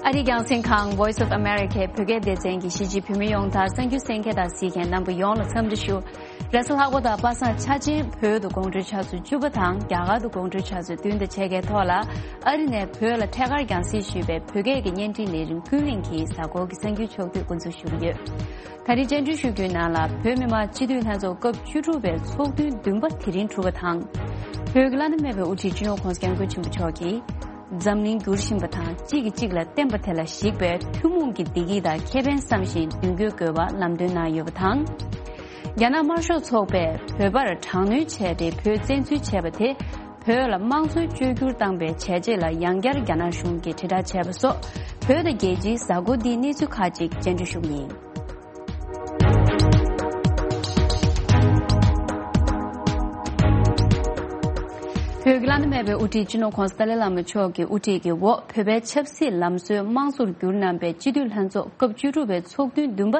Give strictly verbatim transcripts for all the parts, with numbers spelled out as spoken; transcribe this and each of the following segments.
ཨ་རིའི་རྒྱང་སྲིང་ཁང་Voice of America བོད་སྐད་སྡེ་ཚན་གྱི་གཞིས་བྱེས་བོད་མི་ཡོངས་དང་གསར་འགྱུར་གསན་མཁན་དང་གཟིགས་མཁན་རྣམ་པ་ཡོངས་ལ་འཚམས་འདྲི་ཞུ། རེས་གཟའ་ལྷག་པ་དང་པ་སངས་འཆར་ཅན་བོད་དུ་དགོང་དྲོའི་ཆུ་ཚོད་བཅུ་པ་དང་རྒྱ་གར་དུ་དགོང་དྲོའི་ཆུ་ཚོད་བདུན་དང་ཕྱེད་ཀའི་ཐོག་ལ། ཨ་རི་ནས་བོད་ལ་ཐད་ཀར་རྒྱང་སྲིང་ཞུས་པའི་བོད་སྐད་ཀྱི་བརྙན་འཕྲིན་ལས་རིམ་ཀུན་གླེང་གི་གཟའ་འཁོར་གྱི་གསར་འགྱུར་ཕྱོགས་བསྡུས་འགོ་འཛུགས་ཞུ་གི་ཡོད། ད་རིང་བཅར་འདྲི་ཞུ་རྒྱུའི་ནང་ལ། བོད་མི་མང་སྤྱི་འཐུས་ལྷན་ཚོགས་སྐབས་བཅུ་དྲུག་པའི་ཚོགས་ཐུན་བདུན་པ་དེ་རིང་གྲུབ་པ་དང་། བོད་ཀྱི་བླ་ན་མེད་པའི་དབུ་ཁྲིད་སྤྱི་ནོར་༸གོང་ས་༸སྐྱབས་མགོན་ཆེན་པོ་མཆོག་གིས། འཛམ་གླིང་འགྱུར་བཞིན་པ་དང་གཅིག་གིས་གཅིག་ལ་བརྟེན་པ་དེ་ལ་གཞིགས་པའི་ཐུན་མོང་གི་བདེ་སྐྱིད་དང་ཁེ་ཕན་བསམ་བཞིན་མདུན་སྐྱོད་དགོས་པ་ལམ་སྟོན་གནང་ཡོད་པ་དང་། རྒྱ་ནག་དམར་ཤོག་ཚོགས་པས་བོད་པར་དྲག་གནོན་བྱས་ཏེ་བོད་བཙན་འཛུལ་བྱས་པ་དེ། བོད་ལ་དམངས་གཙོའི་བཅོས་བསྒྱུར་བཏང་པའི་བྱས་རྗེས་ལ་ཡང་བསྐྱར་རྒྱ་ནག་གཞུང་གིས་དྲིལ་བསྒྲགས་བྱས་པ་སོགས། བོད་དང་རྒྱལ་སྤྱིའི་གཟའ་འཁོར་འདིའི་གནས་ཚུལ་ཁག་ཅིག་བཅར་འདྲི་ཞུ་གི་ཡིན། བོད་ཀྱི་བླ་ན་མེད་པའི་དབུ་ཁྲིད་སྤྱི་ནོར་༸གོང་ས་ཏཱ་ལའི་བླ་མ་མཆོག་གི་དབུ་ཁྲིད་ཀྱི་འོག་བོད་པའི་ཆབ་སྲིད་ལམ་སྲོལ་དམངས་གཙོར་བསྒྱུར་གནང་པའི་སྤྱི་འཐུས་ལྷན་ཚོགས་སྐབས་བཅུ་དྲུག་པའི་ཚོགས་ཐུན་བདུན་པ་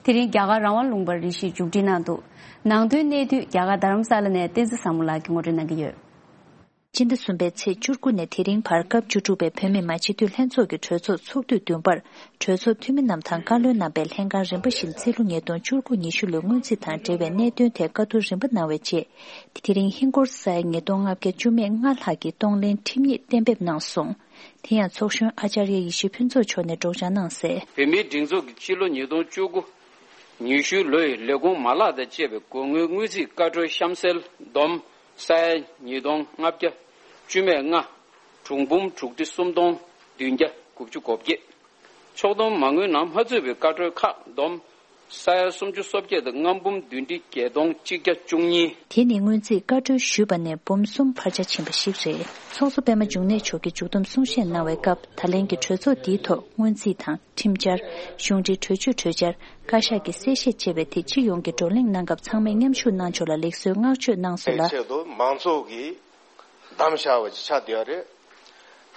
དེ་རིང་རྒྱ་གར་རང་དབང་ལུང་པ་རེ་བཞིར་མཇུག་སྒྲིལ་གནང་འདུག། ནང་དོན་གནད་བསྡུས་རྒྱ་གར་རྡ་རམ་ས་ལ་ནས་བསྟན་འཛིན་བཟང་མོ་ལགས་ཀྱིས་ངོ་སྤྲོད་གནང་གི་ཡོད། སྤྱི་ཟླ་གསུམ་པའི་ཚེས་བཅུ་དགུ་ནས་དེ་རིང་བར་སྐབས་བཅུ་དྲུག་པའི་བོད་མི་མང་སྤྱི་འཐུས་ལྷན་ཚོགས་ཀྱི་གྲོས་ཚོགས་ཚོགས་དུས་བདུན་པར་གྲོས་ཚོགས་འཐུས་མི་རྣམས་དང་བཀའ་བློན་རྣམ་པས་ལྷན་ཁང་རིམ་པ་བཞིན་རྩིས་ལོ་ཉིས་སྟོང་བཅུ་དགུ་ཉི་ཤུ་ལོའི་སྔོན་རྩིས་དང་འབྲེལ་བའི་གནད་དོན་ཐད་བཀའ་བསྡུར་རིམ་པ་གནང་བའི་རྗེས། དེ་རིང་ཧིན་སྒོར་ས་ཡ་ཉིས་སྟོང་ལྔ་བརྒྱ་བཅུ་མེད་ལྔ་ལྷག་གིས་གཏོང་ལེན་ཁྲིམས་ཡིག་གཏན་འབེབས་གནང་སོང་། དེ་ཡང་ཚོགས་གཞོན་ཨ་ཅར་ཡ་ཡེ་ཤེས་ཕུན་ཚོགས་མཆོག་ནས་སྒྲོག་སྦྱང་གནང་གསལ། བོད་མིའི་སྒྲིག་འཛུགས་ཀྱི་སྤྱི་ལོ་ཉིས་སྟོང་བཅུ་དགུ་ཉི་ཤུ་ལོའི་ལས་ཁུངས་མ་ལག་དང་བཅས་པའི་སྒོ་དངུལ་སྔོན་རྩིས་བཀའ་འཁྲོལ་གཤམ་གསལ་བསྡོམས། ས་ཡ་ཉིས་སྟོང་ལྔ་བརྒྱ་བཅུ་མེད་ལྔ། གྲངས་འབུམ་དྲུག་ཁྲི་སུམ་སྟོང་བདུན་བརྒྱ་དགུ་བཅུ་གོ་བརྒྱད། ཕྱོགས་བསྡོམས་མ་དངུལ་ནང་མ་ཚུད་པའི་བཀའ་འཁྲོལ་ཁག་བསྡོམས། ས་ཡ་སུམ་ཅུ་སོ་བརྒྱད་དང་ལྔ་འབུམ་བདུན་ཁྲི་བརྒྱད་སྟོང་གཅིག་བརྒྱ་བཅུ་གཉིས། དེ་ནི་སྔོན་རྩིས་བཀའ་འཁྲོལ་ཞུས་པ་ནས་འབུམ་གསུམ་འཕར་ཆ་ཕྱིན་པ་ཞིག་རེད། ཚོགས་གཙོ་པད་མ་འབྱུང་གནས་མཆོག་གིས་མཇུག་བསྡོམས་གསུང་བཤད་གནང་བའི་སྐབས། ད་ལན་གྱི་གྲོས་ཚོགས་འདིའི་ཐོག་སྔོན་རྩིས་དང་། ཁྲིམས་འཆར། གཞུང་འབྲེལ་གྲོས་ཆོད་གྲོས་འཆར། བཀའ་ཤག་གི་གསལ་བཤད་བཅས་པའི་ཐད་སྤྱི་ཡོངས་ཀྱི་བགྲོ་གླེང་གནང་སྐབས། ཚང་མས་མཉམ་ཞུགས་གནང་ཕྱོགས་ལ་ལེགས་གསོའི་བསྔགས་བརྗོད་གནང་སོང་ལ། ཆེད་དུ་མང་ཚོགས་ཀྱིས་བདམས་བཞག་པ་ཅིག་ཆགས་བསྡད་ཡོད་རེད།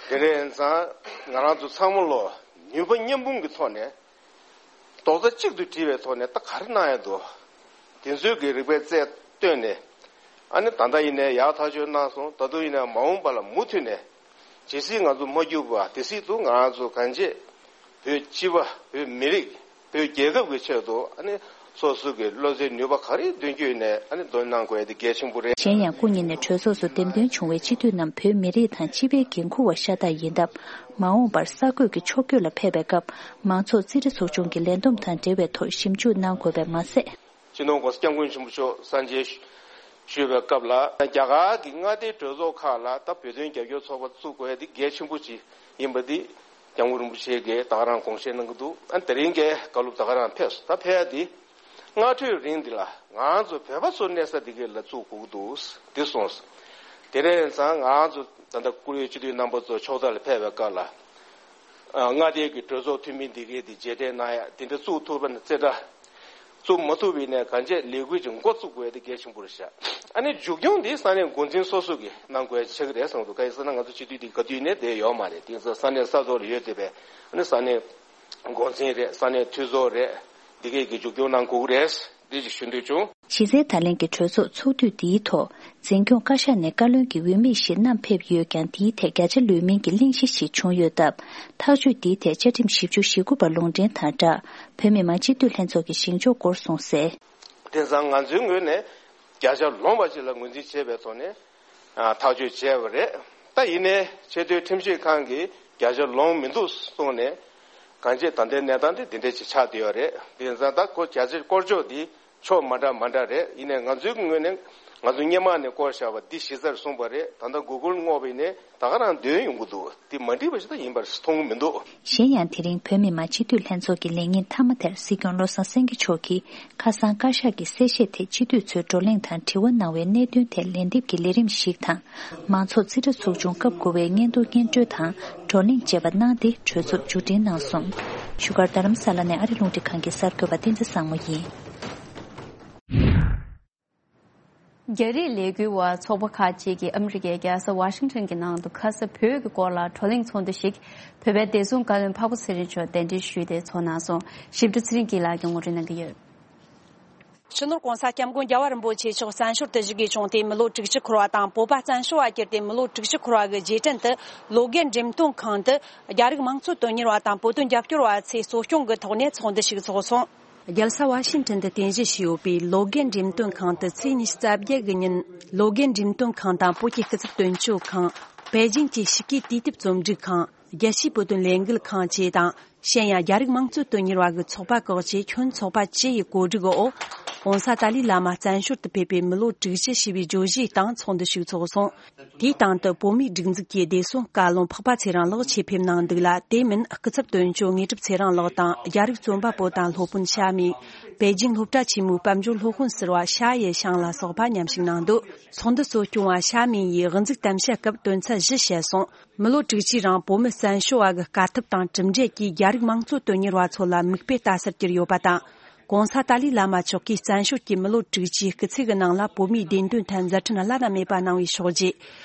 དེ་འདྲ་ཡིན་ཙང་ང་རང་ཚོ་ཚང་མ་ལོ་ནུས་པ་མཉམ་སྤུངས་ཀྱི་ཐོག་ནས་རྡོག་རྩ་གཅིག་ཏུ་སྒྲིལ་བའི་ཐོག་ནས་ད་ག་རེ་གནང་ཡ་འདུག། དེ་ཚོའི་གི་རིགས་པའི་རྩལ་བཏོན་ནས། ཨ་ནི་ད་ལྟ་ཡིན་ནའི་ཡག་ཐག་ཆོད་གནང་སོང་། ད་དུང་ཡིན་ནའི་མ་འོངས་པ་ལ་མུ་མཐུད་ནས། ཇི་སྲིད་ང་ཚོ་མ་བསྒྱུར་བ་དེ་སྲིད་དུ་ང་རང་ཚོ་གང་ཅི་བོད་སྤྱི་པ། བོད་མི་རིགས། བོད་རྒྱལ་ཁབ་ཀྱི་ཆེད་དུ་ཨ་ནི་སོ་སོ་གི་བློ་རྩེ་ནུས་པ་ག་རེ་འདོན་རྒྱུ་ཡིན་ནའི་ཨ་ནི་འདོན་གནང་དགོས་ཡ་དེ་གལ་ཆེན་པོ་རེད། གཞན་ཡང་སྐུ་ཉིད་ནས་གྲོས་ཚོགས་སུ་འདེམས་ཐོན་བྱུང་བའི་སྤྱི་འཐུས་རྣམས་བོད་མི་རིགས་དང་སྤྱི་པའི་འགན་འཁུར་བ་ཤ་སྟག་ཡིན་སྟབས། མ་འོངས་པར་གསར་འགོད་ཀྱི་ཕྱོགས་བསྐྱོད་ལ་ཕེབས་པའི་སྐབས། མང་ཚོགས་རྩིས་ཁྲ་ཚོགས་ཆུང་གི་ལས་བསྡོམས་དང་འབྲེལ་བའི་ཐོག་ཞིབ་འཇུག་གནང་དགོས་པས་མ་ཟད། སྤྱི་ནོར་༸གོང་ས་༸སྐྱབས་མགོན་ཆེན་པོ་མཆོག་གསར་མཇལ་ཞུས་པའི་སྐབས་ལ། རྒྱ་གར་གྱི་མངའ་སྡེའི་གྲོས་ཚོགས་ཁག་ལ་ད་བོད་དོན་རྒྱབ་སྐྱོར་ཚོགས་པ་བཙུགས་དགོས་ཡ་དེ་གལ་ཆེན་པོ་ཅིག་ཡིན་པ་འདི་༸སྐྱབས་མགོན་རིན་པོ་ཆེ་གིས་ད་ག་རང་དགོངས་བཞེས་གནང་གི་འདུག། ཨ་དེ་རིང་གི་བཀའ་སློབ་ད་ག་རང་ཕེབས་སོང་། ད་ཕེབས་ཡ་དེ་སྔ་དྲོའི་རིང་འདི་ལ་ང་ཚོ་བོད་པ་ཚོ་གནས་ས་འདི་ག་ལ་བཙུགས་དགོས་ཀྱི་འདུག་འདི་གསུངས་སོང་། དེ་འདྲ་ཡིན་ཙང་ང་ཚོ་ད་ལྟ་བཀུར་འོས་སྤྱི་འཐུས་རྣམ་པ་ཚོ་ཕྱོགས་མཐའ་ལ་ཕེབས་པའི་སྐབས་ལ། ཨ་མངའ་སྡེ་གི་གྲོས་ཚོགས་འཐུས་མི་འདི་གས་འདི་རྗེས་དྲན་གནང་ཡ་དེ་འདྲ་བཙུགས་ཐུབ་པ་ན་རྩེ་གྲ། བཙུགས་མ་ཐུབ་པ་ཡིན་ནའི་གང་ཅི་ལས་འགུལ་གྱི་འགོ་བཙུགས་དགོས་ཡ་དེ་གལ་ཆེན་པོ་རེད་ཤག། ཨ་ནི་མཇུག་སྐྱོང་འདི་ས་གནས་འགོ་འཛིན་སོ་སོ་གིས་གནང་དགོས་ཡ་ཆགས་ཀྱི་རེད་བསམ་འདུག། གང་ཡིན་ཟེར་ན་ང་ཚོ་སྤྱི་འཐུས་འདི་ག་དུས་ནས་བསྡད་ཡོད་མ་རེད། དེ་ཡིན་ཙང་ས་གནས་ས་ཐོག་ལ་ཡོད་བསྡད་པའི་ཨ་ནི་ས་གནས་འགོ་འཛིན་རེད། ས་གནས་འཐུས་ཚོགས་རེད། འདི་གས་ཀྱིས་མཇུག་སྐྱོང་གནང་དགོས་ཀྱི་རེད། འདི་ཅིག་ཞུ་འདོད་བྱུང་། གཞི་རྩའི་ད་ལན་གྱི་གྲོས་ཚོགས་ཚོགས་དུས་འདིའི་ཐོག་འཛིན་སྐྱོང་བཀའ་ཤག་ནས་བཀའ་བློན་གྱི་འོས་མི་ཞིག་བསྣམས་ཕེབས་ཡོད་ཀྱང་། འདིའི་ཐད་བརྒྱ་ཆ་ལོན་མིན་གྱི་གླེང་གཞི་ཞིག་བྱུང་ཡོད་སྟབས། ཐག་གཅོད་འདིའི་ཐད་བཅའ་ཁྲིམས་བཞི་བཅུ་ཞེ་དགུ་པ་ལུང་འདྲེན་དང་སྦྲགས། བོད་མི་མང་སྤྱི་འཐུས་ལྷན་ཚོགས་ཀྱི་བཞེངས་ཕྱོགས་སྐོར་གསུངས་གསལ། དེང་སང་ང་ཚོའི་ངོས་ནས་བརྒྱ་ཆ་ལོངས་པ་ཅིག་ལ་ངོས་འཛིན་བྱས་པའི་ཐོག་ནས། ཨ་ཐག་གཅོད་བྱས་པ་རེད། ད་ཡིན་ནའི་ཆེས་མཐོའི་ཁྲིམས་ཞིབ་ཁང་གིས་བརྒྱ་ཆ་ལོངས་མི་འདུག་གསུངས་ནས། གང་ཅི་ད་ལྟའི་གནས་སྟངས་དེ་འདི་འདྲ་ཅིག་ཆགས་བསྡད་ཡོད་རེད། དེ་ཡིན་ཙང་ད་ཁོ་བརྒྱ་ཆ་སྐོར་ཕྱོགས་འདི་ཕྱོགས་མ་འདྲ་མ་འདྲ་རེད། ཡིན་ནའི་ང་ཚོའི་ངོས་ནས་ང་ཚོ་སྔོན་མ་ནས་སྐོར་བཞག་པ་འདི་གཞི་རྩར་བཟུང་བ་རེད། ད་ལྟ་གུ་གུལ་བསྔོགས་པ་ཡིན་ནའི་ད་ག་རང་འདོན་ཡོང་གི་འདུག། འདི་མ་འགྲིག་པ་ཞིག་ད་ཡིན་པར་མཐོང་གི་མི་འདུག། གཞན་ཡང་། དེ་རིང་བོད་མི་མང་སྤྱི་འཐུས་ལྷན་ཚོགས་ཀྱི་ལས་ཉིན་མཐའ་མ་དེར་སྲིད་སྐྱོང་བློ་བཟང་སེང་གེ་མཆོག་གིས། ཁ་སང་བཀའ་ཤག་གི་གསལ་བཤད་ཐད་སྤྱི་འཐུས་ཚོས་བགྲོ་གླེང་དང་དྲི་བ་གནང་བའི་གནད་དོན་ཐད་ལན་འདེབས་ཀྱི་ལས་རིམ་ཞིག་དང་། མང་ཚོགས་རྩིས་ཁྲ་ཚོགས་ཆུང་སྐབས་དགུ་པའི་སྙན་ཐོ་སྙན་སྒྲོན་དང་བགྲོ་གླེང་བཅས་པ་གནང་སྟེ་གྲོས་ཚོགས་མཇུག་སྒྲིལ་གནང་སོང་། བཞུགས་སྒར་རྡ་རམ་ས་ལ་ནས་ཨ་རི་རླུང་འཕྲིན་ཁང་གི་གསར་འགོད་པ་བསྟན་འཛིན་བཟང་མོ་ཡིན། རྒྱ་རིགས་ལས་འགུལ་བ་ཚོགས་པ་ཁག་ཅིག་གིས་ཨ་མི་རི་ཀའི་རྒྱལ་ས་ཝ་ཤིང་ཊོན་གྱི་ནང་དུ་ཁ་ས་བོད་ཀྱི་སྐོར་ལ་བགྲོ་གླེང་ཚོགས་འདུ་ཞིག་བོད་པའི་བདེ་སྲུང་བཀའ་བློན་འཕགས་པ་ཚེ་རིང་མཆོག་གདན་འདྲེན་ཞུས་ཏེ་ཚོགས་གནང་སོང་། ཞིབ་ཕྲ་ཚེ་རིང་སྐྱིད་ལགས་ཀྱིས་ངོ་སྤྲོད་གནང་གི་ཡོད། སྤྱི་ནོར་༸གོང་ས་༸སྐྱབས་མགོན་རྒྱལ་བ་རིན་པོ་ཆེ་མཆོག་བཙན་བྱོལ་དུ་བཞུགས་དགོས་བྱུང་སྟེ། མི་ལོ་དྲུག་ཅུ་འཁོར་བ་དང་། བོད་པ་བཙན་བྱོལ་བ་གྱུར་ཏེ་མི་ལོ་དྲུག་ཅུ་འཁོར་བ་གི་རྗེས་དྲན་དུ། ལོ་དགེ་འགྲེམས་སྟོན་ཁང་དུ་རྒྱ་རིགས་དམངས་གཙོའི་དོན་གཉེར་བ་དང་བོད་དོན་རྒྱབ་སྐྱོར་བ་ཚོས་གཙོ་སྐྱོང་གི་ཐོག་ནས་ཚོགས་འདུ་ཞིག་འཚོགས་སོང་། རྒྱལ་ས་ཝ་ཤིང་ཊོན་དུ་རྟེན་གཞི་བྱས་ཡོད་པའི་ལོ་དགེ་འགྲེམས་སྟོན་ཁང་དུ་ཚེས་ཉི་ཤུ་རྩ་བརྒྱད་གི་ཉིན། ལོ་དགེ་འགྲེམས་སྟོན་ཁང་དང་བོད་ཀྱི་སྐུ་ཚབ་དོན་གཅོད་ཁང་། པེ་ཅིང་གི་ཕྱི་སྐྱེས་དུས་དེབ་རྩོམ་སྒྲིག་ཁང་། རྒྱལ་སྤྱིའི་བོད་དོན་ལས་འགུལ་ཁང་བཅས་དང་། གཞན་ཡང་རྒྱ་རིགས་དམངས་གཙོའི་དོན་གཉེར་བ་གི་ཚོགས་པ་ཁག་བཅས་ཁྱོན་ཚོགས་པ་བཅུ་ཡི་གོ་སྒྲིག་འོག༸གོང་ས་ཏཱ་ལའི་བླ་མ་བཙན་བྱོལ་དུ་ཕེབས་པའི་མི་ལོ་དྲུག་ཅུ་ཞེས་པའི་བརྗོད་གཞིའི་སྟེང་ཚོགས་འདུ་ཞིག་འཚོགས་སོང་། དེའི་སྟེང་དུ་བོད་མིའི་སྒྲིག་འཛུགས་ཀྱི་བདེ་སྲུང་བཀའ་བློན་འཕགས་པ་ཚེ་རིང་ལགས་ཆེད་ཕེབས་གནང་འདུག་ལ། དེ་མིན་སྐུ་ཚབ་དོན་གཅོད་དངོས་གྲུབ་ཚེ་རིང་ལགས་དང་། རྒྱ་རིགས་རྩོམ་པ་པོ་དང་སློབ་དཔོན་ཤ་མིན། པེ་ཅིང་སློབ་གྲྭ་ཆེན་མོའི་དཔལ་འབྱོར་སློབ་དཔོན་ཟུར་པ་ཤ་ཡེ་ཤང་ལ་སོགས་པ་མཉམ་ཞུགས་གནང་འདུག་ཚོགས་འདུ་གཙོ་སྐྱོང་བ་ཤ་མིན་ཡིས་དབུ་འཛུགས་གཏམ་བཤད་སྐབས་དོན་ཚན་བཞི་བཤད་སོང་། མི་ལོ་དྲུག་ཅུའི་རིང་བོད་མི་བཙན་བྱོལ་བ་གི་དཀའ་ཐུབ་དང་གྲུབ་འབྲས་ཀྱིས་རྒྱ་རིགས་དམངས་གཙོ་དོན་གཉེར་བ་ཚོ་ལ་མིག་དཔེ་ལྟ་སར་གྱུར་ཡོད་པ་དང་། ༸གོང་ས་ཏཱ་ལའི་བླ་མ་མཆོག་གིས་བཙན་བྱོལ་གྱི་མི་ལོ་དྲུག་ཅུའི་སྐུ་ཚེ་གི་ནང་ལ་བོད་མིའི་བདེན་དོན་ཐད་མཛད་འཕྲིན་བླ་ན་མེད་པ་གནང་བའི་ཕྱོགས་བརྒྱུད།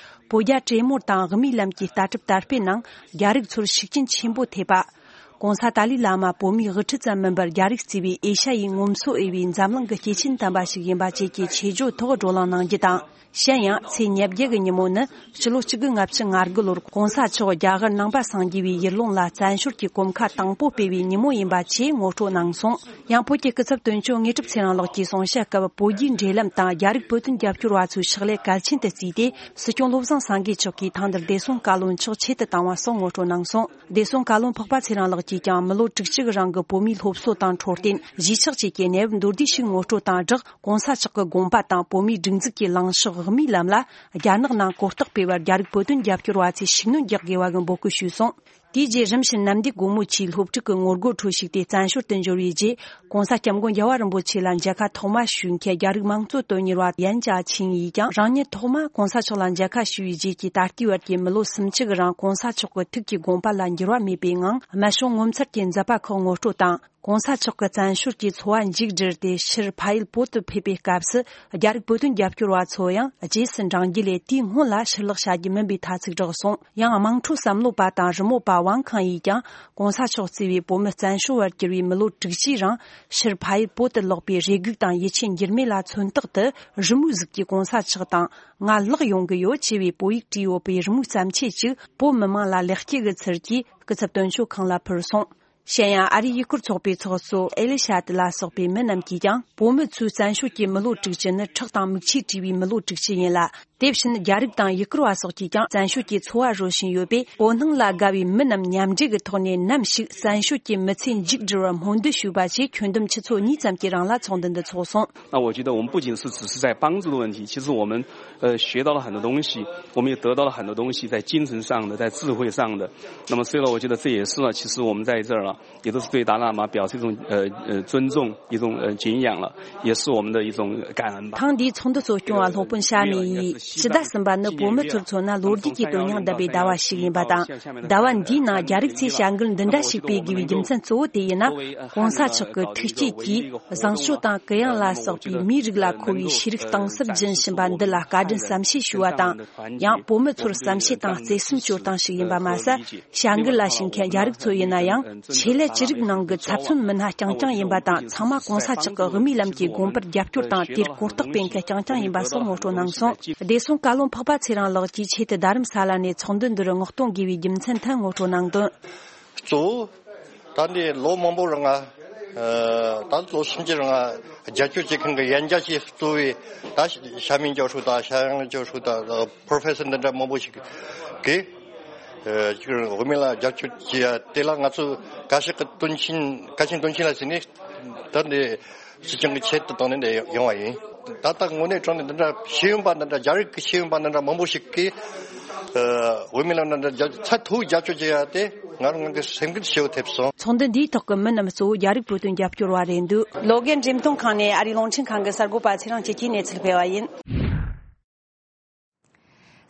བོད་རྒྱ་གྲོས་མོལ་དང་དབུ་མའི་ལམ་གྱི་ལྟ་གྲུབ་དར་སྤེལ་ནང་རྒྱ་རིགས་ཚོར་ཤུགས་རྐྱེན་ཆེན་པོ་ཐེབས་པ། ༸གོང་ས་ཏཱ་ལའི་བླ་མ་བོད་མིའི་དབུ་ཁྲིད་ཙམ་མིན་པར་རྒྱ་རིགས་གཙོས་པའི་ཨེ་ཤ་ཡའི་ངོམ་སོ་འོས་པའི་འཛམ་གླིང་གི་སྐྱེས་ཆེན་དམ་པ་ཞིག་ཡིན་པ་བཅས་ཀྱི་ཆེད་བརྗོད་ཐོག་བགྲོ་གླེང་གནང་རྒྱུ་དང་། གཞན་ཡང་ཚེས་ཉེར་བརྒྱད་ཀྱི་ཉིན་མོ་ནི་ཕྱི་ལོ་གཅིག་དགུ་ལྔ་བཅུ་ང་དགུ་ལོར་༸གོང་ས་མཆོག་རྒྱ་གར་ནང་པ་སངས་རྒྱས་པའི་ཡུལ་ལུང་ལ་བཙན་བྱོལ་གྱི་གོམ་ཁ་དང་པོ་སྤོས་པའི་ཉིན་མོ་ཡིན་པ་བཅས་ངོ་སྤྲོད་གནང་སོང་། ཡང་བོད་ཀྱི་སྐུ་ཚབ་དོན་གཅོད་དངོས་གྲུབ་ཚེ་རིང་ལགས་ཀྱིས་གསུང་བཤད་སྐབས། བོད་རྒྱའི་འབྲེལ་ལམ་དང་རྒྱ་རིགས་བོད་དོན་རྒྱབ་སྐྱོར་བ་ཚོའི་ཕྱག་ལས་གལ་ཆེན་དུ་བརྩིས་ཏེ། སྲིད་སྐྱོང་བློ་བཟང་སེང་གེ་མཆོག་གིས་ཐེངས་འདིར་བདེ་སྲུང་བཀའ་བློན་མཆོག་ཆེད་དུ་བཏང་བ་སོགས་ངོ་སྤྲོད་གནང་སོང་། བདེ་སྲུང་བཀའ་བློན་འཕགས་པ་ཚེ་རིང་ལགས་ཀྱིས་ཀྱང་མི་ལོ་དྲུག་ཅུ་གི་རིང་གི་བོད་མིའི་སློབ་གསོ་དང་འཕྲོད་བསྟེན། གཞིས་ཆགས་བཅས་ཀྱི་གནས་བབ་མདོར་བསྡུས་ཤིག་ངོ་སྤྲོད་དང་སྦྲགས། ༸གོང་ས་མཆོག་གི་དགོངས་པ་དང་བོད་མིའི་སྒྲིག་འཛུགས་ཀྱི་ལངས་ཕྱོགས་དབུ་མའི་ལམ་ལ་རྒྱ་ནག་ནང་གོ་རྟོགས་སྤེལ་བར་རྒྱ་རིགས་བོད་དོན་རྒྱབ་སྐྱོར་བ་ཚོས་ཤུགས་སྣོན་རྒྱག་དགོས་པ་གི་འབོད་སྐུལ་ཞུས་སོང་། དེའི་རྗེས་རིམ་བཞིན་གནམ་བདེ་སྒོ་མོ་ཆེའི་སློབ་ཕྲུག་གི་ངོ་རྒོལ་ཁྲོད་ཞུགས་ཏེ་བཙན་བྱོལ་དུ་འབྱོར་བའི་རྗེས། ༸གོང་ས་༸སྐྱབས་མགོན་རྒྱལ་བ་རིན་པོ་ཆེ་ལ་མཇལ་ཁ་ཐོག་མ་ཞུས་མཁན་རྒྱ་རིགས་དམངས་གཙོ་དོན་གཉེར་བ་ཡན་ཅཱ་ཆིང་ཡིས་ཀྱང་། རང་ཉིད་ཐོག་མ་༸གོང་ས་མཆོག་ལ་མཇལ་ཁ་ཞུ་བའི་རྗེས་ཀྱི་ད་ལྟའི་བར་གྱི་མི་ལོ་སུམ་ཅུ་གི་རིང་༸གོང་ས་མཆོག་གི་ཐུགས་ཀྱི་དགོངས་པ་ལ་འགྱུར་བ་མེད་པའི་ངང་། རྨད་བྱུང་ངོ་མཚར་གྱི་མཛད་པ་ཁག་ངོ་སྤྲོད་དང་། ༸གོང་ས་མཆོག་གི་བཙན་བྱོལ་གྱི་འཚོ་བ་མཇུག་བསྒྲིལ་ཏེ་ཕྱིར་ཕ་ཡུལ་བོད་དུ་ཕེབས་པའི་སྐབས་སུ། རྒྱ་རིགས་བོད་དོན་རྒྱབ་སྐྱོར་བ་ཚོ་ཡང་རྗེས་སུ་འབྲང་རྒྱུ་ལས། དེའི་སྔོན་ལ་ཕྱིར་ལོག་བྱ་རྒྱུ་མིན་པའི་ཐ་ཚིག་བསྒྲགས་སོང་། ཡང་དམངས་ཁྲོད་བསམ་བློ་པ་དང་རི་མོ་པ་ཝང་ཁང་ཡིས་ཀྱང་། ༸གོང་ས་མཆོག་གཙོས་པའི་བོད་མི་བཙན་བྱོལ་བར་གྱུར་བའི་མི་ལོ་དྲུག་ཅུའི་རིང་། ཕྱིར་ཕ་ཡུལ་བོད་དུ་ལོག་པའི་རེ་སྒུག་དང་ཡིད་ཆེས་འགྱུར་མེད་ལ་མཚོན་རྟགས་དུ། རི་མོའི་གཟུགས་ཀྱི་༸གོང་ས་མཆོག་དང་། ང་ལག་ཡོང་གི་ཡོད་ཅེས་པའི་བོད་ཡིག་བྲིས་ཡོད་པའི་རི་མོའི་བརྩམས་ཆོས་ཅིག་བོད་མི་མང་ལ་ལེགས་སྐྱེས་ཀྱི་ཚུལ་གྱིས་སྐུ་ཚབ་དོན་གཅོད་ཁང་ལ་ཕུལ་སོང་། གཞན་ཡང་ཨ་རིའི་ཡུལ་སྐོར་ཚོགས་པའི་ཚོགས་གཙོ་ཨེ་ལི་ཤ་ཏི་ལ་སོགས་པའི་མི་རྣམས་ཀྱིས་ཀྱང་། བོད་མི་ཚོའི་བཙན་བྱོལ་གྱི་མི་ལོ་དྲུག་ཅུ་ནི་ཁྲག་དང་མིག་ཆུས་བྲིས་པའི་མི་ལོ་དྲུག་ཅུ་ཡིན་ལ། དེ་བཞིན་རྒྱ་རིགས་དང་ཡུལ་སྐོར་བ་སོགས་ཀྱིས་ཀྱང་བཙན་བྱོལ་གྱི་འཚོ་བ་རོལ་བཞིན་ཡོད་པས། བོད་ནང་ལ་དགའ་བའི་མི་རྣམས་མཉམ་འབྲེལ་གྱི་ཐོག་ནས་ནམ་ཞིག་བཙན་བྱོལ་གྱི་མི་ཚེ་མཇུག་བསྒྲིལ་བར་སྨོན་འདུན་ཞུས་པ་བཅས་ཁྱོན་བསྡོམས་ཆུ་ཚོད་གཉིས་ཙམ་གྱི་རིང་ལ་ཚོགས་འདུ་འདི་འཚོགས་སོང་། 那我觉得我们不仅是只是在帮助的问题，其实我们呃学到了很多东西，我们也得到了很多东西，在精神上的，在智慧上的。那么所以呢，我觉得这也是呢，其实我们在这儿啊，也都是对达赖喇嘛表示一种呃呃尊重，一种呃敬仰了，也是我们的一种感恩吧。 ཐེངས་འདིའི་ཚོགས་འདུ་གཙོ་སྐྱོང་བ་སློབ་དཔོན་ཤ་མི་ཡིས། ཕྱི་ཟླ་གསུམ་པ་ནི་བོད་མི་ཚོར་མཚོན་ན་ལོ་རྒྱུས་ཀྱི་དོན་སྙིང་ལྡན་པའི་ཟླ་བ་ཞིག་ཡིན་པ་དང་། ཟླ་བ་འདིའི་ནང་རྒྱ་རིགས་ཚོས་བྱ་འགུལ་འདི་འདྲ་ཞིག་སྤེལ་དགོས་པའི་རྒྱུ་མཚན་གཙོ་བོ་དེ་ཡིན་ན། ༸གོང་ས་མཆོག་གི་ཐུགས་བསྐྱེད་ཀྱིས་བཟང་སྤྱོད་དང་གུ་ཡངས་ལ་སོགས་པའི་མིའི་རིགས་ལ་མཁོ་བའི་ཤེས་རིག་གཏིང་ཟབ་སྦྱིན་བཞིན་པ་འདི་ལ་བཀའ་དྲིན་བསམ་ཤེས་ཞུ་བ་དང་། ཡང་བོད་མི་ཚོར་བསམ་ཤེས་དང་བརྩེ་སེམས་སྤྱོད་སྟངས་ཤིག་ཡིན་པ་མ་ཟད། བྱ་འགུལ་ལ་ཞུགས་མཁན་རྒྱ་རིགས་ཚོ་ཡིན་ན་ཡང་། ཆེད་ལས་ཅི་རིགས་ནང་གི་ཚབ་མཚོན་མི་སྣ་རྐྱང་རྐྱང་ཡིན་པ་དང་། ཚང་མ་༸གོང་ས་མཆོག་གི་དབུ་མའི་ལམ་གྱི་དགོངས་པར་རྒྱབ་སྐྱོར་དང་། དེར་གོ་རྟོགས་སྤེལ་མཁན་རྐྱང་རྐྱང་ཡིན་པ་སོགས་ངོ་སྤྲོད་གནང་སོང་། བདེ་སྲུང་བཀའ་བློན་འཕགས་པ་ཚེ་རིང་ལགས་ཀྱིས་ཆེད་དུ་རྡ་རམ་ས་ལ་ནས་ཚོགས་འདུ་འདིར་བསྔགས་གཏོང་དགོས་པའི་རྒྱུ་མཚན་ཐད་ངོ་སྤྲོད་གནང་དོན། གཙོ་བོ། ད་འདི་ལོ་མང་པོ་རིང་ང་། ད་ལོ་སུམ་ཅུ་རིང་ང་རྒྱབ་སྐྱོར་བྱེད་མཁན་གྱི་ཡན་ཆད་ཀྱི་གཙོ་བོའི་ད་ཤ་མིན་ཅོ་ཧྲུའུ་དང་ཤ་ཡང་ཅོ་ཧྲུའུ་དང་པོ་རོ་ཕེ་སར་འདི་འདྲ་མང་པོ་ཞིག་གིས། ཅིག་དབུ་མའི་ལམ་རྒྱབ་སྐྱོར་བྱེད་ཡ་དེ་ལ་ང་ཚོ་བཀའ་ཤག་གི་དོན་ཆེན་བཀའ་ཆེན་དོན་ཆེན་ལ་ཟེར་ནས་ད་འདི་སྲིད་སྐྱོང་གི་ཆེད་དུ་བཏང་ནས་འདི་ཡོང་བ་ཡིན། ད་ལྟ་དངོས་གནས་དྲང་གནས་འདི་འདྲ་ཤེས་ཡོན་པ་འདི་འདྲ་རྒྱ་རིགས་ཀྱི་ཤེས་ཡོན་པ་འདི་འདྲ་མང་པོ་ཞིག་གིས་དབུ་མའི་ལམ་འདི་འདྲ་རྒྱ་ཚད་མཐོ་བའི་རྒྱབ་སྐྱོར་བྱེད་ཡ་དེ་ང་རང་ང་གི་སེམས་འགུལ་ཞེ་པོ་ཐེབས་སོང་། ཚོགས་འདུ་འདིའི་ཐོག་གི་མི་རྣམས་གཙོ་བོ་རྒྱ་རིགས་བོད་དོན་རྒྱབ་སྐྱོར་བ་རེད་འདུག་ལོ་དགེ་འགྲེམས་སྟོན་ཁང་ནས་ཨ་རིའི་རླུང་འཕྲིན་ཁང་གི་གསར་འགོད་པ་ཚེ་རིང་སྐྱིད་ཀྱིས་གནས་ཚུལ་སྤེལ་བ་ཡིན།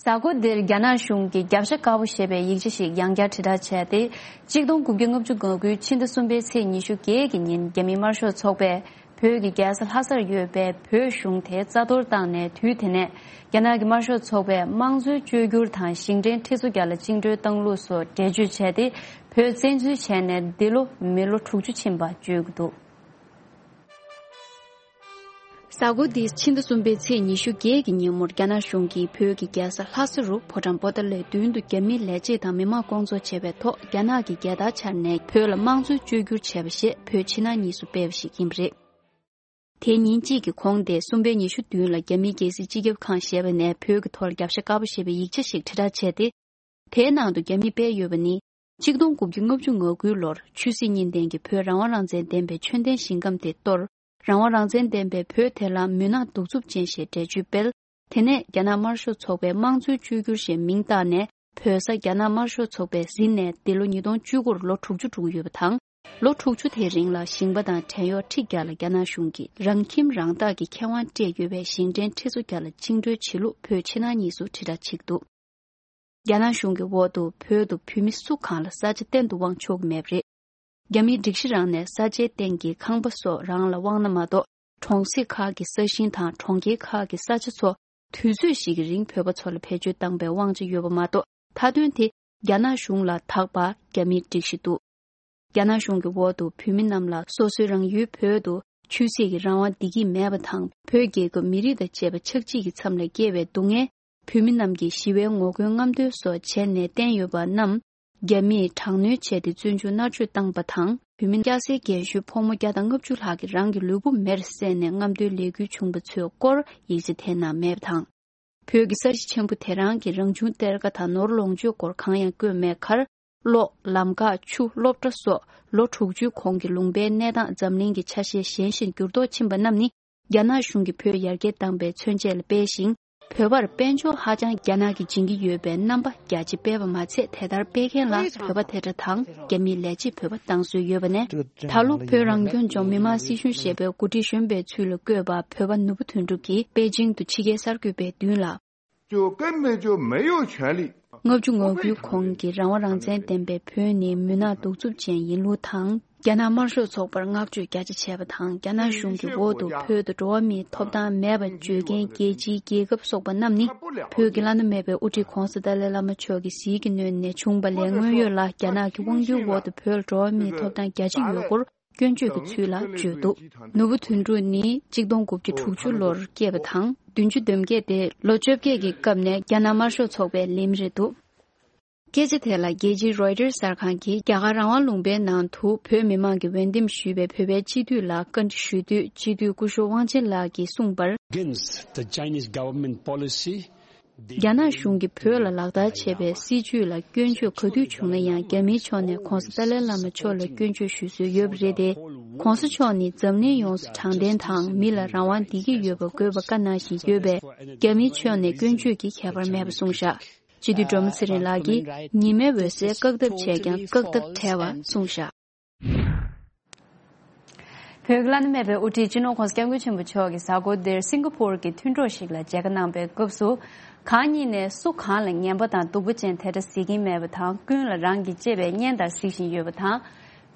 གཟའ་འཁོར་འདིར་རྒྱ་ནག་གཞུང་གིས་རྒྱབ་ཤ་དཀར་པོ་ཞེས་པའི་ཡིག་ཆ་ཞིག་ཡང་བསྐྱར་དྲིལ་བསྒྲགས་བྱས་ཏེ། གཅིག་སྟོང་དགུ་བརྒྱ་ལྔ་བཅུ་ང་དགུའི་ཕྱི་ཟླ་གསུམ་པའི་ཚེས་ཉི་ཤུ་བརྒྱད་ཀྱི་ཉིན། རྒྱ་མིའི་དམར་ཤོག་ཚོགས་པས་བོད་ཀྱི་རྒྱལ་ས་ལྷ་སར་ཡོད་པའི་བོད་གཞུང་དེ་རྩ་གཏོར་བཏང་ནས། དུས་དེ་ནས་རྒྱ་ནག་གི་དམར་ཤོག་ཚོགས་པས་དམངས་གཙོའི་བཅོས་བསྒྱུར་དང་ཞིང་བྲན་ཁྲི་ཚོ་བརྒྱ་ལ་བཅིངས་འགྲོལ་བཏང་ལུགས་སོགས་འགྲེལ་བརྗོད་བྱས་ཏེ། བོད་བཙན་འཛུལ་བྱས་ནས་འདི་ལོ་མི་ལོ་དྲུག་ཅུ་ཕྱིན་པ་བརྗོད་ཀྱི་འདུག་གཟའ་འཁོར་འདིའི་ཕྱི་ཟླ་གསུམ་པའི་ཚེས་ཉི་ཤུ་བརྒྱད་ཀྱི་ཉིན་མོར་རྒྱ་ནག་གཞུང་གིས་བོད་ཀྱི་རྒྱལ་ས་ལྷ་ས་རུ་ཕོ་བྲང་པོ་ཏཱ་ལའི་མདུན་དུ་རྒྱ་མིའི་ལས་བྱེད་དང་མི་མང་བསྐོང་ཚོགས་བྱས་པའི་ཐོག་རྒྱ་ནག་གི་རྒྱལ་དར་འཕྱར་ནས་བོད་ལ་དམངས་གཙོའི་བཅོས་བསྒྱུར་བྱས་པ་ཞེས་བོད་ཕྱི་ནང་གཉིས་སུ་སྤེལ་བ་ཞིག་ཡིན་པ་རེད། དེའི་ཉིན་གཅིག་གི་གོང་སྟེ་གསུམ་པའི་ཉི་ཤུ་བདུན་ལ་རྒྱ་མིའི་རྒྱལ་སྲིད་སྤྱི་ཁྱབ་ཁང་ཞེས་པ་ནས་བོད་ཀྱི་ཐོག་རྒྱབ་ཤ་དཀར་པོ་ཞེས་པའི་ཡིག་ཆ་ཞིག་དྲིལ་བསྒྲགས་བྱས་ཏེ། དེའི་ནང་དུ་རྒྱ་མིས་སྤེལ་ཡོད་པ་ནི། ཆིག་སྟོང་དགུ་བརྒྱ་ལྔ་བཅུ་ང་དགུའི་ལོར་ཆོས་སྲིད་གཉིས་ལྡན་གྱི་བོད་རང་དབང་རང་བཙན་ལྡན་པའི་ཆོས་ལྡན་ཞིང་ཁམས་དེ་གཏོར། རང་དབང་རང་བཙན་ལྡན་པའི་བོད་དེ་ལ་མུན་ནག་གདུག་རྩུབ་ཅན་ཞེས་འགྲེལ་བརྗོད་སྤེལ། དེ་ནས་རྒྱ་ནག་དམར་ཤོག་ཚོགས་པས་དམངས་གཙོའི་བཅོས་བསྒྱུར་ཞེས་མིང་བཏགས་ནས། བོད་ས་རྒྱ་ནག་དམར་ཤོག་ཚོགས་པས་ཟིན་ནས་འདི་ལོ་ཉིས་སྟོང་བཅུ་དགུ་རུ་ལོ་དྲུག་ཅུ་འགྲོ་གི་ཡོད་པ་དང་། ལོ་དྲུག་ཅུ་དེའི་རིང་ལ་ཞིང་པ་དང་བྲན་གཡོག་ཁྲི་བརྒྱ་ལ་རྒྱ་ནག་གཞུང་གིས་རང་ཁྱིམ་རང་བདག་གི་ཁེ་དབང་སྤྲད་ཡོད་པའི་ཞིང་བྲན་ཁྲི་ཚོ་བརྒྱ་ལ་བཅིངས་འགྲོལ་བྱེད་ལུགས་བོད་ཕྱི་ནང་གཉིས་སུ་དྲིལ་བསྒྲགས་བྱེད་ཀྱི་འདུག་རྒྱ་ནག་གཞུང་གི་འོག་ཏུ་བོད་དུ་བོད་མི་སུ་གང་ལ་ས་ཆ་གཏན་དུ་དབང་ཆོག་གི་མེད་པ་རེད། རྒྱ་མིའི་སྒྲིག་གཞི་རང་ནས་ས་ཆའི་སྟེང་གི་ཁང་པ་སོགས་རང་ལ་དབང་ན་མ་གཏོགས། གྲོང་གསེབ་ཁག་གི་ས་ཞིང་དང་གྲོང་ཁྱེར་ཁག་གི་ས་ཆ་ཚོ་དུས་ཚོད་ཞིག་གི་རིང་བོད་པ་ཚོ་ལ་བེད་སྤྱོད་བཏང་པའི་དབང་ཆ་ཡོད་པ་མ་གཏོགས། མཐའ་དོན་དེ་རྒྱ་ནག་གཞུང་ལ་དག་པ་རྒྱ་མིའི་སྒྲིག་གཞི་འདུག་རྒྱ་ནག་གཞུང་གི་འོག་ཏུ་བོད་མི་རྣམས་ལ་སོ་སོའི་རང་ཡུལ་བོད་དུ་ཆོས་སྲིད་ཀྱི་རང་དབང་བདེ་སྐྱིད་མེད་པ་དང་། བོད་རྒྱལ་ཁབ་མི་རིགས་དང་བཅས་པ་ཆགས་འཇིག་གི་མཚམས་ལ་སྐྱེལ་བའི་སྡུག་བསྔལ། བོད་མི་རྣམས་ཀྱིས་ཞི་བའི་ངོ་རྒོལ་རྔམ་སྟོན་སོགས་བྱས་ནས་བསྟན་ཡོད་པ་རྣམས། རྒྱ་མིས་དྲག་གནོན་བྱས་ཏེ་བཙོན་འཇུག་མནར་གཅོད་བཏང་པ་དང་། བོད་མི་སྐྱ་སེར་རྒན་གཞོན་ཕོ་མོ་བརྒྱ་དང་ལྔ་བཅུ་ལྷག་གིས་རང་གི་ལུས་པོ་མེར་བསྲེགས་ནས་རྔམ་སྟོན་ལས་འགུལ་བྱུང་པ་ཚོའི་སྐོར་ཡིག་ཆ་དེ་ནང་མེད་པ་དང་། བོད་ཀྱི་ས་གཞི་ཆེན་པོ་དེ་རང་གི་རང་བྱུང་གཏེར་ཁ་དང་ནོར་ལོངས་སྤྱོད་སྐོར་གང་ཡང་བཀོད་མེད་ཁར། གློག་ལམ་ཁ། ཆུ། སློབ་གྲྭ་སོགས་ལོ་དྲུག་ཅུའི་གོང་གི་ལུང་པའི་གནས་སྟངས་འཛམ་གླིང་གི་ཆ་ཤས་གཞན་བཞིན་འགྱུར་ལྡོག་ཕྱིན་པ་རྣམས་ནི། རྒྱ་ནག་གཞུང་གིས་བོད་ཡར་རྒྱས་བཏང་པའི་མཚོན་བྱེད་ལ་སྤེལ་ཞིང་། བོད་པར་དཔལ་འབྱོར་ཧ་ཅང་རྒྱ་ནག་གིས་སྦྱིན་གྱི་ཡོད་པའི་རྣམ་པ་རྒྱ་ཆེ་སྤེལ་བ་མ་ཚད། དེ་ལྟར་སྤེལ་མཁན་ལ་བོད་པ་དེ་འདྲ་དང་། རྒྱ་མིའི་ལས་བྱེད་བོད་པ་བཏང་སྲོལ་ཡོད་པ་ནས། ད་ལོ་བོད་རང་སྐྱོང་ལྗོངས་མི་དམངས་སྲིད་གཞུང་ཞེས་པའི་འགོ་ཁྲིད་གཞོན་པའི་ཚུལ་ལ་བསྐོས་པ་བོད་པ་ནོར་བུ་དོན་གྲུབ་ཀྱིས་པེ་ཅིང་དུ་ཕྱི་རྒྱལ་གསར་འགོད་པའི་མདུན་ལ། 就根本就没有权利。 ལྔ་བཅུ་ང་དགུའི་གོང་གི་རང་དབང་རང་བཙན་ལྡན་པའི་བོད་ནི་མུན་ནག་གདུག་རྩུབ་ཅན་ཡིན་ལུགས་དང་། རྒྱ་ནག་དམར་ཤོག་ཚོགས་པར་བསྔགས་བརྗོད་རྒྱ་ཆེ་བྱས་པ་དང་། རྒྱ་ནག་གཞུང་གི་འོག་ཏུ་བོད་དུ་འགྲོ་བ་མིའི་ཐོབ་ཐང་མེད་པར་བརྗོད་མཁན་རྒྱལ་སྤྱིའི་རྒྱལ་ཁབ་སོགས་པ་རྣམས་ནི། བོད་ཀྱི་བླ་ན་མེད་པའི་དབུ་ཁྲིད་༧གོང་ས་ཏཱ་ལའི་བླ་མ་མཆོག་གི་ཟིལ་གྱིས་གནོན་ནས་བྱུང་བ་ལས། དངོས་ཡོད་ལ་རྒྱ་ནག་གི་དབང་སྒྱུར་འོག་ཏུ་བོད་ལ་འགྲོ་བ་མིའི་ཐོབ་ཐང་རྒྱ་ཆེ་ཡོད་སྐོར་སྐྱོན་བརྗོད་ཀྱི་ཚུལ་ལ་བརྗོད་འདུག་ནོར་བུ་དོན་གྲུབ་ནི་གཅིག་སྟོང་དགུ་བརྒྱ་དྲུག་ཅུ་ལོར་སྐྱེས་པ་དང་། བདུན་ཅུ་དོན་བརྒྱད་དེ་ལོ་བཅོ་བརྒྱད་ཀྱི་སྐབས་ནས་རྒྱ་ནག་དམར་ཤོག་ཚོགས་པའི་ལས་མི་རེད་འདུག་སྐད་ཆ་དེ་ལ་རྒྱལ་སྤྱིའི་Reuters གསར་ཁང་གིས་རྒྱ་གར་རང་དབང་ལུང་པའི་ནང་དུ་བོད་མི་མང་གིས་འོས་འདེམས་ཞུས་པའི་བོད་པའི་སྤྱི་འཐུས་ལ་བཀའ་འདྲི་ཞུ་དུས། སྤྱི་འཐུས་སྐུ་ཞབས་དབང་ཆེན་ལགས་ཀྱིས་གསུངས་པར། Against the Chinese government policy, རྒྱ་ནག་གཞུང་གིས་བོད་ལ་ལག་བསྟར་བྱས་པའི་སྲིད་བྱུས་ལ་སྐྱོན་བརྗོད་ག་དུས་བྱུང་ན་ཡང་། རྒྱ་མིའི་ཕྱོགས་ནས་༧གོང་ས་ཏཱ་ལའི་བླ་མ་མཆོག་ལ་སྐྱོན་བརྗོད་ཞུ་སྲོལ་ཡོད་པ་རེད་དེ། ༧གོང་ས་མཆོག་ནི་འཛམ་གླིང་ཡོངས་སུ་དྲང་བདེན་དང་མི་ལ་རང་དབང་བདེ་སྐྱིད་ཡོད་པ་དགོས་པ་བཀའ་གནང་བཞིན་ཡོད་པས། རྒྱ་མིའི་ཕྱོགས་ནས་སྐྱོན་བརྗོད་ཀྱི་ཁྱད་པར་མེད་པ་གསུངས་བཞག་སྤྱི་འཐུས་སྒྲོལ་མ་ཚེ་རིང་ལགས་ཀྱིས། ཉི་མའི་འོད་ཟེར་བཀག་ཐབས་བྱས་ཀྱང་བཀག་ཐབས་བྲལ་བ་གསུངས་བཞག་བོད་ཀྱི་བླ་ན་མེད་པའི་དབུ་ཁྲིད་སྤྱི་ནོར་༧གོང་ས་༧སྐྱབས་མགོན་ཆེན་པོ་མཆོག་གིས་གཟའ་འཁོར་འདིར་སིང་ག་ཕོར་གྱི་མཐུན་གྲོགས་ཤིག་ལ་མཇལ་ཁ་གནང་པའི་སྐབས་སུ། གང་ཉིད་ནས་སུ་གང་ལ་ངན་པ་དང་སྡུག་པོ་ཅན་དེ་འདྲ་གཟིགས་ཀྱིན་མེད་པ་དང་། ཀུན་ལ་རང་གི་གཅེས་པའི་གཉེན་ལྟར་གཟིགས་བཞིན་ཡོད་པ་དང་།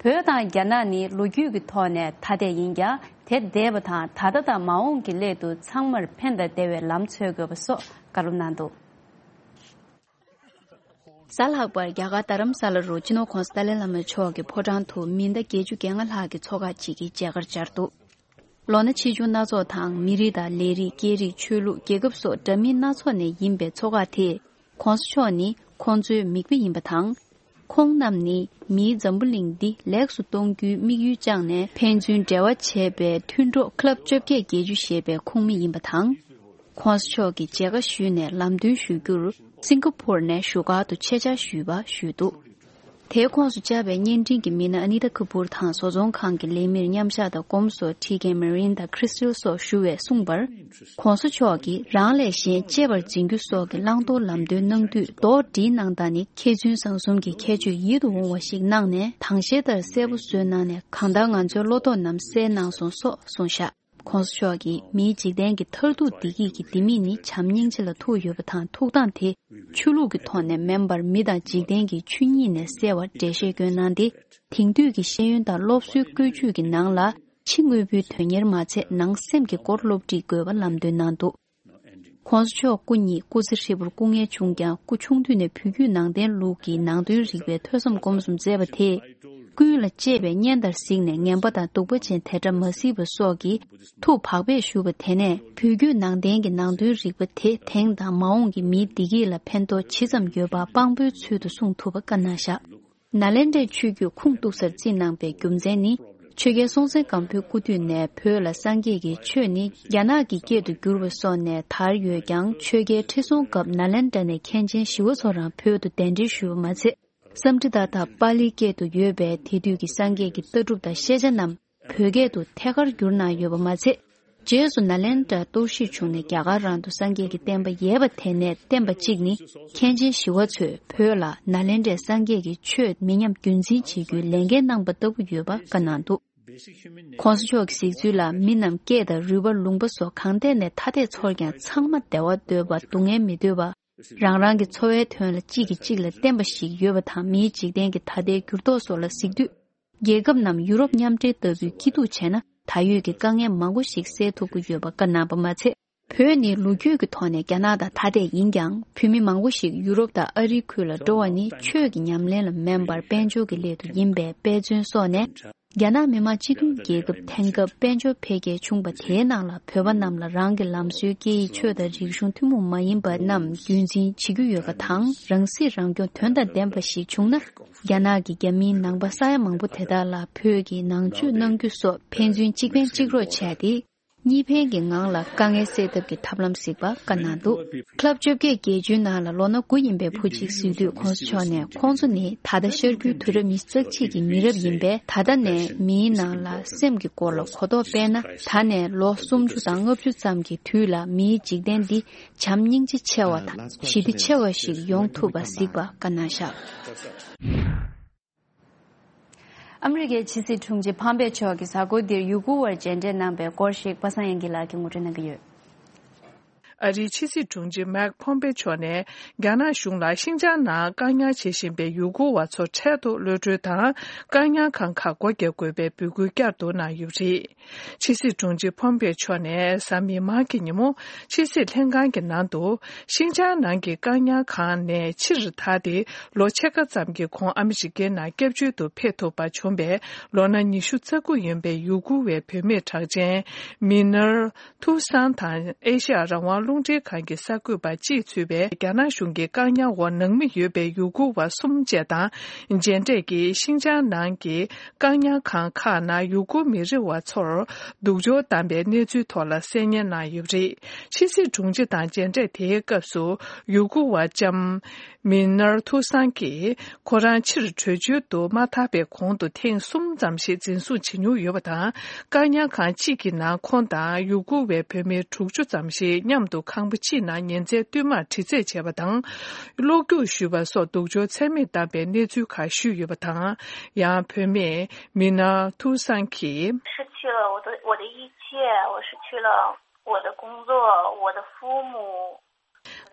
བོད་དང་རྒྱ་ནག་ནི་ལོ་རྒྱུས་ཀྱི་ཐོག་ནས་ཐ་དད་ཡིན་ཀྱང་། དེ་འདས་པ་དང་ད་ལྟ་དང་མ་འོངས་ཀྱི་སླད་དུ་ཚང་མར་ཕན་དང་བདེ་བའི་ལམ་འཚོལ་དགོས་པ་སོགས་བཀའ་སློབ་གནང་འདུག་གཟའ་ལྷག་པར་རྒྱ་གར་རྡ་རམ་ས་ལ་རུ་སྤྱི་ནོར་༧གོང་ས་ཏཱ་ལའི་བླ་མ་མཆོག་གི་ཕོ་བྲང་དུ་མི་ཟླ་བརྒྱད་ཅུ་གྱ་ལྔ་ལྷག་གི་ཚོགས་ཁག་ཅིག་གིས་མཇལ་ཁར་བཅར་འདུག་ལོ་ན་ཆེ་ཆུང་སྣ་ཚོགས་དང་། མི་རིགས་དང་ལས་རིགས། སྐད་རིགས། ཆོས་ལུགས། རྒྱལ་ཁབ་སོགས་འདྲ་མིན་སྣ་ཚོགས་ནས་ཡིན་པའི་ཚོགས་ཁག་དེས་༧གོང་ས་མཆོག་ནི་ཁོང་ཚོའི་མིག་དཔེ་ཡིན་པ་དང་། ཁོང་རྣམས་ནི་མིའི་འཛམ་བུ་གླིང་འདི་ལེགས་སུ་གཏོང་རྒྱུའི་དམིགས་ཡུལ་བཅངས་ནས་ཕན་ཚུན་འབྲེལ་བ་བྱས་པའི་མཐུན་གྲོགས་Club་བཅོ་བརྒྱད་བརྒྱད་ཅུ་ཞེས་པའི་ཁོངས་མི་ཡིན་པ་དང་། ༧གོང་ས་མཆོག་གིས་མཇལ་ཁ་ཞུས་ནས་ལམ་སྟོན་ཞུ་རྒྱུར་སིང་ག་ཕོར་ནས་བཞུགས་སྒར་དུ་ཆེད་བཅར་ཞུས་པ་ཞུས་འདུག་དེའི་ཁོངས་སུ་བཅར་བའི་བརྙན་འཕྲིན་གྱི་མི་སྣ་ཨ་ནི་ཏཱ་ཁ་པུར་དང་བཟོ་ཚོང་ཁང་གི་ལས་མིར་མཉམ་བཞག་དང་སྒོམ་སོགས་ཁྲིད་མཁན་མེ་རིན་དང་ཁྲི་སི་ཊལ་སོགས་ཞུ་བས་གསུངས་པར། ༧གོང་ས་མཆོག་གིས་རང་ལས་གཞན་གཅེས་པར་འཛིན་རྒྱུ་སོགས་ཀྱི་བླང་དོར་ལམ་སྟོན་གནང་དུས་རྡོག་སྒྲིལ་གནང་སྟངས་ནི་མཁས་བཙུན་བཟང་གསུམ་གྱི་ཁྱད་ཆོས་ཡིད་དུ་འོང་བ་ཞིག་གནང་ནས་དྭངས་ཤེལ་ལྟར་གསལ་པོ་བཟོས་གནང་ནས་གང་ལྟར་ང་ཚོའི་བློ་དོགས་རྣམས་བསལ་གནང་སོང་སོགས་གསུངས་བཞག ༧གོང་ས་མཆོག་གིས་མིའི་འཇིག་རྟེན་གྱི་མཐར་ཐུག་བདེ་སྐྱིད་ཀྱི་ལྡེ་མིག་ནི་བྱམས་སྙིང་རྗེ་ལ་ཐུག་ཡོད་པ་དང་། ཐུགས་དང་དེ་ཆོས་ལུགས་ཀྱི་ཐོག་ནས་མིན་པར་མི་དང་འཇིག་རྟེན་གྱི་ཆོས་ཉིད་ནས་གསལ་བར་འགྲེལ་བཤད་བསྐྱོན་གནང་སྟེ། དེང་དུས་ཀྱི་ཤེས་ཡོན་དང་སློབ་གསོའི་བཀོད་ཇུས་ཀྱི་ནང་ལ་ཕྱི་དངོས་པོའི་དོན་གཉེར་མ་ཚད་ནང་སེམས་ཀྱི་སྐོར་སློབ་ཁྲིད་དགོས་པ་ལམ་སྟོན་གནང་འདུག ༧གོང་ས་མཆོག་སྐུ་ཉིད་སྐུ་ཚེ་ཧྲིལ་པོར་སྐུ་ངལ་བྱུང་ཀྱང་སྐུ་ཆུང་དུས་ནས་བོད་བརྒྱུད་ནང་བསྟན་ལུགས་ཀྱི་ནང་དོན་རིག་པའི་ཐོས་བསམ་སྒོམ་གསུམ་མཛད་པ་དེས། ཀུན་ལ་གཅེས་པའི་གཉེན་དར་གཟིགས་ནས་ངན་པ་དང་གདུག་པ་ཅན་དེ་འདྲ་མ་གཟིགས་པ་སོགས་ཀྱིས་ཐུགས་བག་ཕེབས་ཞུ་བ་དེ་ནས་བོད་བརྒྱུད་ནང་བསྟན་གྱི་ནང་དོན་རིག་པ་དེ་དེང་དང་མ་འོངས་ཀྱི་མིའི་བདེ་སྐྱིད་ལ་ཕན་ཐོགས་ཇི་ཙམ་ཡོད་པ་དཔང་པོའི་ཚུལ་དུ་གསུངས་ཐུབ་པ་བཀའ་གནང་བཞག་ནཱ་ལེནྡྲའི་ཆོས་བརྒྱུད་ཁུངས་གཏུགས་སར་བརྩིས་གནང་པའི་རྒྱུ་མཚན་ནི། ཆོས་རྒྱལ་སྲོང་བཙན་སྒམ་པོའི་སྐུ་དུས་ནས་བོད་ལ་སངས་རྒྱས་ཀྱི་ཆོས་ནི་རྒྱ་ནག་གི་སྐད་དུ་བསྒྱུར་བ་སོགས་ནས་དར་ཡོད་ཀྱང་། ཆོས་རྒྱལ་ཁྲི་སྲོང་སྐབས་ནཱ་ལེནྡྲ་ནས་མཁན་ཆེན་ཞི་བ་འཚོ་རང་བོད་དུ་གདན་འདྲེན་ཞུས་པ་མ་ཚད། སཾ་སྐྲྀ་ཏ་དང་པཱ་ལིའི་སྐད་དུ་ཡོད་པའི་དེ་དུས་ཀྱི་སངས་རྒྱས་ཀྱི་ལྟ་གྲུབ་དང་ཤེས་བྱ་རྣམས་བོད་སྐད་དུ་ཐད་ཀར་བསྒྱུར་གནང་ཡོད་པ་མ་ཚད། རྗེས་སུ་ནཱ་ལེནྡྲར་གཏོར་བཤིག་བྱུང་ནས་རྒྱ་གར་རང་དུ་སངས་རྒྱས་ཀྱི་བསྟན་པ་ཡལ་བ་དེ་ནས་བསྟན་པ་གཅིག་ནི་མཁན་ཆེན་ཞི་བ་འཚོས་བོད་ལ་ནཱ་ལེནྡྲའི་སངས་རྒྱས་ཀྱི་ཆོས་མི་ཉམས་རྒྱུན་འཛིན་བྱེད་རྒྱུའི་ལས་འགན་གནང་པ་ལྟ་བུ་ཡོད་པ་བཀའ་གནང་འདུག ྋགོང་ས་མཆོག་གི་གཟིགས་ཚུལ་ལ་མི་རྣམས་སྐད་དང་རུས་པ་ལུང་པ་སོགས་གང་ཐད་ནས་ཐ་དད་ཚོར་ཀྱང་ཚང་མ་བདེ་བ་འདོད་པ་སྡུག་བསྔལ་མི་འདོད་པ། རང་རང་གི་འཚོ་བའི་དོན་ལ་གཅིག་གིས་གཅིག་ལ་བརྟེན་པ་ཞིག་ཡོད་པ་དང་། མིའི་འཇིག་རྟེན་གྱི་ད་ལྟའི་འགྱུར་ལྡོག་སོགས་ལ་གཟིགས་དུས། རྒྱལ་ཁབ་རྣམས་ཡུ་རོབ་མཉམ་འབྲེལ་ལྟ་བུའི་སྐྱིད་སྡུག་བྱས་ན་ད་ཡོད་ཀྱི་དཀའ་ངལ་མང་པོ་ཞིག་སེལ་ཐུབ་ཀྱི་ཡོད་པ་བཀའ་གནང་པ་མ་ཚད། བོད་ནི་ལོ་རྒྱུས་ཀྱི་ཐོག་ནས་རྒྱ་ནག་དང་ཐ་དད་ཡིན་ཀྱང་། བོད་མི་མང་པོ་ཞིག་ཡུ་རོབ་དང་ཨ་རིའི་ཁུལ་ལ་འགྲོ་བ་ནི་ཆོས་ཀྱི་ཉམས་ལེན་ལ་མིན་པར་དཔལ་འབྱོར་གྱི་སླད་དུ་ཡིན་པའི་དཔེ་མཚོན་སོགས་ནས། རྒྱ་ནག་མི་དམངས་སྤྱི་མཐུན་རྒྱལ་ཁབ་དེང་སྐབས་དཔལ་འབྱོར་འཕེལ་རྒྱས་བྱུང་པ་དེའི་ནང་ལ་བོད་པ་རྣམས་ལ་རང་གི་ལམ་སྲོལ་སྐད་ཡིག་ཆོས་དང་རིག་གཞུང་ཐུན་མོང་མ་ཡིན་པ་རྣམས་རྒྱུན་འཛིན་བྱེད་ཀྱི་ཡོད་པ་དང་། རང་སྲིད་རང་སྐྱོང་དོན་དང་ལྡན་པ་ཞིག་བྱུང་ན། རྒྱ་ནག་གི་རྒྱ་མིའི་ནང་པ་ས་ཡ་མང་པོ་དེ་དག་ལ་བོད་ཀྱི་ནང་ཆོས་གནང་རྒྱུ་སོགས་ཕན་ཚུན་གཅིག་ཕན་གཅིག་རོགས་བྱས་ཏེ། གཉིས་ཕན་གྱི་ངང་ལ་དཀའ་ངལ་སེལ་ཐབས་ཀྱི་ཐབས་ལམ་གཟིགས་པ་བཀའ་གནང་འདུག་ལྷག་བཅོ་བརྒྱད་བརྒྱད་ཅུའི་ནང་ལ་ལོ་ན་དགུ་ཡིན་པའི་བུ་གཅིག་གཟིགས་དུས་ྋགོང་ས་མཆོག་ནས། ཁོང་ཚོ་ནི་ད་ལྟ་ཤར་རྒྱུད་དུས་རབས་ཉི་ཤུ་རྩ་གཅིག་གི་མི་རབས་ཡིན་པས། ད་ལྟ་ནས་མིའི་ནང་ལ་སེམས་ཀྱི་སྐོར་ལ་གོ་རྟོགས་སྤེལ་ན། ད་ནས་ལོ་སུམ་ཅུ་དང་ལྔ་བཅུ་ཙམ་གྱི་དུས་ལ་མིའི་འཇིག་རྟེན་འདི་བྱམས་སྙིང་རྗེ་ཆེ་བ་དང་ཞི་བདེ་ཆེ་བ་ཞིག་ཡོང་ཐུབ་པ་གཟིགས་པ་བཀའ་གནང་བཞག་ཨ་མི་རི་ཀའི་ཕྱི་སྲིད་དྲུང་ཆེ་ཕམ་པེ་མཆོག་གིས་གཟའ་འཁོར་འདིར་ཡུ་གུར་བར་མཇལ་འཕྲད་གནང་པའི་སྐོར་ཞིག་པ་སངས་དབྱངས་སྐྱིད་ལགས་ཀྱིས་ངོ་སྤྲོད་གནང་གི་ཡོད། ཨ་རིའི་ཕྱི་སྲིད་དྲུང་ཆེ་མེག་ཕོམ་པེ་མཆོག་ནས་རྒྱ་ནག་གཞུང་ལ་ཤིན་ཅང་ནང་བཀག་ཉར་བྱེད་བཞིན་པའི་ཡུ་གུར་བ་ཚོ་འཕྲལ་དུ་གློད་གྲོལ་དང་། བཀག་ཉར་ཁང་ཁག་སྒོ་རྒྱག་དགོས་པའི་འབོད་སྐུལ་བསྐྱར་དུ་གནང་ཡོད་པ་རེད། ཕྱི་སྲིད་དྲུང་ཆེ་ཕོམ་པེ་མཆོག་ནས་གཟའ་མིག་དམར་གྱི་ཉིན་མོ་ཕྱི་སྲིད་ལྷན་ཁང་གི་ནང་དུ། ཤིན་ཅང་ནང་གི་བཀག་ཉར་ཁང་ནས་ཕྱིར་ཐར་ཏེ། ལོ་ཕྱེད་ཀ་ཙམ་གྱི་གོང་ཨ་མི་རི་ཀའི་ནང་སྐྱབས་བཅོལ་དུ་ཕེབས་ཐུབ་པ་བྱུང་བའི་ལོ་ན་ཉི་ཤུ་རྩ་དགུ་ཡིན་པའི་ཡུ་གུར་བའི་བུད་མེད་གྲགས་ཅན་མི་ནར་ཐུའུ་སང་དང་། ཨེ་ཤ་ཡ་རང་དབང་རླུང་འཕྲིན་ཁང་གི་གསར་འགོད་པ་གཅིག་ཚུད་པའི་རྒྱ་ནག་གཞུང་གི་བཀག་ཉར་འོག་ནང་མི་ཡོད་པའི་ཡུ་གུར་བ་གསུམ་བཅས་དང་མཇལ་འཕྲད་ཀྱིས། ཤིན་ཅང་ནང་གི་བཀག་ཉར་ཁང་ཁག་ནང་ཡུ་གུར་མི་རིགས་བ་ཚོར་སྡུག་སྦྱོང་བཏང་པའི་གནས་ཚུལ་ཐོག་ལ་གསན་སྙན་གནང་ཡོད་པ་རེད། ཕྱི་སྲིད་དྲུང་ཆེ་དང་མཇལ་འཕྲད་དེའི་སྐབས་སུ། ཡུ་གུར་བ་ལྕམ་མི་ནར་ཐུའུ་སང་གིས། ཁོ་རང་ཕྱིར་བྲོས་བྱོལ་དུ་མ་ཐར་བའི་གོང་དུ་ཐེངས་གསུམ་ཙམ་ཞིག་འཛིན་བཟུང་བྱེད་མྱོང་ཡོད་པ་དང་། བཀག་ཉར་ཁང་གཅིག་གི་ནང་ཁོང་དང་ཡུ་གུར་བའི་བུད་མེད་དྲུག་ཅུ་ཙམ་ཞིག་མཉམ་དུ་ཁང་པ་གཅིག་ནང་ཉིན་མཚན་བསྟུད་མར་དྲི་རྩད་བྱས་པ་དང་། གློ་རྒྱུག་གཞུས་པ་སོགས་སྡུག་སྦྱོང་ཚད་མེད་བཏང་པའི་གནས་ཚུལ་ཁག་ཞུས་ཡོད་པ་དང་། ཡང་བུད་མེད་མི་ནར་ཐུའུ་སང་གིས། 失去了我的我的一切，我失去了我的工作，我的父母。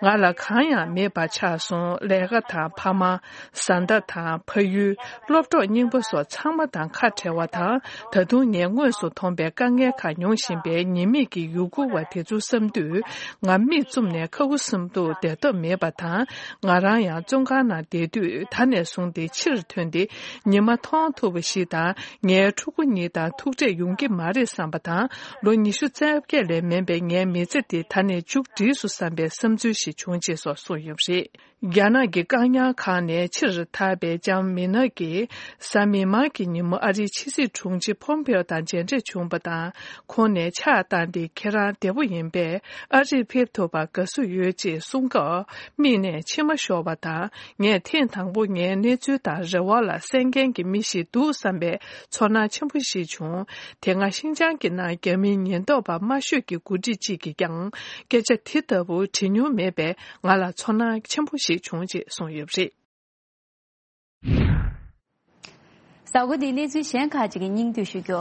ང་ལ་གང་ཡང་མེད་པ་ཆགས་སོང་། ལས་ཀ་དང་། ཕ་མ། བཟའ་ཟླ་དང་། ཕ་ཡུལ། སློབ་གྲོགས་རྙིང་པ་སོགས་ཚང་མ་དང་ཁ་བྲལ་བ་དང་། ད་དུང་ངས་དངོས་སུ་མཐོང་པའི་དཀའ་ངལ་ཁག་མྱོང་བཞིན་པའི་ཉེས་མེད་ཀྱི་ཡུ་གུར་བ་དེ་ཚོ་བསམ་དུས། ང་མིག་བཙུམ་ནས་ཁ་ཁུ་སིམ་པོ་བསྡད་ཐབས་མེད་པ་དང་། ང་རང་ཡང་བཙོན་ཁང་ནང་བསྡད་དུས། ད་ནས་བཟུང་སྟེ་ཕྱིར་ཐོན་ཏེ་ཉི་མ་མཐོང་ཐུབ་པ་ཞིག་དང་། ངའི་ཕྲུ་གུ་གཉིས་དང་ཐུག་འཕྲད་ཡོང་གི་མ་རེད་བསམ་པ་དང་། ལོ་ཉི་ཤུ་རྩ་བརྒྱད་ལས་མིན་པའི་ངའི་མི་ཚེ་འདི་ད་ནས་མཇུག་བསྒྲིལ་སོང་བསམ་པའི་བསམ་ཚུལ་ཞིག་བྱུང་ཅེས་སོགས་གསུངས་ཡོད་པ་རེད། རྒྱ་ནག་གི་བཀག་ཉར་ཁང་ནས་ཕྱིར་ཐར་པའི་ལྕམ་མི་ནར་གྱིས། གཟའ་མིག་དམར་གྱི་ཉིན་མོ་ཨ་རིའི་ཕྱི་སྲིད་དྲུང་ཆེ་ཕོམ་པེའོ་དང་མཇལ་འཕྲད་བྱུང་བ་དང་། ཁོང་ནས་ཕྱག་བཏང་སྟེ། ཁྱེད་རང་བདེ་པོ་ཡིན་པས། ཨ་རིར་ཕེབས་ཐུབ་པར་དགའ་བསུ་ཡོད་ཅེས་གསུངས་སྐབས། མིག་ནས་མཆི་མ་ཤོར་བ་དང་། ངས་ཐེངས་དང་པོ་ངའི་གནས་ཚུལ་དང་རེ་བ་ལ་གསན་མཁན་གྱི་མི་ཞིག་འདུག་བསམ་པའི་ཚོར་སྣང་ཆེན་པོ་ཞིག་བྱུང་། དེ་སྔ་ཤིན་ཅང་གི་ནང་རྒྱ་མིའི་ཉེན་རྟོག་པ་དམའ་ཤོས་ཀྱི་འགོ་ཁྲིད་ཅིག་གིས་ཀྱང་སྐད་ཆ་དེ་ལྟ་བུ་དྲི་མྱོང་མེད་པས། ང་ལ་ཚོར་སྣང་ཆེན་པོ་ཞིག་བྱུང་ཅེས་གསུངས་ཡོད་པ་རེད། གཟའ་འཁོར་འདིའི་གནས་ཚུལ་གཞན་ཁག་ཅིག་གི་སྙིང་བསྡུས་ཞུ་རྒྱུ།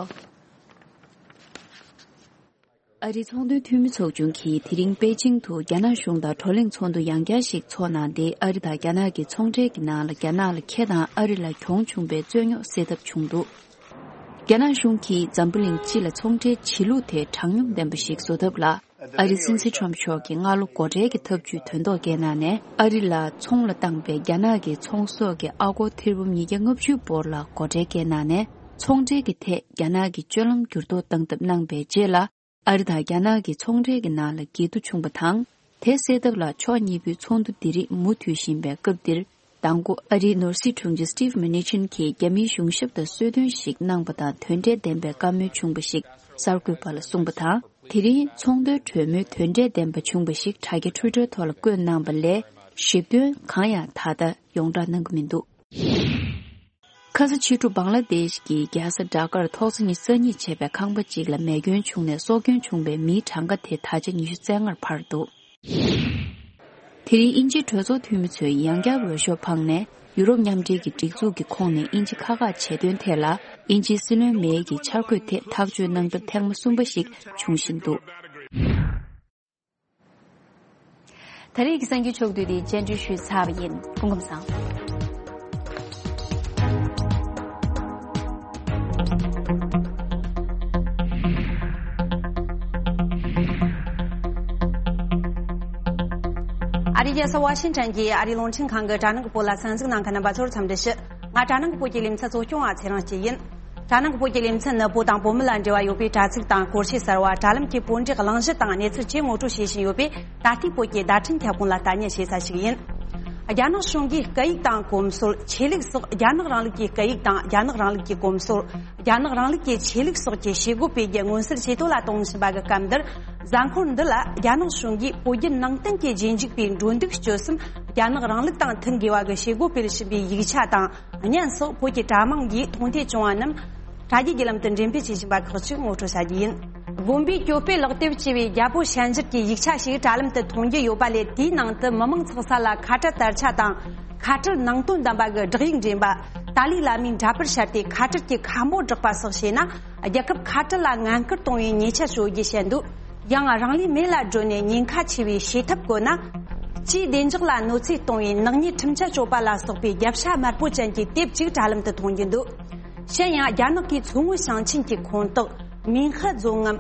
ཨ་རིའི་ཚོང་དོན་འཐུས་མི་ཚོགས་ཆུང་གིས་དེ་རིང་པེ་ཅིང་དུ་རྒྱ་ནག་གཞུང་དང་བགྲོ་གླེང་ཚོགས་འདུ་ཡང་བསྐྱར་ཞིག་འཚོགས་གནང་སྟེ། ཨ་རི་དང་རྒྱ་ནག་གི་ཚོང་འབྲེལ་གྱི་ནང་ལ་རྒྱ་ནག་ལ་ཁེ་དང་ཨ་རི་ལ་གྱོང་བྱུང་པའི་རྩོད་རྙོག་སེལ་ཐབས་བྱུང་འདུག་རྒྱ་ནག་གཞུང་གིས་འཛམ་བུ་གླིང་སྤྱི་ལ་ཚོང་འབྲེལ་བྱེད་ལུགས་དེ་དྲང་སྙོམས་ལྡན་པ་ཞིག་བཟོ་ཐབས་ལ། ཨ་རིའི་སྲིད་འཛིན་ཁྲོམ་མཆོག་གིས་སྔ་ལོ་སྒོ་ཁྲལ་གྱི་ཐབས་ཇུས་དོན་ཐོག་བཀལ་གནང་ནས། ཨ་རི་ལ་ཚོང་ལ་བཏང་པའི་རྒྱ་ནག་གི་ཚོང་ཟོག་གི་ཨ་སྒོར་ཐེར་འབུམ་ཉིས་བརྒྱ་ལྔ་བཅུ་བོར་ལ་སྒོ་ཁྲལ་བཀལ་གནང་ནས། ཚོང་འབྲེལ་གྱི་ཐད་རྒྱ་ནག་གི་སྤྱོད་ལམ་འགྱུར་ལྡོག་བཏང་ཐབས་གནང་པའི་རྗེས་ལ། ཨ་རི་དང་རྒྱ་ནག་གི་ཚོང་འབྲེལ་གྱི་ནང་ལ་འགལ་འདུ་བྱུང་བ་དང་། དེ་སེལ་ཐབས་ལ་ཕྱོགས་གཉིས་པོའི་ཚོགས་འདུ་འདི་རིགས་མུ་མཐུད་བཞིན་པའི་སྐབས་འདིར། མདང་དགོང་ཨ་རིའི་ནོར་སྲིད་དྲུང་ཆེ་Steve Mnuchin་གྱིས་རྒྱ་མིའི་གཞུང་ཞབས་དང་གསོལ་སྟོན་ཞིག་གནང་པ་དང་། དོན་འབྲས་ལྡན་པའི་བཀའ་མོལ་བྱུང་བ་ཞིག་གསར་འགོད་པ་ལ་གསུངས་པ་དང་། དེ་རིང་ཚོང་དོན་གྲོས་མོལ་དོན་འབྲས་ལྡན་པ་བྱུང་བ་ཞིག་དྲ་རྒྱ་Twitter་ཐོག་ལ་བཀོད་གནང་པ་ལས། ཞིབ་དོན་གང་ཡང་ད་ལྟ་ཡོངས་བསྒྲགས་གནང་གི་མི་འདུག། ཁ་ས་ཕྱི་དྲོ་བང་ལ་དེཤ་གི་རྒྱལ་ས་ཌ་ཀར་ཐོག་ས་ཉིན་སང་ཉིན་བྱས་པའི་ཁང་པ་གཅིག་ལ་མེ་སྐྱོན་བྱུང་ནས། སྲོག་སྐྱོན་བྱུང་བའི་མིའི་གྲངས་ཀ་དེ་ད་ཆ་ཉི་ཤུ་རྩ་ལྔར་འཕར་འདུག། དེ་རིང་དབྱིན་ཇིའི་གྲོས་ཚོགས་འཐུས་མི་ཚོས་ཡང་བསྐྱར་འོས་ཤོག་འཕངས་ནས། ཡུ་རོབ་མཉམ་འབྲེལ་གྱི་སྒྲིག་འཛུགས་ཀྱི་ཁོངས་ནས་དབྱིན་ཇི་ཁག་ཁག་ཆེད་དོན་ཐད་ལ། དབྱིན་ཇིའི་སྲིད་བློན་མེ་ཡི་འཆར་འགོད་ཐད་ཐག་གཅོད་གནང་ཐབས་ཐེངས་མ་གསུམ་པ་ཞིག་འབྱུང་བཞིན་འདུག། ད་རེས་ཀྱི་གསར་འགྱུར་ཕྱོགས་བསྡུས་འདི་རྒྱན་སྤྲོས་ཞུས་ཚར་བ་ཡིན། སྐུ་ཁམས་བཟང་། ཨ་རིའི་རྒྱལ་ས་ཝ་ཤིང་ཊོན་གྱི་ཨ་རིའི་རླུང་འཕྲིན་ཁང་གི་དྲ་ནང་གི་བོད་ལ་གསན་གཟིགས་གནང་མཁན་རྣམ་པ་ཚོར་འཚམས་འདྲི་ཞུ། ང་དྲ་ནང་གི་བོད་ཀྱི་ལེ་ཚན་གཙོ་སྐྱོང་བ་ཚེ་རིང་སྐྱིད་ཡིན། དྲ་ནང་གི་བོད་ཀྱི་ལེ་ཚན་ནི་བོད་དང་བོད་མི་ལ་འབྲེལ་བ་ཡོད་པའི་དྲ་ཚིགས་དང་སྐོར་ཞིབ་གསར་བ། དྲ་ལམ་གྱི་བོད་འབྲེལ་གླེང་གཞི་དང་གནས་ཚུལ་བཅས་ངོ་སྤྲོད་བྱེད་བཞིན་ཡོད་པས། ད་ལྟའི་བོད་ཀྱི་བརྡ་འཕྲིན་ཁྱབ་ཁོངས་ལ་ལྟ་ཉན་བྱེད་ས་ཞིག་ཡིན། རྒྱ་ནག་གཞུང་གིས་སྐད་ཡིག་དང་གོམས་སྲོལ། ཆོས་ལུགས་སོགས་རྒྱ་ནག་རིང་ལུགས་ཀྱི་སྐད་ཡིག་དང་རྒྱ་ནག་རིང་ལུགས་ཀྱི་གོམས་སྲོལ། རྒྱ་ནག་རིང་ལུགས་ཀྱི་ཆོས་ལུགས་སོགས་ཀྱི་བྱེད་སྒོ་སྤེལ་རྒྱུ་མངོན་གསལ་ཇེ་མཐོ་ལ་གཏོང་བཞིན་པ་གི་སྐབས་འདིར། གཟའ་འཁོར་འདི་ལ་རྒྱ་ནག་གཞུང་གིས་བོད་བརྒྱུད་ནང་བསྟན་གྱི་རྗེས་འཇུག་པའི་འགྲོ་འདུག་སྤྱོད་གསུམ་རྒྱ་ནག་རིང་ལུགས་དང་མཐུན་དགོས་པ་གི་བྱེད་སྒོ་སྤེལ་བཞིན་པའི་ཡིག་ཆ་དང་བརྙན་སོགས་བོད་ཀྱི་དྲ་དམངས་ཀྱིས་མཐོང་ཐོས་བྱུང་བ་རྣམས་དྲ་རྒྱའི་བརྒྱུད་ལམ་དུ་འགྲེམས་སྤེལ་བྱེད་བཞིན་པ་ཁག་ཅིག་ངོ་སྤྲོད་བྱ་རྒྱུ་ཡིན། དགོན་པའི་གྱོད་དཔེ་ལག་དེབ་ཅེས་པའི་རྒྱ་བོད་ཤན་སྦྱར་གྱི་ཡིག་ཆ་ཞིག་དྲ་ལམ་དུ་མཐོང་རྒྱུ་ཡོད་པ་ལས། དེའི་ནང་དུ་མི་མང་ཚོགས་ས་ལ་ཁ་བྲལ་དར་ཆ་དང་། ཁ་བྲལ་ནང་དོན་ལྡན་པ་གི་བསྒྲགས་ཡིག་འདྲེན་པ། ཏཱ་ལའི་བླ་མའི་འདྲ་པར་ཤར་ཏེ་ཁ་བྲལ་གྱི་ཁ་འབོད་བསྒྲགས་པ་སོགས་བྱས་ན། རྒྱལ་ཁབ་ཁ་བྲལ་ལ་ངན་སྐུལ་གཏོང་བའི་ཉེས་ཆད་གཅོད་རྒྱུ་བཤད་འདུག། ཡང་རང་ལུས་མེ་ལ་སྒྲོན་ནས་ཉེན་ཁ་ཆེ་བའི་བྱེད་ཐབས་བཀོལ་ན། སྤྱིའི་བདེ་འཇགས་ལ་གནོད་འཚེ་གཏོང་བའི་ནག་ཉེས་ཁྲིམས་ཆད་གཅོད་པ་ལ་སོགས་པའི་རྒྱབ་ཤ་དམར་པོ་ཅན་གྱི་དེབ་ཅིག་དྲ་ལམ་དུ་མཐོང་རྒྱུ་འདུག། གཞན་ཡང་རྒྱ་ནག་གིས་མཚོ་སྔོན་ཞིང་ཆེན་གྱི་ཁོངས་གཏོགས་མིན་ཧི་རྫོང་ངམ།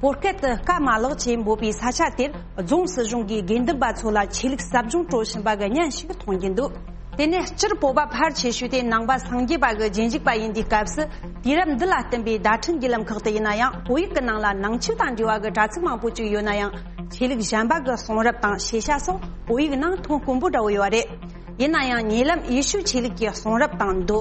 བོད་སྐད་དུ་སྐ་མ་ལག་ཅེས་འབོད་པའི་ས་ཆ་དེར་རྫོང་སྲིད་གཞུང་གིས་དགེ་འདུན་པ་ཚོ་ལ་ཆོས་ལུགས་ཟབ་སྦྱོང་སྤྲོད་བཞིན་པ་གི་བརྙན་ཞིག་མཐོང་རྒྱུ་འདུག། དེ་ནས་སྤྱིར་བོད་པ་ཕལ་ཆེ་ཤོས་དེ་ནང་པ་སངས་རྒྱས་པ་གི་རྗེས་འཇུག་པ་ཡིན་དུས་སྐབས་སུ། དུས་རབས་འདི་ལ་བསྟུན་པའི་བརྡ་འཕྲིན་བརྒྱུད་ལམ་ཁག་ཏུ་ཡིན་ན་ཡང་། བོད་ཡིག་གི་ནང་ལ་ནང་ཆོས་དང་འབྲེལ་བ་གི་དྲ་ཚིགས་མང་པོ་ཅིག་ཡོད་ན་ཡང་། ཆོས་ལུགས་གཞན་པ་གི་གསུང་རབ་དང་ཤེས་བྱ་སོགས་བོད་ཡིག་ནང་ཐོན་དཀོན་པོ་འདྲ་བོ་ཡོད་རེད། ཡིན་ན་ཡང་ཉེ་ལམ་ཡེ་ཤུ་ཆོས་ལུགས་ཀྱི་གསུང་རབ་དང་མདོ།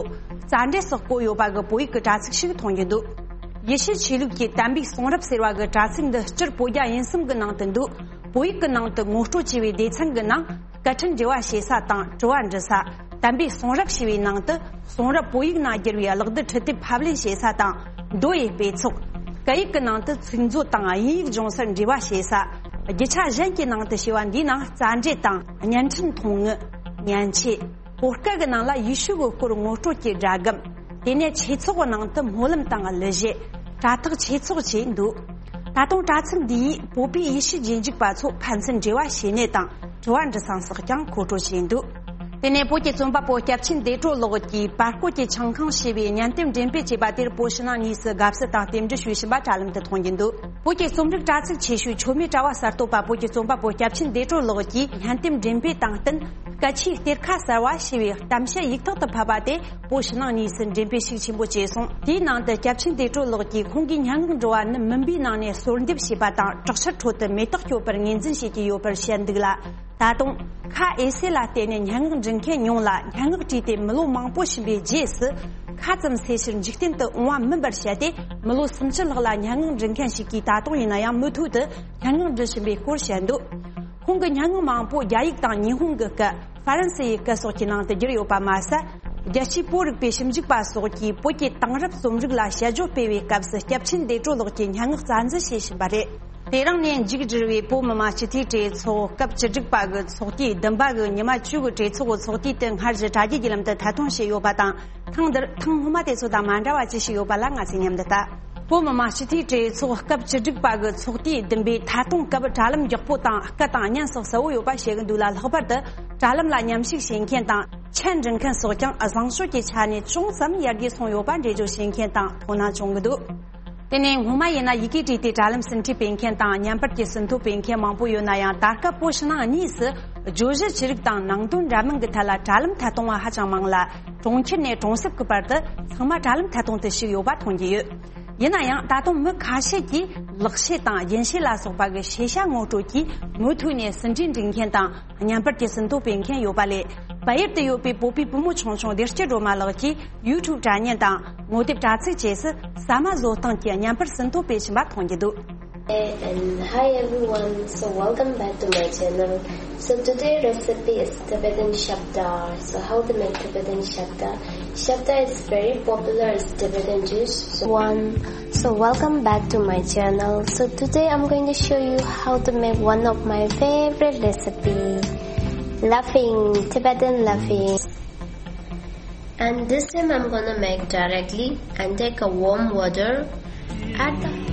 རྩ་འགྲེལ་སོགས་བཀོད་ཡོད་པ་གི་བོད་ཡིག་གི་དྲ་ཚིགས་ཤིག་མཐོང་རྒྱུ་འདུག། ཡེ་ཤུ་ཆོས་ལུགས་ཀྱི་དམ་པའི་གསུང་རབ་ཟེར་བ་གི་དྲ་ཚིགས་འདི་སྤྱིར་བོད་རྒྱ་དབྱིན་གསུམ་གི་ནང་དུ་འདུག། བོད་ཡིག་གི་ནང་དུ་ངོ་སྤྲོད་བྱས་པའི་སྡེ་ཚན་གི་ནང་། སྐད་འཕྲིན་འབྲེལ་བ་བྱེད་ས་དང་དྲི་བ་འདྲི་ས། དམ་པའི་གསུང་རབ་ཞེས་པའི་ནང་དུ། གསུང་རབ་བོད་ཡིག་ནང་བསྒྱུར་བའི་གློག་རྡུལ་འཕྲུལ་དེབ་ཕབ་ལེན་བྱེད་ས་དང་། མདོ་ཡི་དཔེ་ཚོགས། སྐད་ཡིག་གི་ནང་དུ་ཚིག་མཛོད་དང་དབྱིན་ཡིག་སྦྱོང་སར་འབྲེལ་བ་བྱེད་ས། རྒྱུ་ཆ་གཞན་གྱི་ནང་དུ་ཞེས་པ་འདིའི་ནང་རྩ་འགྲེལ་དང་བརྙན་འཕྲིན་མཐོང་དངུལ། མཉེན་ཆས། བོད་སྐད་ཀྱི་ནང་ལ་ཡེ་ཤུ་གི་སྐོར་ངོ་སྤྲོད་ཀྱི་སྒྲ་སྒམ། དེ་ནས་ཆོས་ཚོགས་ཀྱི་ནང་དུ་སྨོན་ལམ་དང་གླུ་གཞས། དྲ་ཐག་ཆོས་ཚོགས་བཅས་འདུག། ད་དུང་དྲ་ཚིགས་འདི་ཡིས་བོད་པའི་ཡེ་ཤུ་རྗེས་འཇུག་པ་ཚོ་ཕན་ཚུན་འབྲེལ་བ་བྱེད་གནས་དང་དྲི་བ་འདྲི་སྟངས་སོགས་ཀྱང་མཁོ་སྤྲོད་བྱས་འདུག། དེ་ནས་བོད་ཀྱི་རྩོམ་པ་པོ་སྐྱབས་ཆེན་བདེ་གྲོལ་ལགས་ཀྱིས་པར་བརྐོས་ཀྱི་ཆང་ཁང་ཞེས་པའི་བརྙན་དེབ་འགྲེམས་སྤེལ་བྱས་པ་དེར་བོད་ཕྱི་ནང་གཉིས་སུ་དགའ་བསུ་དང་རྟེན་འབྲེལ་ཞུས་བཞིན་པ་དྲ་ལམ་དུ་མཐོང་རྒྱུ་འདུག། བོད་ཀྱི་རྩོམ་རིག་དྲ་ཚིགས་ཆེ་ཤོས་མཆོད་མེ་དྲ་བ་གསར་གཏོད་པ་བོད་ཀྱི་རྩོམ་པ་པོ་སྐྱབས་ཆེན་བདེ་གྲོལ་ལགས་ཀྱིས་བརྙན་དེབ་འགྲེམས་སྤེལ་དང་བསྟུན། སྐད་ཆའི་གཏེར་ཁ་གསར་བ་ཞེས་པའི་གཏམ་བཤད་ཡིག་ཐོག་ཏུ་ཕབ་པ་དེ་བོད་ཕྱི་ནང་གཉིས་སུ་འགྲེམས་སྤེལ་ཤུགས་ཆེན་པོ་བྱས་སོང་། དེའི་ནང་དུ་སྐྱབས་ཆེན་བདེ་གྲོལ་ལགས་ཀྱིས་ཁོང་གིས་སྙན་ངག་འབྲི་བ་ནི་མུན་པའི་ནང་ནས་གསོལ་འདེབས་བྱས་པ་དང་། དྲག་ཆར་ཁྲོད་དུ་མེ་སྟག་སྐྱོབ་པར་ངོས་འཛིན་བྱེད་ཀྱི་ཡོད་པར་བཤད་འདུག་ལ། ད་དུང་། ཁ་འོས་གསལ་ལ་བརྟེན་ནས་སྙན་ངག་འབྲི་མཁན་ཉུང་ལ། སྙན་ངག་བྲིས་ཏེ་མི་ལོ་མང་པོ་ཕྱིན་པའི་རྗེས་སུ། ཁ་ཙམ་གསལ་ཕྱིར་འཇིག་རྟེན་དུ་འོང་བ་མིན་པར་བཤད་དེ། མི་ལོ་སུམ་ཅུ་ལྷག་ལ་སྙན་ངག་འབྲི་མཁན་ཞིག་གིས་ད་དུང་ཡིན་ན་ཡང་མུ་མཐུད་དུ་སྙན་ངག་འབྲི་བཞིན་པའི་སྐོར་བཤད་འདུག། ཁོང་གི་སྙན་ངག་མང་པོ་རྒྱ་ཡིག་དང་ཉི་ཧོང་གི་སྐད། ཧྥ་རན་སི་ཡི་སྐད་སོགས་ཀྱི་ནང་དུ་བསྒྱུར་ཡོད་པ་མ་ཟད། རྒྱལ་སྤྱིའི་བོད་རིག་པའི་ཞིབ་འཇུག་པ་སོགས་ཀྱིས་བོད་ཀྱི་དེང་རབས་རྩོམ་རིག་ལ་དཔྱད་བརྗོད་སྤེལ་བའི་སྐབས་སུ་སྐྱབས་ཆེན་བདེ་གྲོལ་ལགས་ཀྱི་སྙན་ངག་རྩ་འཛིན་བྱེད་བཞིན་པ་རེད། དེ་རིང་ནས་མཇུག་སྒྲིལ་བའི་བོད་མི་མང་སྤྱི་འཐུས་གྲོས་ཚོགས་སྐབས་བཅུ་དྲུག་པ་གི་ཚོགས་དུས་བདུན་པ་གི་ཉི་མ་བཅུ་གི་གྲོས་ཚོགས་ཀྱི་ཚོགས་དུས་དེ་སྔར་བཞིན་དྲ་རྒྱའི་བརྒྱུད་ལམ་དུ་ཐད་གཏོང་བྱས་ཡོད་པ་དང་། ཐེངས་འདིར་ཐེངས་སྔོན་མ་དེ་ཚོ་དང་མ་འདྲ་བ་ཅི་ཞིག་ཡོད་པ་ལ་ང་ཚོས་མཉམ་དུ་ལྟ། བོད་མི་མང་སྤྱི་འཐུས་གྲོས་ཚོགས་སྐབས་བཅུ་དྲུག་པ་གི་ཚོགས་དུས་བདུན་པའི་ཐད་གཏོང་སྐབས་དྲ་ལམ་མགྱོགས་པོ་དང་སྐད་དང་བརྙན་སོགས་གསལ་བོ་ཡོད་པ་བཤད་གི་འདུག་ལ། ལྷག་པར་དུ་དྲ་ལམ་ལ་མཉམ་ཞུགས་བྱེད་མཁན་དང་། མཆན་འབྲི་མཁན་སོགས་ཀྱང་བཟང་སྤྱོད་ཀྱི་ཆ་ནས་ཅུང་ཙམ་ཡར་རྒྱས་སོང་ཡོད་པ་འགྲེལ་བརྗོད་བྱེད་མཁན་དང་དོ་སྣང་བྱུང་གི་འདུག། དེ་ནས་སྔོན་མ་ཡིན་ན་ཡི་གེ་བྲིས་ཏེ་དྲ་ལམ་ཟིན་བྲིས་སྤེལ་མཁན་དང་བརྙན་པར་གྱི་ཟིན་ཐོ་སྤེལ་མཁན་མང་པོ་ཡོད་ན་ཡང་། ད་སྐབས་བོད་ཕྱི་ནང་གཉིས་སུ་བརྗོད་གཞི་ཅི་རིགས་དང་ནང་དོན་འདྲ་མིན་གྱི་ཐད་ལ་དྲ་ལམ་ཐད་གཏོང་བ་ཧ་ཅང་མང་ལ། གྲོང་ཁྱེར་ནས་གྲོང་གསེབ་ཀྱི་བར་དུ་ཚང་མ་དྲ་ལམ་ཐད་གཏོང་དུ་ཞུགས་ཡོད་པ་མཐོང་རྒྱུ་ཡོད། ཡིན་ན་ཡང་ད་དུང་མི་ཁ་ཤས་ཀྱིས་ལག་ཤེས་དང་རྒྱན་ཤེས་ལ་སོགས་པ་གི་ཤེས་བྱ་ངོ་སྤྲོད་ཀྱིས་མུ་མཐུད་ནས་ཟིན་བྲིས་འབྲི་མཁན་དང་བརྙན་པར་གྱི་ཟིན་ཐོ་སྤེལ་མཁན་ཡོད་པ་ལས། བལ་ཡུལ་དུ་ཡོད་པའི་བོད་པའི་བུ་མོ་ཆུང་ཆུང་བདེ་སྐྱིད་སྒྲོལ་མ་ལགས་ཀྱིས་ཡུ་ཊུབ་དྲ་བརྙན་དང་ངོ་དེབ་དྲ་ཚིགས་བཅས་སུ་ཟ་མ་བཟོ་སྟངས་ཀྱི་བརྙན་པར་ཟིན་ཐོ་སྤེལ་བཞིན་པ་མཐོང་རྒྱུ་འདུག། And hi everyone, so welcome back to my channel. So today recipe is Tibetan shabda. So how to make Tibetan shabda? Shabda is very popular as Tibetan dish. So one, so welcome back to my channel. So today I'm going to show you how to make one of my favorite recipe, laughing, Tibetan laughing. And this time I'm gonna make directly and take a warm water. At the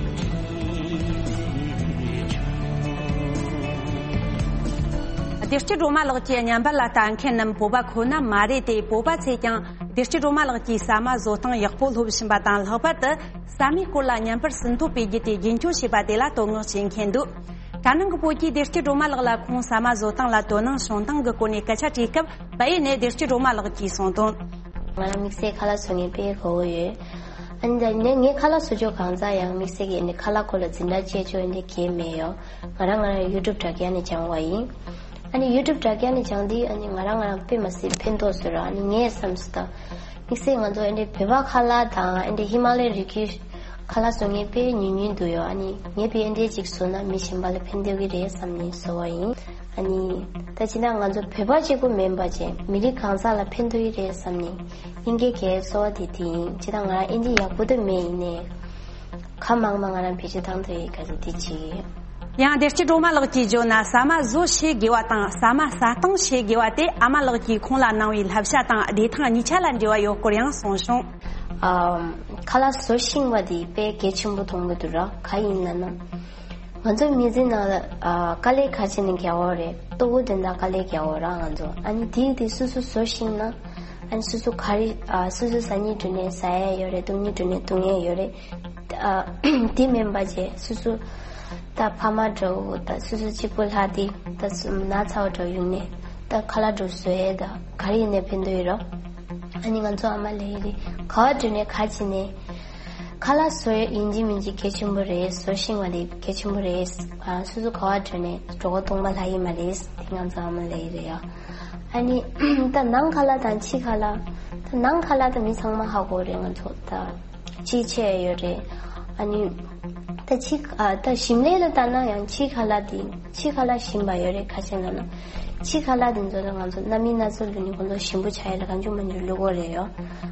བདེ་སྐྱིད་སྒྲོལ་མ་ལགས་ཀྱི་བརྙན་པར་ལ་ལྟ་མཁན་རྣམས་བོད་པ་ཁོ་ན་མ་རེད་དེ། བོད་པ་ཚོས་ཀྱང་བདེ་སྐྱིད་སྒྲོལ་མ་ལགས་ཀྱིས་ཟ་མ་བཟོ་སྟངས་ཡག་པོ་སློབ་བཞིན་པ་དང་། ལྷག་པར་དུ་ཟ་མའི་སྐོར་ལ་བརྙན་པར་ཟིན་ཐོ་སྤེལ་རྒྱུ་དེ་རྒྱུན་འཁྱོངས་བྱས་པ་དེ་ལ་དོ་སྣང་བྱེད་མཁན་འདུག། དྲ་ནང་གི་བོད་ཀྱིས་བདེ་སྐྱིད་སྒྲོལ་མ་ལགས་ལ་ཁོང་ཟ་མ་བཟོ་སྟངས་ལ་དོ་སྣང་བྱུང་སྟངས་ཀྱི་སྐོར་ནས་སྐད་ཆ་དྲིས་སྐབས། བལ་ཡུལ་ནས་བདེ་སྐྱིད་སྒྲོལ་མ་ལགས་ཀྱིས་གསུངས་དོན། ང་རང་དམིགས་བསལ་ཁ་ལག་བཟོ་མཁན་དཔེ་དགའ་བོ་ཡོད། ཨ་ནི་ད་ངས་ངས་ཁ་ལག་བཟོ་ཕྱོགས་གང་ཟག་ཡང་དམིགས་བསལ་གྱི་ཨ་ནི་ཁ་ལག་སྐོར་ལ་འཛིན་གྲྭ་བཅས་ཕྱོགས་ཨ་ནི་གས་མེད་ཡོད། ང་རང་ང་རང་ཡུ་ཊུབ་དྲ་རྒྱ་ནས་སྦྱངས་པ་ཡིན། ཨ་ནི་ཡུ་ཊུབ་དྲ་རྒྱ་ནས་སྦྱངས་དུས་ཨ་ནི་ང་རང་ང་རང་དཔེ་མ་སྲིད་ཕན་ཐོགས་བཟོས་ར། ཨ་ནི་ངས་བསམ་སོང་ད། དམིགས་བསལ་ང་ཚོ་ཨ་ནི་བོད་པ་ཁ་ལག་དང་ཨ་ནི་ཧི་མ་ལ་ཡའི་རི་རྒྱུད་ཁ་ལག་བཟོ་མཁན་དཔེ་ཉུང་ཉུང་འདུག་ཡོད། ཨ་ནི་ངས་དཔེ་ཨ་འདྲས་ཅིག་བཟོས་ན་མི་གཞན་པ་ལ་ཕན་ཐོགས་ཀྱི་རེད་བསམ་ནས་བཟོས་པ་ཡིན། ཨ་ནི་ད་ཅི་ད་ང་ཚོ་བོད་པ་གཅིག་པུ་མིན་པ་བྱས་མི་རིགས་གང་ཟག་ལ་ཕན་ཐོགས་ཀྱི་རེད་བསམ་ནས་ཡིན་གྱི་གས་བཟོས་པ་དེ་དེ་ཡིན། ཅི་ད་ང་རང་ཨ་འདྲས་ཡག་པོ་དེ་མེད་ཡིན་ནས། ཁ་མང་མང་ང་རང་བེད་སྤྱོད་བཏང་ཐུབ་ཡི་ག་ཚོད་དེ་བྱེད་ཀྱི་ཡོད། ཡང་བདེ་སྐྱིད་སྒྲོལ་མ་ལགས་ཀྱིས་བརྗོད་ན། ཟ་མ་བཟོ་ཤེས་དགོས་པ་དང་ཟ་མ་ཟ་སྟངས་ཤེས་དགོས་པ་དེ་ཨ་མ་ལགས་ཀྱིས་ཁོང་ལ་གནང་བའི་བསླབ་བྱ་དང་བདེ་ཐང་གཉིས་ཆ་ལ་འབྲེལ་བ་ཡོད་སྐོར་ཡང་གསུངས་བྱུང་། ཨམ། ཁ་ལག་བཟོ་ཤེས་པ་དེ་དཔེ་གལ་ཆེན་པོ་མཐོང་གི་འདུག་ར། ག་ཡིན་ལབ་ན། ང་ཚོ་མི་ཚེ་ནང་ལ་ཨ། དཀའ་ལས་ག་ཅི་ནས་རྒྱག་འོ་རེད། ལྟོ་གོས་དོན་དག་དཀའ་ལས་རྒྱག་འོ་ར་ང་ཚོ། ཨ་ནི་དེ་དེ་སོ་སོ་བཟོ་ཤེས་ན། ཨ་ནི་སོ་སོ་ག་རེ་ཨ། སོ་སོ་ཟ་སྙིང་འདོད་ནས་ཟ་ཡ་ཡོད་རེད། འཐུང་སྙིང་འདོད་ནས་འཐུང་ཡ་ཡོད་རེད། ཨ། དེ་མིན་པ་བྱས་སོ་སོ་ད་ཕ་མ་འདྲ་བོ་ད་སོ་སོ་གཅིག་པུ་ལྷག་དེ་ད་སུ་ན་ཚ་བ་འདྲ་བོ་ཡོང་ནས་ད་ཁ་ལག་འདྲ་བོ་བཟོ་ཡས་ད་ག་རེ་ཡིན་ནའི་ཕན་ཐོགས་ཡོད་རོ། ཨ་ནི་ང་ཚོ་ཨ་མ་ལབ་ཡས་རེད། ག་བ་འགྲོ་ནས་ག་བྱས་ནས་ཁ་ལག་བཟོ་ཡས་ཡིན་གཅིག་མིན་གཅིག་གལ་ཆེན་པོ་རེད། བཟོ་ཤེས་པ་དེ་གལ་ཆེན་པོ་རེད། ཨ། སོ་སོ་ག་བ་འགྲོ་ནས་གྲོད་ཁོག་སྟོང་པ་ལྷག་ཡས་མ་རེད། དེ་ང་ཚོ་ཨ་མ་ལབ་ཡས་རེད་ཡ། ཨ་ནི་ད་ནང་ཁ་ལག་དང་ཕྱི་ཁ་ལག་ད་ནང་ཁ་ལག་ད་མི་ཚང་མ་ཧ་གོ་རེད། ང་ཚོ་ད། ཅི་བྱས་ཡོད་རེད། ཨ་ནི། ད་ཕྱི་ཨ། ད་ཞིམ་ལས་ལ་ལྟ་ན་ཡང་ཕྱི་ཁ་ལག་དེ་ཕྱི་ཁ་ལག་ཞིམ་པ་ཡོད་རེད། ག་ཅི་ལབ་ན། ཕྱི་ཁ་ལག་དེ་ཚོ་ལ་ང་ཚོ་སྣ་མིན་སྣ་ཚོགས་བླུགས་ནས་ཁོང་ཚོ་ཞིམ་པོ་ཆགས་ཡ་ལ་གང་བྱུང་མང་བྱུང་བླུགས་དགོས་རེད་ཡོ།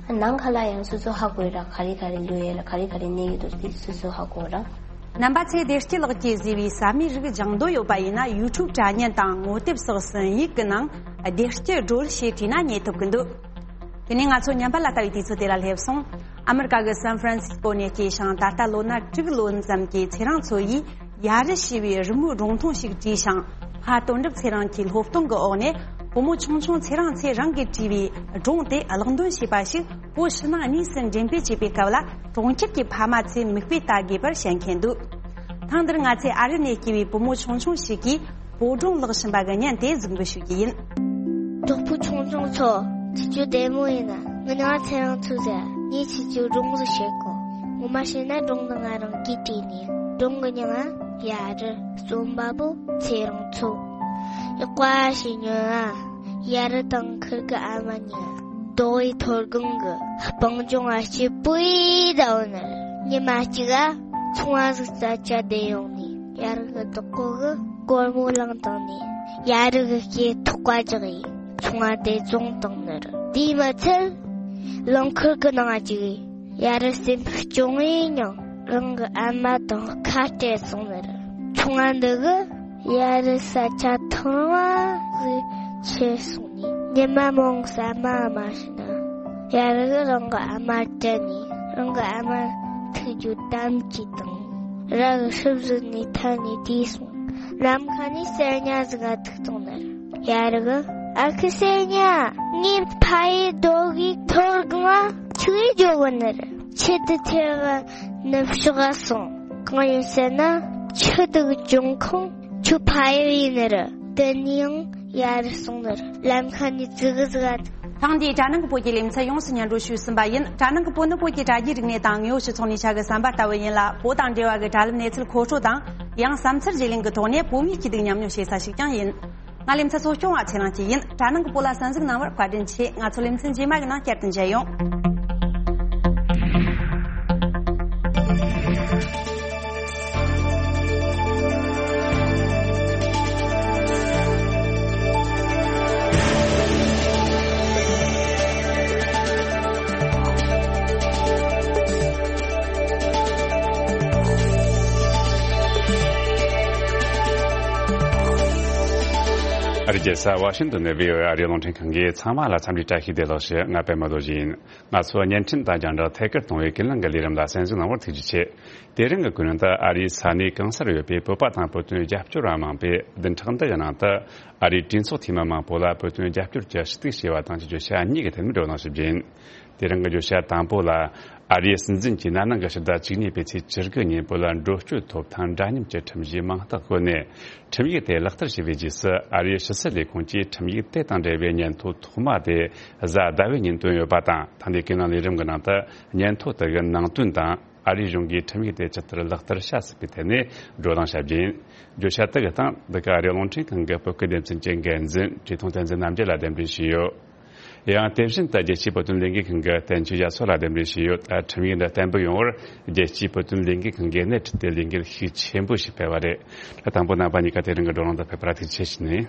ཨ། ནང་ཁ་ལག་ཡང་སོ་སོ་ཧ་གོ་ཡོད་ར། ག་རེ་ག་རེ་བླུགས་ཡོད་ལ་ག་རེ་ག་རེ་གནས་ཡོད་འདུག་དེ་སོ་སོ་ཧ་གོ་ར། རྣམ་པ་ཚོས་བདེ་སྐྱིད་ལགས་ཀྱིས་བཟོས་པའི་ཟ་མའི་རིགས་སྦྱང་འདོད་ཡོད་པ་ཡིན་ན། ཡུ་ཊུབ་དྲ་བརྙན་དང་ངོ་དེབ་སོགས་སུ་ཡིག་གི་ནང་བདེ་སྐྱིད་སྒྲོལ་ཞེས་བྲིས་ན་རྙེད་ཐུབ་ཀྱི་འདུག། དེ་ནས་ང་ཚོ་བརྙན་པར་ལ་ལྟ་བའི་དུས་ཚོད་དེ་ལ་སླེབས་སོང་། ཨ་མེ་རི་ཀ་གི་སན་ཧྥ་རན་སིས་ཀོ་ནས་སྐྱེས་ཤིང་། ད་ལྟ་ལོ་ན་དྲུག་ལོན་ཙམ་གྱི་ཚེ་རིང་མཚོ་ཡིས་ཡ་རུ་ཞེས་པའི་རི་མོའི་སྒྲུང་ཐུང་ཞིག་བྲིས་ཤིང་། ཕ་དོན་གྲུབ་ཚེ་རིང་གིས་སློབ་སྟོན་གྱི་འོག་ནས་བུ་མོ་ཆུང་ཆུང་ཚེ་རིང་ཚེ་རིང་གིས་བྲིས་པའི་སྒྲུང་དེ་ཀློག་འདོན་བྱས་པ་ཞིག་བོད་ཕྱི་ནང་གཉིས་སུ་འགྲེམས་སྤེལ་བྱེད་པའི་སྐབས་ལ། གྲོང་ཁྱེར་གྱི་ཕ་མ་ཚོས་མིག་དཔེ་ལྟ་དགོས་པར་བཤད་མཁན་འདུག། ཐེངས་འདིར་ང་ཚོས་ཨ་རི་ནས་སྐྱེས་པའི་བུ་མོ་ཆུང་ཆུང་ཞིག་གིས་བོད་སྒྲུང་ཀློག་བཞིན་པ་གི་བརྙན་དེ་གཟིགས་འབུལ་ཞུ་རྒྱུ་ཡིན། གྲོགས་པོ་ཆུང་ཆུང་ཚོ། ཁྱེད་ཚོ་བདེ་མོ་ཡིན་ན། ངའི་མིང་ལ་ཚེ་རིང་མཚོ་ཟེར། ངས་ཁྱེད་ཚོར་སྒྲུང་ཞིག་བཤད་གོ། ངོ་མ་བཤད་ན་སྒྲུང་འདི་ང་རང་གིས་བྲིས་ནས། སྒྲུང་གི་མིང་ལ་ཡ་རུ། རྩོམ་པ་པོ་ཚེ་རིང་མཚོ། ཡག་པོ་ཞིག་ཉོན་ཨ། ཡ་རུ་དང་ཁུར་གི་ཨ་མ་གཉིས་རྡོ་བའི་མཐོ་སྒང་གི་སྤང་ལྗོངས་ལ་སྐྱིད་པོ་ཡེ་བསྡད་ཡོད་ནི་རེད། ཉི་མ་གཅིག་ག་ཚོང་བ་ཟིག་རྩྭ་ཆས་བསྡད་ཡོང་ནས། ཡ་རུ་གི་བདག་པོ་གིས་སྒོར་མོ་བླངས་བཏང་ནས་ཡ་རུ་གི་སྐེ་ཐག་པ་རྒྱག་ཡས་ཚོང་བ་དེ་བཙོངས་བཏང་ནི་རེད། དེས་མ་ཚད་རླངས་འཁོར་གི་ནང་ང་བཅུག་ཡས་ཡ་རུ་སེམས་སྐྱོ་ངེ་མྱངས། རང་གི་ཨ་མ་དང་ཁ་བྲལ་སོང་ནི་རེད། ཚོང་བ་འདི་གིས་ཡ་རུ་ས་ཆ་ཐང་བ་ཟིག་ཁྱེར་སོང་ནས་ཉི་མ་མང་ཟ་མ་མ་བྱས་ན། ཡ་རུ་གིས་རང་གི་ཨ་མར་དྲན་ནས་རང་གི་ཨ་མ་ཐུག་རྒྱུ་དམ་བཅས་བཏང་། ར་གི་ཧྲིལ་བཟོས་ནས་ཐལ་ནས་བསྡད་སོང་། ནམ་མཁའ་ནས་གསེར་ཉ་ཟིག་ག་ཐུག་བཏང་ནི་རེད། ཡ་རུ་གིས། ཨ་ཁུ་གསེར་ཉ། ངའི་ཕ་ཡུལ་རྡོ་སྒང་མཐོ་སྒང་ང་ཆུ་ཡིས་རྒྱུག་གོ་ནི་རེད། ཆེད་དུ་ཐེ་བ་ནུབ་ཕྱོགས་སོང་། གང་ཡིན་ཟེར་ན། ཆུ་དུག་འབྱུང་ཁུངས་ཆུ་ཕ་ཡུལ་ཡིན་ནི་རེད། དེ་ནས་ཡང་ཡར་སོང་ནི་རེད། ལམ་ཁ་ནས་ཙི་གུ་ཙི་ག་ཐེངས་འདིའི་དྲ་ནང་གི་བོད་ཀྱི་ལེ་ཚན་ཡོངས་སུ་སྙན་སྒྲོན་ཞུས་ཟིན་པ་ཡིན། དྲ་ནང་གི་བོད་ནི་བོད་ཀྱི་དྲ་རྒྱའི་རིག་གནས་དང་དངོས་ཡོད་སྤྱི་ཚོགས་ནས་ཆ་གི་བསམ་པ་ལྟ་བུ་ཡིན་ལ། བོད་དང་འབྲེལ་བ་གི་དྲ་ལམ་གནས་ཚུལ་མཁོ་སྤྲོད་དང་ཡང་བསམ་ཚུལ་བརྗེ་ལེན་གྱི་ཐོག་ནས་བོད་མིའི་སྐྱིད་སྡུག་མཉམ་མྱོང་བྱེད་ས་ཞིག་ཀྱང་ཡིན། ང་ལེ་ཚན་གཙོ་སྐྱོང་བ་ཚེ་རིང་སྐྱིད་ཡིན། དྲ་ནང་གི་བོད་ལ་གསན་གཟིགས་གནང་བར་བཀའ་དྲིན་ཆེ། ང་ཚོ་ལེ་ཚན་རྗེས་མ་གི་ནང་བསྐྱར་དུ་མཇལ་ཡོང་། ཨ་རིའི་རྒྱལ་ས་ཝ་ཤིང་ཏོན་ནས་བྷི་ཨོ་ཨེ་ཨ་རིའི་རླུང་འཕྲིན་ཁང་གིས་ཚང་མ་ལ་འཚམས་འདྲི་བཀྲ་ཤིས་བདེ་ལེགས་ཞུ། ང་པད་མ་རྡོ་རྗེ་ཡིན། ང་ཚོ་བརྙན་འཕྲིན་དང་རྒྱང་བསྒྲགས་ཐད་ཀར་གཏོང་བའི་ཀུན་གླེང་གི་ལས་རིམ་ལ་གསན་གཟིགས་གནང་བར་ཐུགས་རྗེ་ཆེ། དེ་རིང་གི་ཀུན་གླེང་དུ་ཨ་རིའི་ས་གནས་གང་སར་ཡོད་པའི་བོད་པ་དང་བོད་དོན་རྒྱབ་སྐྱོར་བ་མང་པོས་བདུན་ཕྲག་འདི་ཡི་ནང་དུ་ཨ་རིའི་གྲོས་ཚོགས་འཐུས་མི་མང་པོ་ལ་བོད་དོན་རྒྱབ་སྐྱོར་གྱི་ཞུ་གཏུག་བྱས་པ་དང་བཅས་བརྗོད་བྱ་གཉིས་ཀྱི་ཐད་ནས་བགྲོ་གླེང་ཞུ་རྒྱུ་ཡིན། དེ་རིང་གི་བརྗོད་བྱ་དང་པོ་ལ། ཨ་རིའི་སྲིད་འཛིན་གྱིས་ན་ནིང་གི་ཕྱི་ཟླ་བཅུ་གཉིས་པའི་ཚེས་བཅུ་དགུ་ཉིན་བོད་ལ་འགྲོ་སྐྱོད་ཐོབ་ཐང་འདྲ་མཉམ་གྱི་ཁྲིམས་གཞིའི་མིང་རྟགས་བཀོད་ནས། ཁྲིམས་ཡིག་དེ་ལག་བསྟར་བྱས་པའི་རྗེས་སུ། ཨ་རིའི་ཕྱི་སྲིད་ལས་ཁུངས་ཀྱིས་ཁྲིམས་ཡིག་དེ་དང་འབྲེལ་བའི་སྙན་ཐོ་ཐོག་མ་དེ་གཟའ་ཟླ་བའི་ཉིན་བཏོན་ཡོད་པ་དང་། ད་ལྟའི་ཀུན་གླེང་ལས་རིམ་གྱི་ནང་དུ་སྙན་ཐོ་དེ་གི་ནང་དོན་དང་། ཨ་རིའི་གཞུང་གིས་ཁྲིམས་ཡིག་དེ་ཇི་ལྟར་ལག་བསྟར་བྱ་སྲིད་པའི་ཐད་ནས་བགྲོ་གླེང་བྱ་རྒྱུ་ཡིན། བརྗོད་བྱ་དེ་གི་སྟེང་འདི་ག་ཨ་རིའི་རླུང་འཕྲིན་ཁང་གི་བོད་སྐད་སྡེ་ཚན་གྱི་འགན་འཛིན་བཀྲས་མཐོང་བསྟན་འཛིན་རྣམ་རྒྱལ་ལ་གདན་འདྲེན་ཞུས་ཡོད། ཡང་དེ་བཞིན་དུ་རྒྱལ་སྤྱིའི་བོད་དོན་ལས་འགུལ་ཁང་གི་བསྟན་ཆོས་རྒྱ་མཚོ་ལ་གདན་འདྲེན་ཞུས་ཡོད། ད་ཁྲིམས་ཡིག་འདི་བརྟན་པོ་ཡོང་བར་རྒྱལ་སྤྱིའི་བོད་དོན་ལས་འགུལ་ཁང་གིས་སྣེ་ཁྲིད་དེ་ལས་འགུལ་ཤུགས་ཆེན་པོ་ཞིག་སྤེལ་བ་རེད། ད་དང་པོ་རྣམ་པ་གཉིས་ཀ་དེ་རིང་གི་བགྲོ་གླེང་དུ་ཕེབས་པར་ཐུགས་རྗེ་ཆེ་ཞུ་ནས།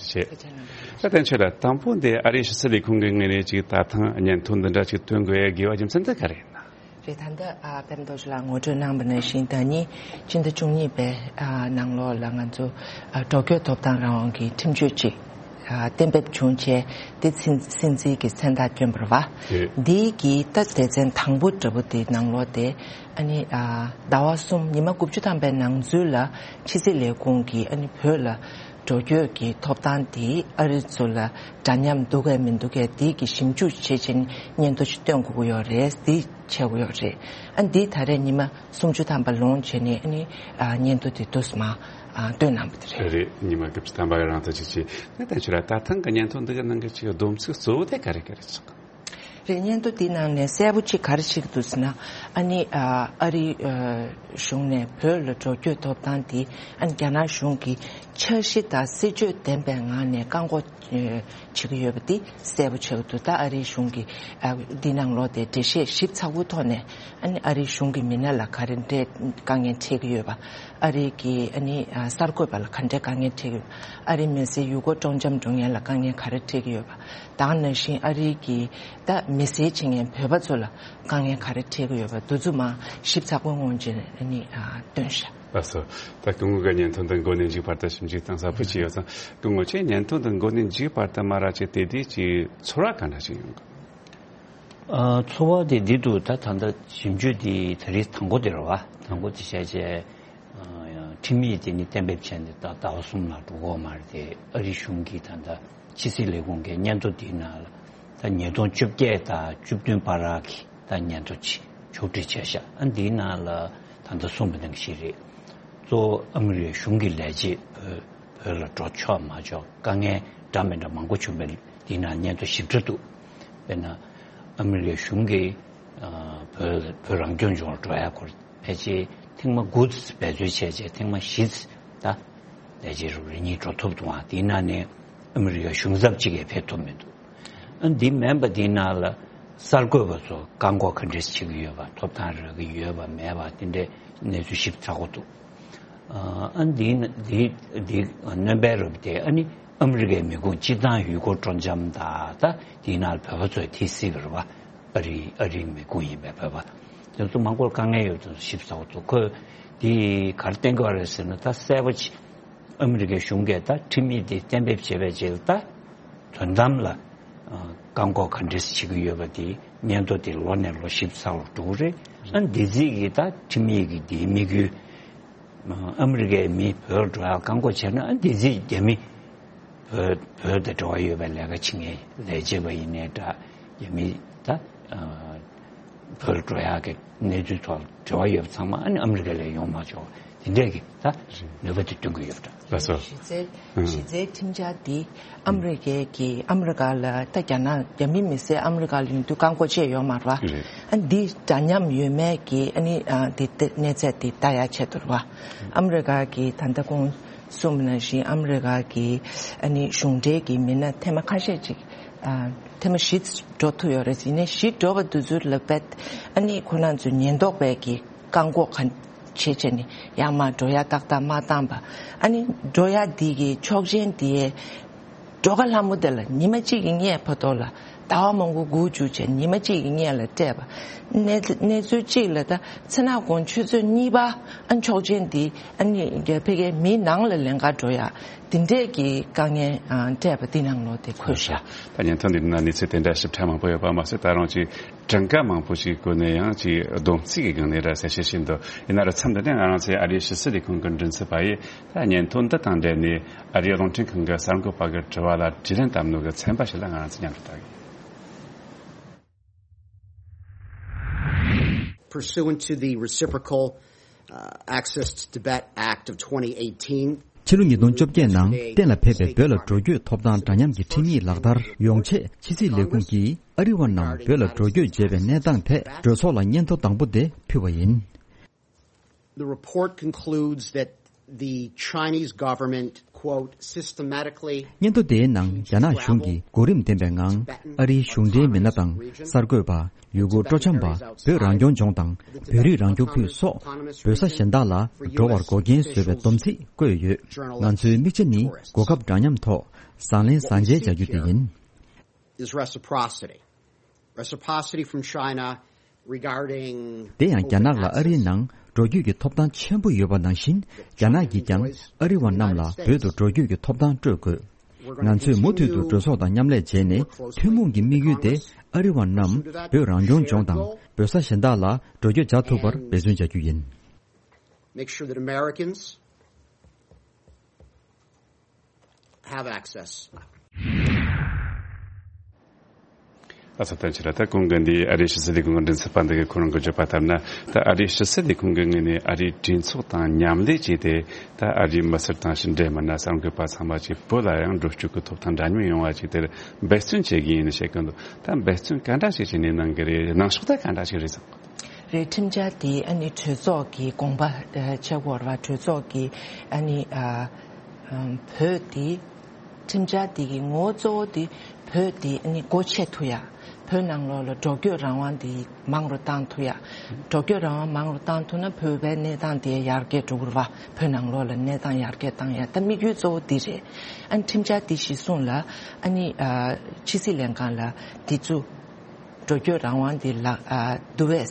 ཞེས། ད་བསྟན་ཆོས་ལགས། དང་པོ་འདི་ཨ་རིའི་ཕྱི་སྲིད་ལས་ཁུངས་ཀྱི་ངོས་ནས་ཅིག་ད་ཐེངས་སྙན་ཐོ་འདི་འདྲ་ཅིག་བཏོན་དགོས་ཡ་དགོས་པ་རྒྱུ་མཚན་དེ་ག་རེ་ཡིན་ན། རེད། ད་ལྟ་ཨ་པད་མ་རྡོ་རྗེ་ལགས་ངོ་སྤྲོད་གནང་བ་ནང་བཞིན། ད་ནི་སྤྱི་ཟླ་བཅུ་གཉིས་པའི་ཨ་ནང་ལོགས་ལ་ང་ཚོ་ཨ་འགྲོ་སྐྱོད་ཐོབ་ཐང་རང་དབང་གི་ཁྲིམས་གཅོད་ཅིག་ཨ་གཏན་འབེབས་བྱུང་བྱས། དེ་ཚིན་སྲིད་འཛིན་གྱི་མཚན་རྟགས་བསྐྱོན་པ་རེད་བ། རེད། འདི་གི་ད་སྡེ་ཚན་དང་པོ་འདྲ་པོ་དེ་ནང་ལོགས་དེ་ཨ་ནི་ཨ་ཟླ་བ་གསུམ་ཉི་མ་དགུ་བཅུ་ཐམ་པའི་ནང་ཚུད་ལ་ཕྱི་སྲིད་ལས་ཁུངས་ཀྱིས་ཨ་ནི་བོད་ལ་འགྲོ་སྐྱོད་ཀྱི་ཐོབ་ཐང་དེ་ཨ་རི་ཚོ་ལ་འདྲ་མཉམ་འདུག་གས་མི་འདུག་གས་དེ་གི་ཞིབ་འཇུག་བྱེད་ཆེད་སྙན་ཐོ་ཞིག་བཏོན་དགོས་ཀྱི་ཡོད་རེད། དེ་བྱེད་དགོས་ཡོད་རེད། ཨ་འདི་ད་རེས་ཉི་མ་སུམ་ཅུ་ཐམ་པ་ལོངས་བྱས་ནས་ཨ་ནི་ཨ་སྙན་ཐོ་དེ་དུས་མ་ཨ་བཏོན་གནང་བ་དེ་རེད། རེད། ཉི་མ་དགུ་བཅུ་ཐམ་པ་རང་ཐག་ཆོད་ཆེ། ད་ལྟ་ཁྱོད་ལ་ད་ཐེངས་ཀྱི་སྙན་ཐོ་འདི་གི་ནང་གི་ཅིག་སྡོམ་ཚིག་གཙོ་བོ་དེ་ག་རེ་ག་རེ་ཆགས། རེད། སྙན་ཐོ་འདི་ནང་ནས་གསལ་པོ་ཅིག་ག་རེ་ཞིག་འདུག་ཟེར་ན། ཨ་ནི་ཨ་ཨ་རི་ཨ་གཞུང་ནས་བོད་ལ་འགྲོ་སྐྱོད་ཐོབ་ཐང་འདི་ཨ་ནི་རྒྱ་ནག་གཞུང་གིས་འཆར་གཞི་དང་སྲིད་བྱུས་ལྡན་པའི་ངང་ནས་བཀག་འགོག་ཨ་བྱེད་ཀྱི་ཡོད་པ་འདི་གསལ་པོ་ཆགས་ཀྱི་འདུག་ད་ཨ་རིའི་གཞུང་གིས་ཨ་འདི་ནང་ལོགས་དེ་འགྲེལ་བཤད་ཞིབ་ཚགས་པོའི་ཐོག་ནས་ཨ་ནི་ཨ་རིའི་གཞུང་གི་མི་སྣ་ལ་ག་རེ་འདྲའི་དཀའ་ངལ་འཕྲད་ཀྱི་ཡོད་པ། ཨ་རི་གི་ཨ་ནི་ཨ་གསར་འགོད་པ་ལ་ག་འདྲའི་དཀའ་ངལ་འཕྲད་ཀྱི་ཡོད། ཨ་རིའི་མི་སེར་ཡུལ་སྐོར་སྤྲོ་འཆམ་འགྲོ་མཁན་ལ་དཀའ་ངལ་ག་རེ་འཕྲད་ཀྱི་ཡོད་པ། དེ་ནང་བཞིན་ཨ་རི་གི་ད་མི་སེར་བྱེད་མཁན་བོད་པ་ཚོ་ལ་དཀའ་ངལ་ག་རེ་འཕྲད་ཀྱི་ཡོད་པ་འདི་ཚོ་མར་ཞིབ་ཚགས་པོའི་ངང་ནས་ཨ་ནི་ཨ་བཏོན་ཤག་ལགས་སོ། ད་སྐུ་ངོ་གི་སྙན་ཐོ་འདི་མགོ་ནས་མཇུག་བར་དུ་ཞིབ་འཇུག་གཏིང་ཟབ་པོ་བྱས་ཡོད་ཙང་། སྐུ་ངོ་ཁྱེད་སྙན་ཐོ་འདི་མགོ་ནས་མཇུག་བར་དུ་མར་ཅིག་བལྟས་དུས་ཀྱི་ཚོར་བ་ག་འདྲ་ཞིག་ཡོང་གི། ཨ་ཚོར་བ་དེ་འདི་འདུག་ད་ད་ལྟ་ཞིབ་འཇུག་འདི་ད་རེས་དང་པོ་དེ་རེད་བ། དང་པོ་དེ་བྱས་རྗེས་ཨ་ཁྲིམས་ཡིག་དེ་ནི་གཏན་འབེབས་བྱས་ནས་ད་ཟླ་བ་གསུམ་ལ་འགྲོ་གི་ཡོད་མ་རེད་དེ། ཨ་རི་གཞུང་གིས་ད་ལྟ་ཕྱི་སྲིད་ལས་ཁུངས་ཀྱི་སྙན་ཐོ་དེའི་ནང་ལ་ད་ཉིས་སྟོང་བཅོ་བརྒྱད་དང་བཅུ་བདུན་བར་གྱི་ད་སྙན་ཐོ་ཅིག་ཕྱོགས་སྒྲིག་བྱས་ཤག་ཨ་འདིའི་ནང་ལ་ད་ལྟ་གསུངས་པ་ནང་བཞིན་རེད། གཙོ་བོ་ཨ་མི་རི་ཀའི་གཞུང་གི་ལས་བྱེད་བོད་བོད་ལ་འགྲོ་ཆོག་མ་ཆོག་དཀའ་ངལ་འདྲ་མི་འདྲ་མང་པོ་བྱུང་བས། འདི་ནང་སྙན་ཐོ་ཞིབ་ཕྲ་འདུག་དཔེར་ན་ཨ་མི་རི་ཀའི་གཞུང་གིས་ཨ་བོད་བོད་རང་སྐྱོང་ལྗོངས་ལ་འགྲོ་ཡ་སྐོར་ཕལ་ཆེར་ཐེངས་མ་དགུ་འབད་རྩོལ་བྱས་རྗེས་ཐེངས་མ་བཞི་ད་ལས་བྱེད་རུ་རེ་གཉིས་འགྲོ་ཐུབ་འདུག་ཨ་འདིའི་ནང་ནས་ཨ་མི་རི་ཀའི་གཞུང་ཚབ་གཅིག་ཡང་ཕེབས་ཐུབ་མི་འདུག་ཨ་འདི་མིན་པ་འདིའི་ནང་ལ་གསར་འགོད་པ་ཚོ་བཀག་འགོག་ག་འདྲས་བྱེད་ཀྱི་ཡོད་པ། ཐོབ་ཐང་རག་གི་ཡོད་པ་མེད་པ་དེ་འདྲའི་གནས་ཚུལ་ཞིབ་ཚགས་པོ་འདུག་ཨ་འདི་འདི་འདི་སྣོན་པའི་རབས་དེ་ཨ་ནི་ཨ་མི་རི་ཀའི་མི་ཁུངས་སྤྱིར་བཏང་ཡུལ་སྐོར་སྤྲོ་འཆམ་དང་། ད་འདིའི་ནང་བོད་པ་ཚོས་དེ་སྲིད་པར་བ་ཨ་རི་ཨ་རིའི་མི་ཁུངས་ཡིན་པའི་བོད་པ་དེ་ཚོ་མང་པོར་དཀའ་ངལ་ཡོད་དུས་ཞིབ་ཚགས་པོ་འདུག་ཁོས་འདི་ག་རེ་བསྟན་གྱི་ཡོད་རེད་ཟེར་ན། ད་གསལ་པོ་ཅིག་ཨ་མི་རི་ཀའི་གཞུང་གིས་ད་ཁྲིམས་ཡིག་འདི་གཏན་འབེབས་བྱས་པའི་རྗེས་ལ་ད་དོན་དམ་ལ་བཀག་འགོག་ག་འདྲས་བྱེད་ཀྱི་ཡོད་པ་དེ་སྙན་ཐོ་དེ་ལོ་ནས་ལོ་ཞིབ་ཚགས་པོ་འགྲོ་གི་རེད། ཨ་འདི་རྩིས་ཀྱི་ད་ཁྲིམས་ཡིག་གི་དེའི་དམིགས་ཡུལ་ཨ་མི་རི་ཀའི་མི་བོད་འགྲོ་ཡ་བཀག་འགོག་བྱས་ན། ཨ་འདི་རྩིས་རྒྱ་མི་བོད་བོད་དང་འབྲེལ་བ་ཡོད་པའི་ལས་ཀ་བྱེད་མཁན་ལས་བྱེད་པ་ཡིན་ནའི་འདྲ། རྒྱ་མི་ད་ བོད་འགྲོ་ཡག་གི་གནས་ཚུལ་ཐོག་འབྲེལ་བ་ཡོད་པ་ཚང་མ་ཨ་ནི་ཨ་མི་རི་ཀ་ལ་ཡོང་མ་ཆོག་དེ་འདྲས་ཀྱི་ད་ནུས་པ་དེ་སྟོན་གྱི་ཡོད་པ་འདྲ། ལགས་སོ། གཞི་རྩའི་ཨང་། གཞི་རྩའི་ཁྲིམས་འཆར་འདི་ཨ་མི་རི་ཀའི་གི་ཨ་མི་རི་ཀ་ལ་ད་རྒྱ་ནག་རྒྱ་མི་མི་སེར་ཨ་མི་རི་ཀ་ལ་ཡོང་དུས་བཀག་འགོག་བྱས་ཡོད་མ་རེད་བ། རེད། ཨ་འདི་འདྲ་མཉམ་ཡོད་མེད་ཀྱི་ཨ་ནི་ཨ་འདི་ཏེ་གནས་ཚད་འདི་ལྟ་ཡ་ཆེད་དུ་རེད་བ། ཨ་མི་རི་ཀ་གི་ད་ལྟ་ཁོང་གསུངས་པ་ནང་བཞིན་ཨ་མི་རི་ཀ་གི་ཨ་ནི་གཞུང་འབྲེལ་གྱི་མི་སྣ་ཐེངས་མ་ཁ་ཤས་ཅིག་ཨ་ཐེངས་མ་བཞི་འགྲོ་ཐུབ་ཡོད་རེད། ཡིན་ནའི་བཞི་འགྲོ་བ་དེ་ཚོ་ལ་བས་ཨ་ནི་ཁོ་རང་ཚོའི་ཉེན་རྟོག་པས་ཀྱི་བཀག་འགོག་ག་བྱེད་བྱས་ནས་ཡར་མར་འགྲོ་ཡ་ཏག་ཏག་མ་བཏང་པ། ཨ་ནི་འགྲོ་ཡ་འདི་གི་ཆོག་མཆན་དེ་འགྲོ་ཁ་ལྷ་མོ་དེ་ལ་ཉི་མ་གཅིག་གི་སྔས་བར་དོ་ལ་ཟླ་བ་མང་པོ་སྒུག་བཅུག་བྱས་ཉི་མ་གཅིག་གི་སྔས་ལ་སྤྲད་པ། གནས་གནས་ཚུལ་གཅིག་ལ་ད་མཚན་ནག་གུང་ཆུ་ཚོད་གཉིས་པ་ཨ་ཆོག་མཆན་འདི་ཨ་ནི་རྒྱ་ཕ་གིའི་མི་ནང་ལ་ལེན་ག་འགྲོ་ཡ། དེ་འདྲས་ཀྱི་དཀའ་ངལ་ཨ་འཕྲད་པ་དེ་ནང་ལོགས་དེ་འཁོད་ཤག་ད་བརྙན་ཐུང་འདི་ནང་གནས་ཚུལ་དེ་འདྲ་ཞིབ་ཕྲ་མང་པོ་ཡོད་པ་མ་ཟད་ད་རུང་ཅིག་གྲངས་ཀ་མང་པོ་ཞིག་བཀོད་ནས་ཡང་ཅིག་སྡོམ་རྩིས་ཀྱི་སྒང་ནས་ར་གསལ་བཤད་བྱས་འདུག་ཡིན་ན་ར་མཚམས་འདི་ནས་ང་རང་ཚོའི་ཨ་རིའི་ཕྱི་སྲིད་ལས་ཁུངས་ཀྱི་མགྲིན་ཚབ་པ་ཡིས་ད་བརྙན་ཐུང་འདི་དང་འབྲེལ་ནས་ཨ་རིའི་རླུང་འཕྲིན་ཁང་གི་གསར་འགོད་པ་གི་དྲི་བ་ལ་དྲིས་ལན་བཏབ་ནོ་གི་ཚན་པ་ཞིག་ལ་ང་རང་ཚོ་མཉམ་དུ་ལྟ་གི། Pursuant to the Reciprocal, uh, Access to Tibet Act of twenty eighteen, ཕྱི་ལོ་ཉིས་སྟོང་བཅོ་བརྒྱད་ནང་གཏན་ལ་ཕེབས་པའི་བོད་ལ་འགྲོ་སྐྱོད་ཐོབ་ཐང་འདྲ་མཉམ་གྱི་ཁྲིམས་ཡིག་ལག་བསྟར་ཡོང་ཆེད་ཕྱི་སྲིད་ལས་ཁུངས་ཀྱིས་ཨ་རི་བ་རྣམས་བོད་ལ་འགྲོ་སྐྱོད་བྱེད་པའི་གནས་སྟངས་ཐད་གྲོས་ཚོགས་ལ་སྙན་ཐོ་དང་པོ་དེ་ཕུལ་བ་ཡིན། The report concludes that the Chinese government, quote, systematically སྙན་ཐོ་དེའི་ནང་རྒྱ་ནག་གཞུང་གིས་གོ་རིམ་ལྡན་པའི་ངང་ཨ་རིའི་གཞུང་འབྲེལ་མི་སྣ་དང་གསར་འགོད་པ། ཡུལ་སྐོར་སྤྲོ་འཆམ་པ། བོད་རང་སྐྱོང་ལྗོངས་དང་བོད་རིགས་རང་སྐྱོང་ཁུལ་སོགས་བོད་ས་གཞན་དག་ལ་འགྲོ་བར་འགོག་རྐྱེན་བཟོས་པའི་སྡོམ་ཚིག་བཀོད་ཡོད། ང་ཚོའི་དམིགས་ཆ་ནི་གོ་སྐབས་འདྲ་མཉམ་ཐོག་བཟང་ལན་བཟང་འཇལ་བྱ་རྒྱུ་དེ་ཡིན། Is reciprocity. Reciprocity from China regarding དེ་ཡང་རྒྱ་ནག་ལ་ཨ་རིའི་ནང་འགྲོ་སྐྱོད་ཀྱི་ཐོབ་ཐང་ཆེན་པོ་ཡོད་པ་ནང་བཞིན་རྒྱ་ནག་གིས་ཀྱང་ཨ་རི་བ་རྣམས་ལ་བོད་དུ་འགྲོ་སྐྱོད་ཀྱི་ཐོབ་ཐང་སྤྲོད་དགོས། ང་ཚོས་མུ་མཐུད་དུ་གྲོས་ཚོགས་དང་མཉམ་ལས་བྱས་ནས་ཐུན་མོང་གི་དམིགས་ཡུལ་དེ་ཨ་རི་བ་རྣམས་བོད་རང་སྐྱོང་ལྗོངས་དང་བོད་ས་གཞན་དག་ལ་འགྲོ་སྐྱོད་བྱ་ཐུབ་པར་འབད་བརྩོན་བྱ་རྒྱུ་ཡིན། Make sure that Americans have access. ཨ་ས་ཐན་ཆེ་ར་ད་གོང་གི་འདི་ཨ་རིའི་ཕྱི་སྲིད་ལས་ཁུངས་ཀྱི་མགྲིན་ཚབ་པ་འདི་གིས་ཁོ་རང་གི་བརྗོད་པ་ལྟར་ན། ད་ཨ་རིའི་ཕྱི་སྲིད་ལས་ཁུངས་ཀྱི་ངོས་ནས་ཨ་རིའི་གྲོས་ཚོགས་དང་མཉམ་ལས་བྱས་ཏེ། ད་ཨ་རིའི་མི་སེར་དང་ཕྱི་འབྲེལ་མི་སྣ་གསར་འགོད་པ་ཚང་མ་ཅིག་བོད་ལ་ཡང་འགྲོ་སྐྱོད་ཀྱི་ཐོབ་ཐང་འདྲ་མཉམ་ཡོང་བ་ཅིག་དེར་འབད་བརྩོན་བྱེད་ཀྱི་ཡིན་ཞེས་བཀོད་འདུག་ད་འབད་བརྩོན་ག་འདྲ་ཞིག་བྱས་ནས་གནང་གི་རེད། གནང་ཕྱོགས་ད་ག་འདྲ་ཞིག་རེད་བསམ། རེད། ཁྲིམས་འཆར་དེ་ཨ་ནི་གྲོས་ཚོགས་ཀྱི་དགོངས་པ་ཆེ་བོར་བ། གྲོས་ཚོགས་ཀྱི་ཨ་ནི་ཨ་བོད་དེ། ཁྲིམས་འཆར་འདི་གི་ངོ་བོ་གཙོ་བོ་འདི་བོད་འདི་ནི་སྒོ་ཕྱེ་ཐུབ་ཡ། བོད་ནང་ལོགས་ལ་འགྲོ་སྐྱོད་རང་དབང་འདི་མང་རུ་བཏང་ཐུབ་ཡ། འགྲོ་སྐྱོད་རང་དབང་མང་རུ་བཏང་ཐུབ་ན་བོད་པའི་གནས་སྟངས་དེ་ཡར་རྒྱས་འགྲོ་གི་རེད་བ། བོད་ནང་ལོགས་ལ་གནས་སྟངས་ཡར་རྒྱས་བཏང་ཡ་ད་དམིགས་ཡུལ་གཙོ་བོ་འདི་རེད། ཨ་ནི་ཁྲིམས་འཆར་འདི་གཞིར་བཟུང་ལ་ཨ་ནི་ཨ་ཕྱི་སྲིད་ལྷན་ཁང་ལ་འདི་ཚོ་འགྲོ་སྐྱོད་རང་དབང་འདི་ལ་ཨ་བསྡུ་བའི་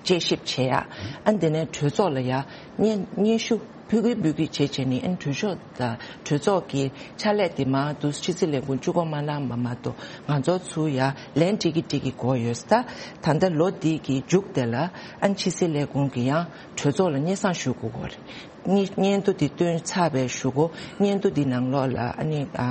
དཔྱད་ཞིབ་བྱེད་ཡ། ཨ་འདི་ནས་གྲོས་ཚོགས་ལ་ཡ་སྙན་སྙན་ཞུ་ཕུལ་གི་ཕུལ་གི་བྱེད་བྱེད་ནི་ཨ་གྲོས་ཚོགས་དང་གྲོས་ཚོགས་ཀྱི་ཕྱག་ལས་དེ་མ་གཏོགས་ཕྱི་སྲིད་ལས་ཁུངས་བཅུ་གོ་མ་གནང་བ་མ་གཏོགས་ང་ཚོ་ཚུར་ཡ་ལན་སྤྲད་གི་སྤྲད་གི་གོ་ཡོད་ས། ད་ད་ལྟ་ལོ་འདི་གི་མཇུག་དེ་ལ་ཨ་ཕྱི་སྲིད་ལས་ཁུངས་ཀྱི་ཡང་གྲོས་ཚོགས་ལ་སྙན་སེང་ཞུ་དགོས་གོ་རེད། སྙན་སྙན་ཐོ་འདི་བཏོན་ཚར་བའི་གཞུག་གུ་སྙན་ཐོ་འདི་ནང་ལོགས་ལ་ཨ་ནི་ཨ་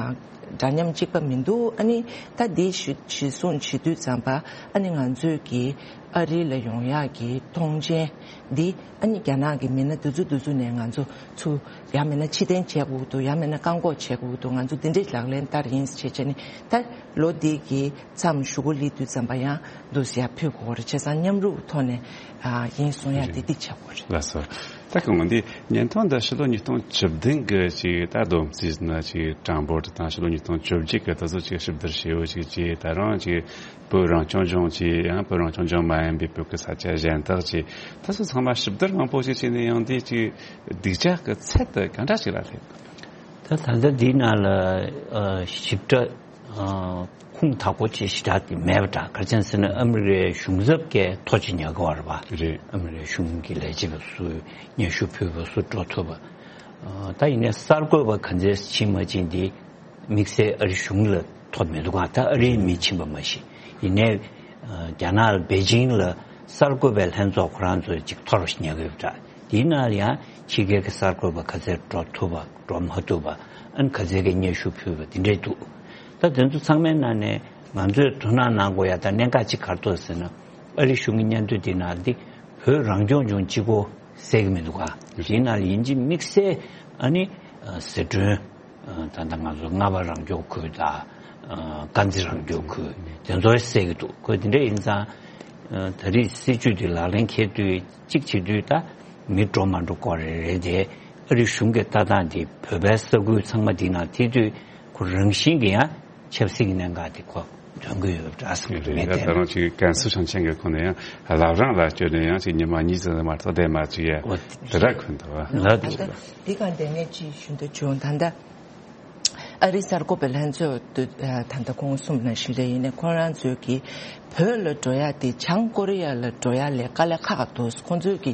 འདྲ་མཉམ་གཅིག་པ་མི་འདུག་ཨ་ནི་ད་འདི་གཞི་གཞི་བཟུང་བྱེད་དུས་ཙམ་པ་ཨ་ནི་ང་ཚོས་ཀྱི་ཨ་རི་ལ་ཡོང་ཡག་གི་མཐོང་མཆན་འདི་ཨ་ནི་རྒྱ་ནག་གི་མི་སྣ་འདི་ཚོ་འདི་ཚོ་ནས་ང་ཚོ་ཚུར་ཡང་མིན་ན་ཕྱིར་འཐེན་བྱེད་དགོས་འདུག་ཡང་མིན་ན་བཀག་འགོག་བྱེད་དགོས་འདུག་ང་ཚོ་འདི་འདྲའི་ལག་ལེན་བསྟར་ཡིན་ཞེས་བྱས་ནས་ད་ལོ་འདི་གི་མཚམས་གཞུག་གུ་སླེབས་དུས་ཙམ་པ་ཡང་འདུག་སེ་ཡར་ཕུལ་དགོས་རེད། བྱས་ཙང་མཉམ་རུབ་ཐོག་ནས་ཨ་ཡིན་གསུང་ཡ་དེ་འདི་བྱེད་དགོས་རེད། ལགས་སོ། ད་གང་འདི་བརྙན་ཐུང་འདི་ཕྱི་ལོ་ཉིས་སྟོང་བཅུ་བདུན་གི་ཅིག་ད་བསྡོམས་རྩིས་ན་ཅིག་གྲངས་འབོར་དང་ཕྱི་ལོ་ཉིས་སྟོང་བཅོ་བརྒྱད་གི་ད་གཟོད་ཅིག་ཞིབ་བསྡུར་བྱས་ཡོད་ཅིག་ཅིག་ད་རུང་ཅིག་བོད་རང་སྐྱོང་ལྗོངས་ཅིག་ཡང་བོད་རང་སྐྱོང་ལྗོངས་མ་ཡིན་པའི་བོད་ཀྱི་ས་ཆ་གཞན་དག་ཅིག་ད་གཟོད་ཚང་མ་ཞིབ་བསྡུར་མང་པོ་ཞིག་བྱས་ནས་ཡང་འདི་ཅིག་སྡིག་ཅག་གི་ཚད་དེ་ག་འདྲ་ཞིག་ལ་སླེབས། ད་ད་ལྟ་འདི་ནང་ལ་ཞིབ་ཕྲ་ཁུངས་དག་པོ་ཅིག་ཞེ་དྲག་དེ་མེད་པ་འདྲ། ག་རེ་བྱས་ཟེར་ན་ཨ་མི་རི་ཀའི་གཞུང་ཚབ་ཀྱིས་ཐོ་ཅིག་ཉོ་གི་ཡོད་རེད་པ། རེད། ཨ་མི་རི་ཀའི་གཞུང་གི་ལས་བྱེད་པ་སུ་སྙན་ཞུ་ཕུལ་བ་སུ་འགྲོ་ཐུབ་པ། ད་ཡིན་ནའི་གསར་འགོད་པ་ག་ཚོད་ཕྱིན་མ་ཕྱིན་དེ་དམིགས་བསལ་ཨ་རི་གཞུང་ལ་ཐོ་མི་འདུག་ག་ད་ཨ་རིའི་མི་ཕྱིན་པ་མ་གཞི། ཡིན་ནའི་རྒྱ་ནག་ལ་པེ་ཅིང་ལ་གསར་འགོད་པའི་ལྷན་ཚོགས་ཁོ་རང་ཚོས་ཅིག་ཐོ་རུ་ཉོ་གི་ཡོད་པ་འདྲ། དེའི་ནང་ལ་ཡང་ཕྱི་རྒྱལ་གྱི་གསར་འགོད་པ་ག་ཚོད་འགྲོ་ཐུབ་པ་འགྲོ་མ་ཐུབ་པ། ཨ་ནི་ག་ཚོད་ཀྱི་སྙན་ཞུ་ཕུལ་བ་དེ་འདྲས་འདུག་ད་དེ་ཚོ་ཚང་མའི་ནང་ནས་ང་ཚོས་དོ་སྣང་གནང་དགོས་ཡ་ད་གནད་འགག་ཅིག་ག་རེ་འདུག་ཟེར་ན། ཨ་རི་གཞུང་གི་སྙན་ཐོ་འདི་ནང་འདི་བོད་རང་སྐྱོང་ལྗོངས་གཅིག་པོ་གསལ་གྱི་མི་འདུག་ག་དེའི་ནང་ལ་ཡིན་གཅིག་དམིགས་བསལ་ཨ་ནི་ཟི་ཁྲོན། ད་ལྟ་ང་ཚོ་རྔ་བ་རང་སྐྱོང་ཁུལ་དང་། དཀར་མཛེས་རང་སྐྱོང་ཁུལ་དེ་ཚོ་གསལ་གྱི་འདུག་ཁོས་དེ་འདྲ་ཡིན་ཙང་། ད་རེས་སྲིད་ཇུས་དེ་ལག་ལེན་འཁེལ་དུས་གཅིག་བྱེད་དུས་ད་མི་འགྲོ་མ་འགྲོ་སྐོར་རེ་རེད་དེ། ཨ་རི་གཞུང་གི་ལྟ་སྟངས་དེ་བོད་པའི་ས་ཁུལ་ཚང་མ་དེ་ནང་ཐེ་དུས་ཁོ་རང་བཞིན་གྱི་ཡང་ཆབ་སྲིད་ཀྱི་གནད་འགག་དེ་ཁོ་ཐོན་གྱི་ཡོད་འདྲ་བསམ་གྱི་འདུག་ངས་ད་བལྟས་ན། ད་རུང་ཅིག་ཀན་སུའུ་ཞིང་ཆེན་གྱི་ཁོངས་ནས་ཡང་བླ་བྲང་ལ་བསྐྱོད་ནས་ཡང་ཅིག་ཉི་མ་གཉིས་ཙམ་མ་གཏོགས་བསྡད་མ་བཅུག་ཡ། འོ་དེ་འདྲ་ཁོ་འདུག་བ། ལགས་འདུག་ད་ལྟ་འདི་ག་འདི་ངས་ཅིག་ཞུ་འདོད་བྱུང་། ད་ལྟ་ཨ་རིའི་གསར་འགོད་པའི་ལྷན་ཚོགས་དུ་ད་ལྟ་ཁོང་གསུམ་ནང་བཞིན་རེད། ཡིན་ནའི་ཁོང་རང་ཚོས་ཀྱི་བོད་ལ་འགྲོ་ཡ་དེ་བྱང་ཀོ་རི་ཡ་ལ་འགྲོ་ཡ་ལས་དཀའ་ལས་ཁག་འདུག་ཁོང་ཚོས་ཀྱི་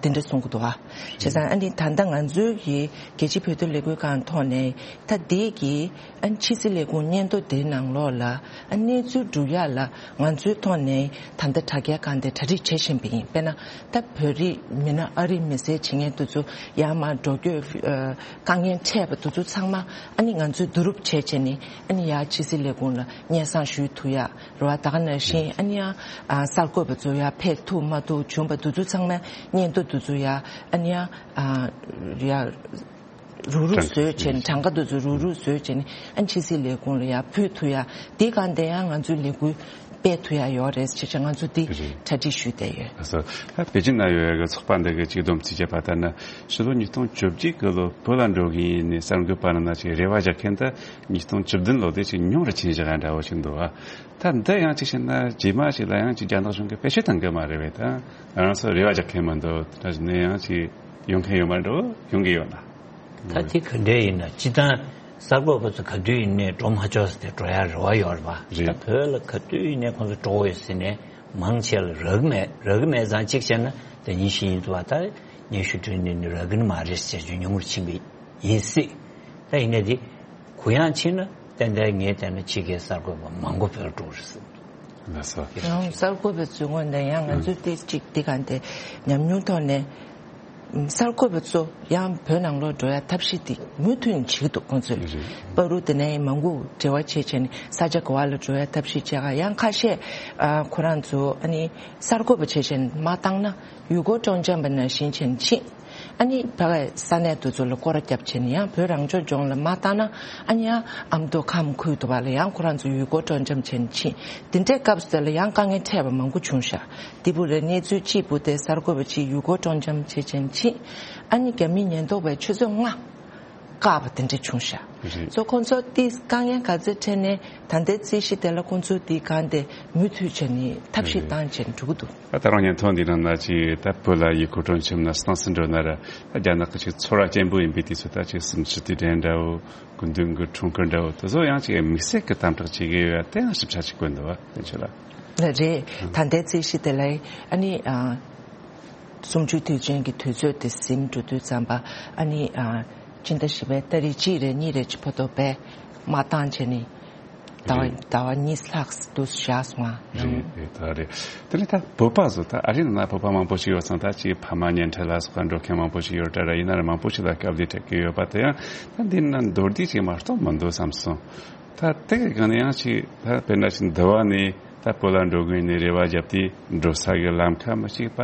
དེ་འདྲ་གསུང་གི་འདུག་བ། བྱས་ཙང་ཨ་ནི་ད་ལྟ་ང་ཚོའི་གི་རྒྱལ་སྤྱིའི་བོད་དོན་ལས་འགུལ་ཁང་ཐོག་ནས་ད་འདི་གི་ཨ་ཕྱི་སྲིད་ལས་ཁུངས་སྙན་ཐོ་དེའི་ནང་ལོགས་ལ་ཨ་གནས་ཚུལ་སྒྲུབ་ཡག་ལ་ང་ཚོའི་ཐོག་ནས་ད་ལྟ་དྲ་རྒྱའི་སྒང་དེ་གྲ་སྒྲིག་བྱེད་བཞིན་པ་ཡིན། དཔེར་ན་ད་བོད་རིགས་མིན་ན་ཨ་རིའི་མི་སེར་བྱེད་མཁན་དེ་ཚོ་ཡར་མར་འགྲོ་སྐྱོད་ཨ་དཀའ་ངལ་འཕྲད་པ་དེ་ཚོ་ཚང་མ་ཨ་ནི་ང་ཚོས་བསྡུ་རུབ་བྱས་བྱས་ནས་ཨ་ནི་ཡར་ཕྱི་སྲིད་ལས་ཁུངས་ལ་སྙན་སེང་ཞུ་ཐུབ་ཡག་རེད་བ། ད་ག་ནང་བཞིན་ཨ་ནི་ཡང་ཨ་གསར་འགོད་པ་ཚོ་ཡར་ཕེབས་ཐུབ་མ་ཐུབ་བྱུང་བ་དེ་ཚོ་ཚང་མ་སྙན་ཐོ་དེ་ཚོ་ཡར་ཨ་ནི་ཡང་ཨ་ཡར་རུག་རུག་བཟོས་བྱས་ནས། གྲངས་ཀ་དེ་ཚོ་རུག་རུག་བཟོས་བྱས་ནས་ཨ་ཕྱི་སྲིད་ལས་ཁུངས་ལ་ཡར་ཕུལ་ཐུབ་ཡ། དེ་གང་དེ་ཡང་ང་ཚོའི་ལས་འགུལ་སྤེལ་ཐུབ་ཡ་ཡོད་རེད་ཅེས་བྱས་ང་ཚོ་དེ་རེད། གྲ་སྒྲིག་ཞུས་བསྡད་ཡོད། ལགས་སོ། ད་པེ་ཅིན་ན་ཡོད་ཡ་གི་ཚོགས་པ་འདི་གི་ཅིག་བསྡོམས་རྩིས་བྱས་པ་ལྟར་ན། ཕྱི་ལོ་ཉིས་སྟོང་བཅོ་བརྒྱད་གི་ལོ་བོད་ལ་འགྲོ་གི་ཡིན་ནས་གསར་འགོད་པ་རྣམས་ལ་ཅིག་རེ་བ་རྒྱག་མཁན་དེ་ཉིས་སྟོང་བཅུ་བདུན་ལོ་དེ་ཅིག་ཉུང་རུ་ཕྱིན་བཞག་ཡ་འདྲ་བོ་ཞིག་འདུག་ཨ། ད་འདི་ཡང་ཅིག་བཤད་ན་རྗེས་མ་ཞིག་ལ་ཡང་ཅིག་རྒྱ་ནག་གཞུང་གིས་བེད་སྤྱོད་གཏོང་གི་མ་རེད་པས། ད་ང་རང་ཚོ་རེ་བ་རྒྱག་མཁན་མི་འདུག་དེ་འདྲ་ཞིག་ནས་ཡང་ཅིག་ཡོང་མཁན་ཡོད་མ་འགྲོ། ཡོང་གི་ཡོད་ན། ད་དེ་ག་འདྲ་ཡིན་ན་སྤྱིར་བཏང་གསར་འགོད་པ་ཚོ་ག་དུས་ཡིན་ནའི་འགྲོ་མ་ཆོག་ཟེར་ཏེ་འགྲོ་ཡ་རེ་བ་ཡོད་རེད་པ། རེད། ད་བོད་ལ་ག་དུས་ཡིན་ནའི་ཁོང་ཚོ་འགྲོ་དགོས་ཡོད་ཟེར་ནས་མང་ཆེ་ལ་རག་གི་མེད། རག་གི་མེད་ཙང་གཅིག་བྱས་ན་ད་ཉིན་ཤས་ཡིན་འདུག་བ། ད་སྙན་ཞུ་བྲིས་ནས་ནི་རག་གི་ནི་མ་རེད་ཟེར་རྒྱུ་ཉུང་རུ་ཕྱིན་པ་ཡིན་སྲིད། ད་ཡིན་ནའི་དེ་གུ་ཡངས་ཕྱིན་ན་ཏན་ཏན་ངས་བལྟས་ན་ཕྱི་རྒྱལ་གསར་འགོད་པ་མང་པོ་བོད་ལ་འགྲོ་རེད་ཟེར་འདུག་ལགས་སོ། ཡང་གསར་འགོད་པའི་ཚོའི་ངོས་ནས་ཡང་ང་ཚོས་དེ་གཅིག་དེ་ག་འདི་ཉམས་མྱོང་ཐོག་ནས། གསར་འགོད་པ་ཚོ་ཡང་བོད་ནང་ལོགས་འགྲོ་ཡ་ཐབས་ཤེས་དེ་མུ་མཐུད་ནས་བྱེད་ཀྱི་འདུག་ཁོང་ཚོས་པ་རུ་དེ་ནས་མང་པོ་འབྲེལ་བ་བྱས་བྱས་ནས་ས་ཆ་ག་བ་ལ་འགྲོ་ཡ་ཐབས་ཤེས་བྱས་ག་ཡང་ཁ་ཤས་ཨ་ཁོ་རང་ཚོ་ཨ་ནི་གསར་འགོད་པ་བྱས་བྱས་ནས་མ་བཏང་ན་ཡུལ་སྐོར་སྤྲོ་འཆམ་པ་ནང་བཞིན་བྱས་ནས་ཕྱིན། ཨ་ནི་ཕ་གའི་ས་གནས་དེ་ཚོ་ལ་སྐོར་ར་བརྒྱབ་བྱས་ནས་ཡང་བོད་རང་སྐྱོང་ལྗོངས་ལ་མ་བཏང་ན་ཨ་ནི་ཡང་ཨ་མདོ་ཁམས་ཁུལ་དུ་བ་ལ་ཡང་ཁོ་རང་ཚོ་ཡུལ་སྐོར་སྤྲོ་འཆམ་བྱས་ནས་ཕྱིན། དེ་འདྲའི་སྐབས་སུ་དེ་ལ་ཡང་དཀའ་ངལ་འཕྲད་པ་མང་པོ་བྱུང་ཤག་དེ་བུ་རེ་གནས་ཚུལ་གཅིག་བུ་དེ་གསར་འགོད་པ་གཅིག་ཡུལ་སྐོར་སྤྲོ་འཆམ་བྱེད་ཆེན་ཕྱིན། ཨ་ནི་རྒྱ་མི་ཉེན་རྟོག་པས་ཆུ་ཚོད་ལྔ་བཀག་པ་དེ་འདྲ་བྱུང་ཤག་རེད། སོ་ཁོང་ཚོ་དེ་དཀའ་ངལ་ག་ཚོད་འཕྲད་ནས་ད་ལྟའི་རྩིས་གཞི་དེ་ལ་ཁོང་ཚོ་དེ་གང་དེ་མུ་མཐུད་བྱས་ནས་ཐབས་ཤེས་བཏང་བྱས་ནས་འགྲོ་གི་འདུག་ཨ་ད་རུང་སྙན་ཐོ་འདི་ནང་ན་ཅིག་ད་བོད་ལ་ཡུལ་སྐོར་སྤྲོ་འཆམ་ན་སྣང་སྲིད་འགྲོ་ན་ར་ད་རྒྱ་ནག་གི་ཅིག་ཚོར་བ་སྐྱེན་པོ་ཡིན་པའི་དུས་ཚོད་ད་ཅིག་སུམ་ཅུ་དུས་དྲན་འདྲ་བོ་སྐུ་མདུན་གྱི་འཁྲུངས་སྐར་འདྲ་བོ་དེ་ཚོ་ཡང་ཅིག་དམིགས་བསལ་གྱི་དམ་དྲག་བྱེད་ཀྱི་ཡོད་ཡ་དེ་ཡང་ཞིབ་ཆ་ཅིག་བཀོད་འདུག་བ་དེ་ཚོ་ལ། ལགས་རེད། ད་ལྟའི་རྩིས་གཞི་དེ་ལ་ཨ་ནི་ཨ། གསུམ་བཅུའི་དུས་ཆེན་གྱི་དུས་ཚོད་དེ་ཟིན་འགྲོ་དུས་ཙམ་པ་ཨ་ནི་ཨ་ཕྱི་ཟླ་བཞི་པའི་ཏ་རིག་གཅིག་རེ་གཉིས་རེ་ཅིག་བར་དུ་བས་མ་བཏང་བྱས་ནས་ཟླ་བ་རེད། ཟླ་བ་གཉིས་ལྷག་འདུག་བཞག་སོང་ང་། རེད་རེད་ད་རེད། དེ་ནས་ད་བོད་པ་ཚོ་ད་ཨ་རི་ནང་ན་བོད་པ་མང་པོ་ཞིག་ཡོད་ཙང་ད་ཅིག་ཕ་མ་གཉེན་འཕྲད་ལ་སོགས་པ་འགྲོ་མཁན་མང་པོ་ཞིག་ཡོད་འདྲ་ར་ཡིན་ན་ར་མང་པོ་ཞིག་ལ་སྐབས་དེ་འཕྲད་ཀྱི་ཡོད་པ་དེ་ཡང་ད་འདི་ན་མདོར་བསྡུས་ཅིག་མ་གཏོགས་མི་འདུག་བསམ་སོང་། ད་དེ་གི་སྒང་ནས་ཡང་ཅིག་ད་དཔེར་ན་ཅིག་འདི་བ་ནས། ད་བོད་ལ་འགྲོ་དགོས་ནས་རེ་བ་བརྒྱབ་དུས་འགྲོ་ས་གི་ལམ་ཁ་མི་གཅིག་པ།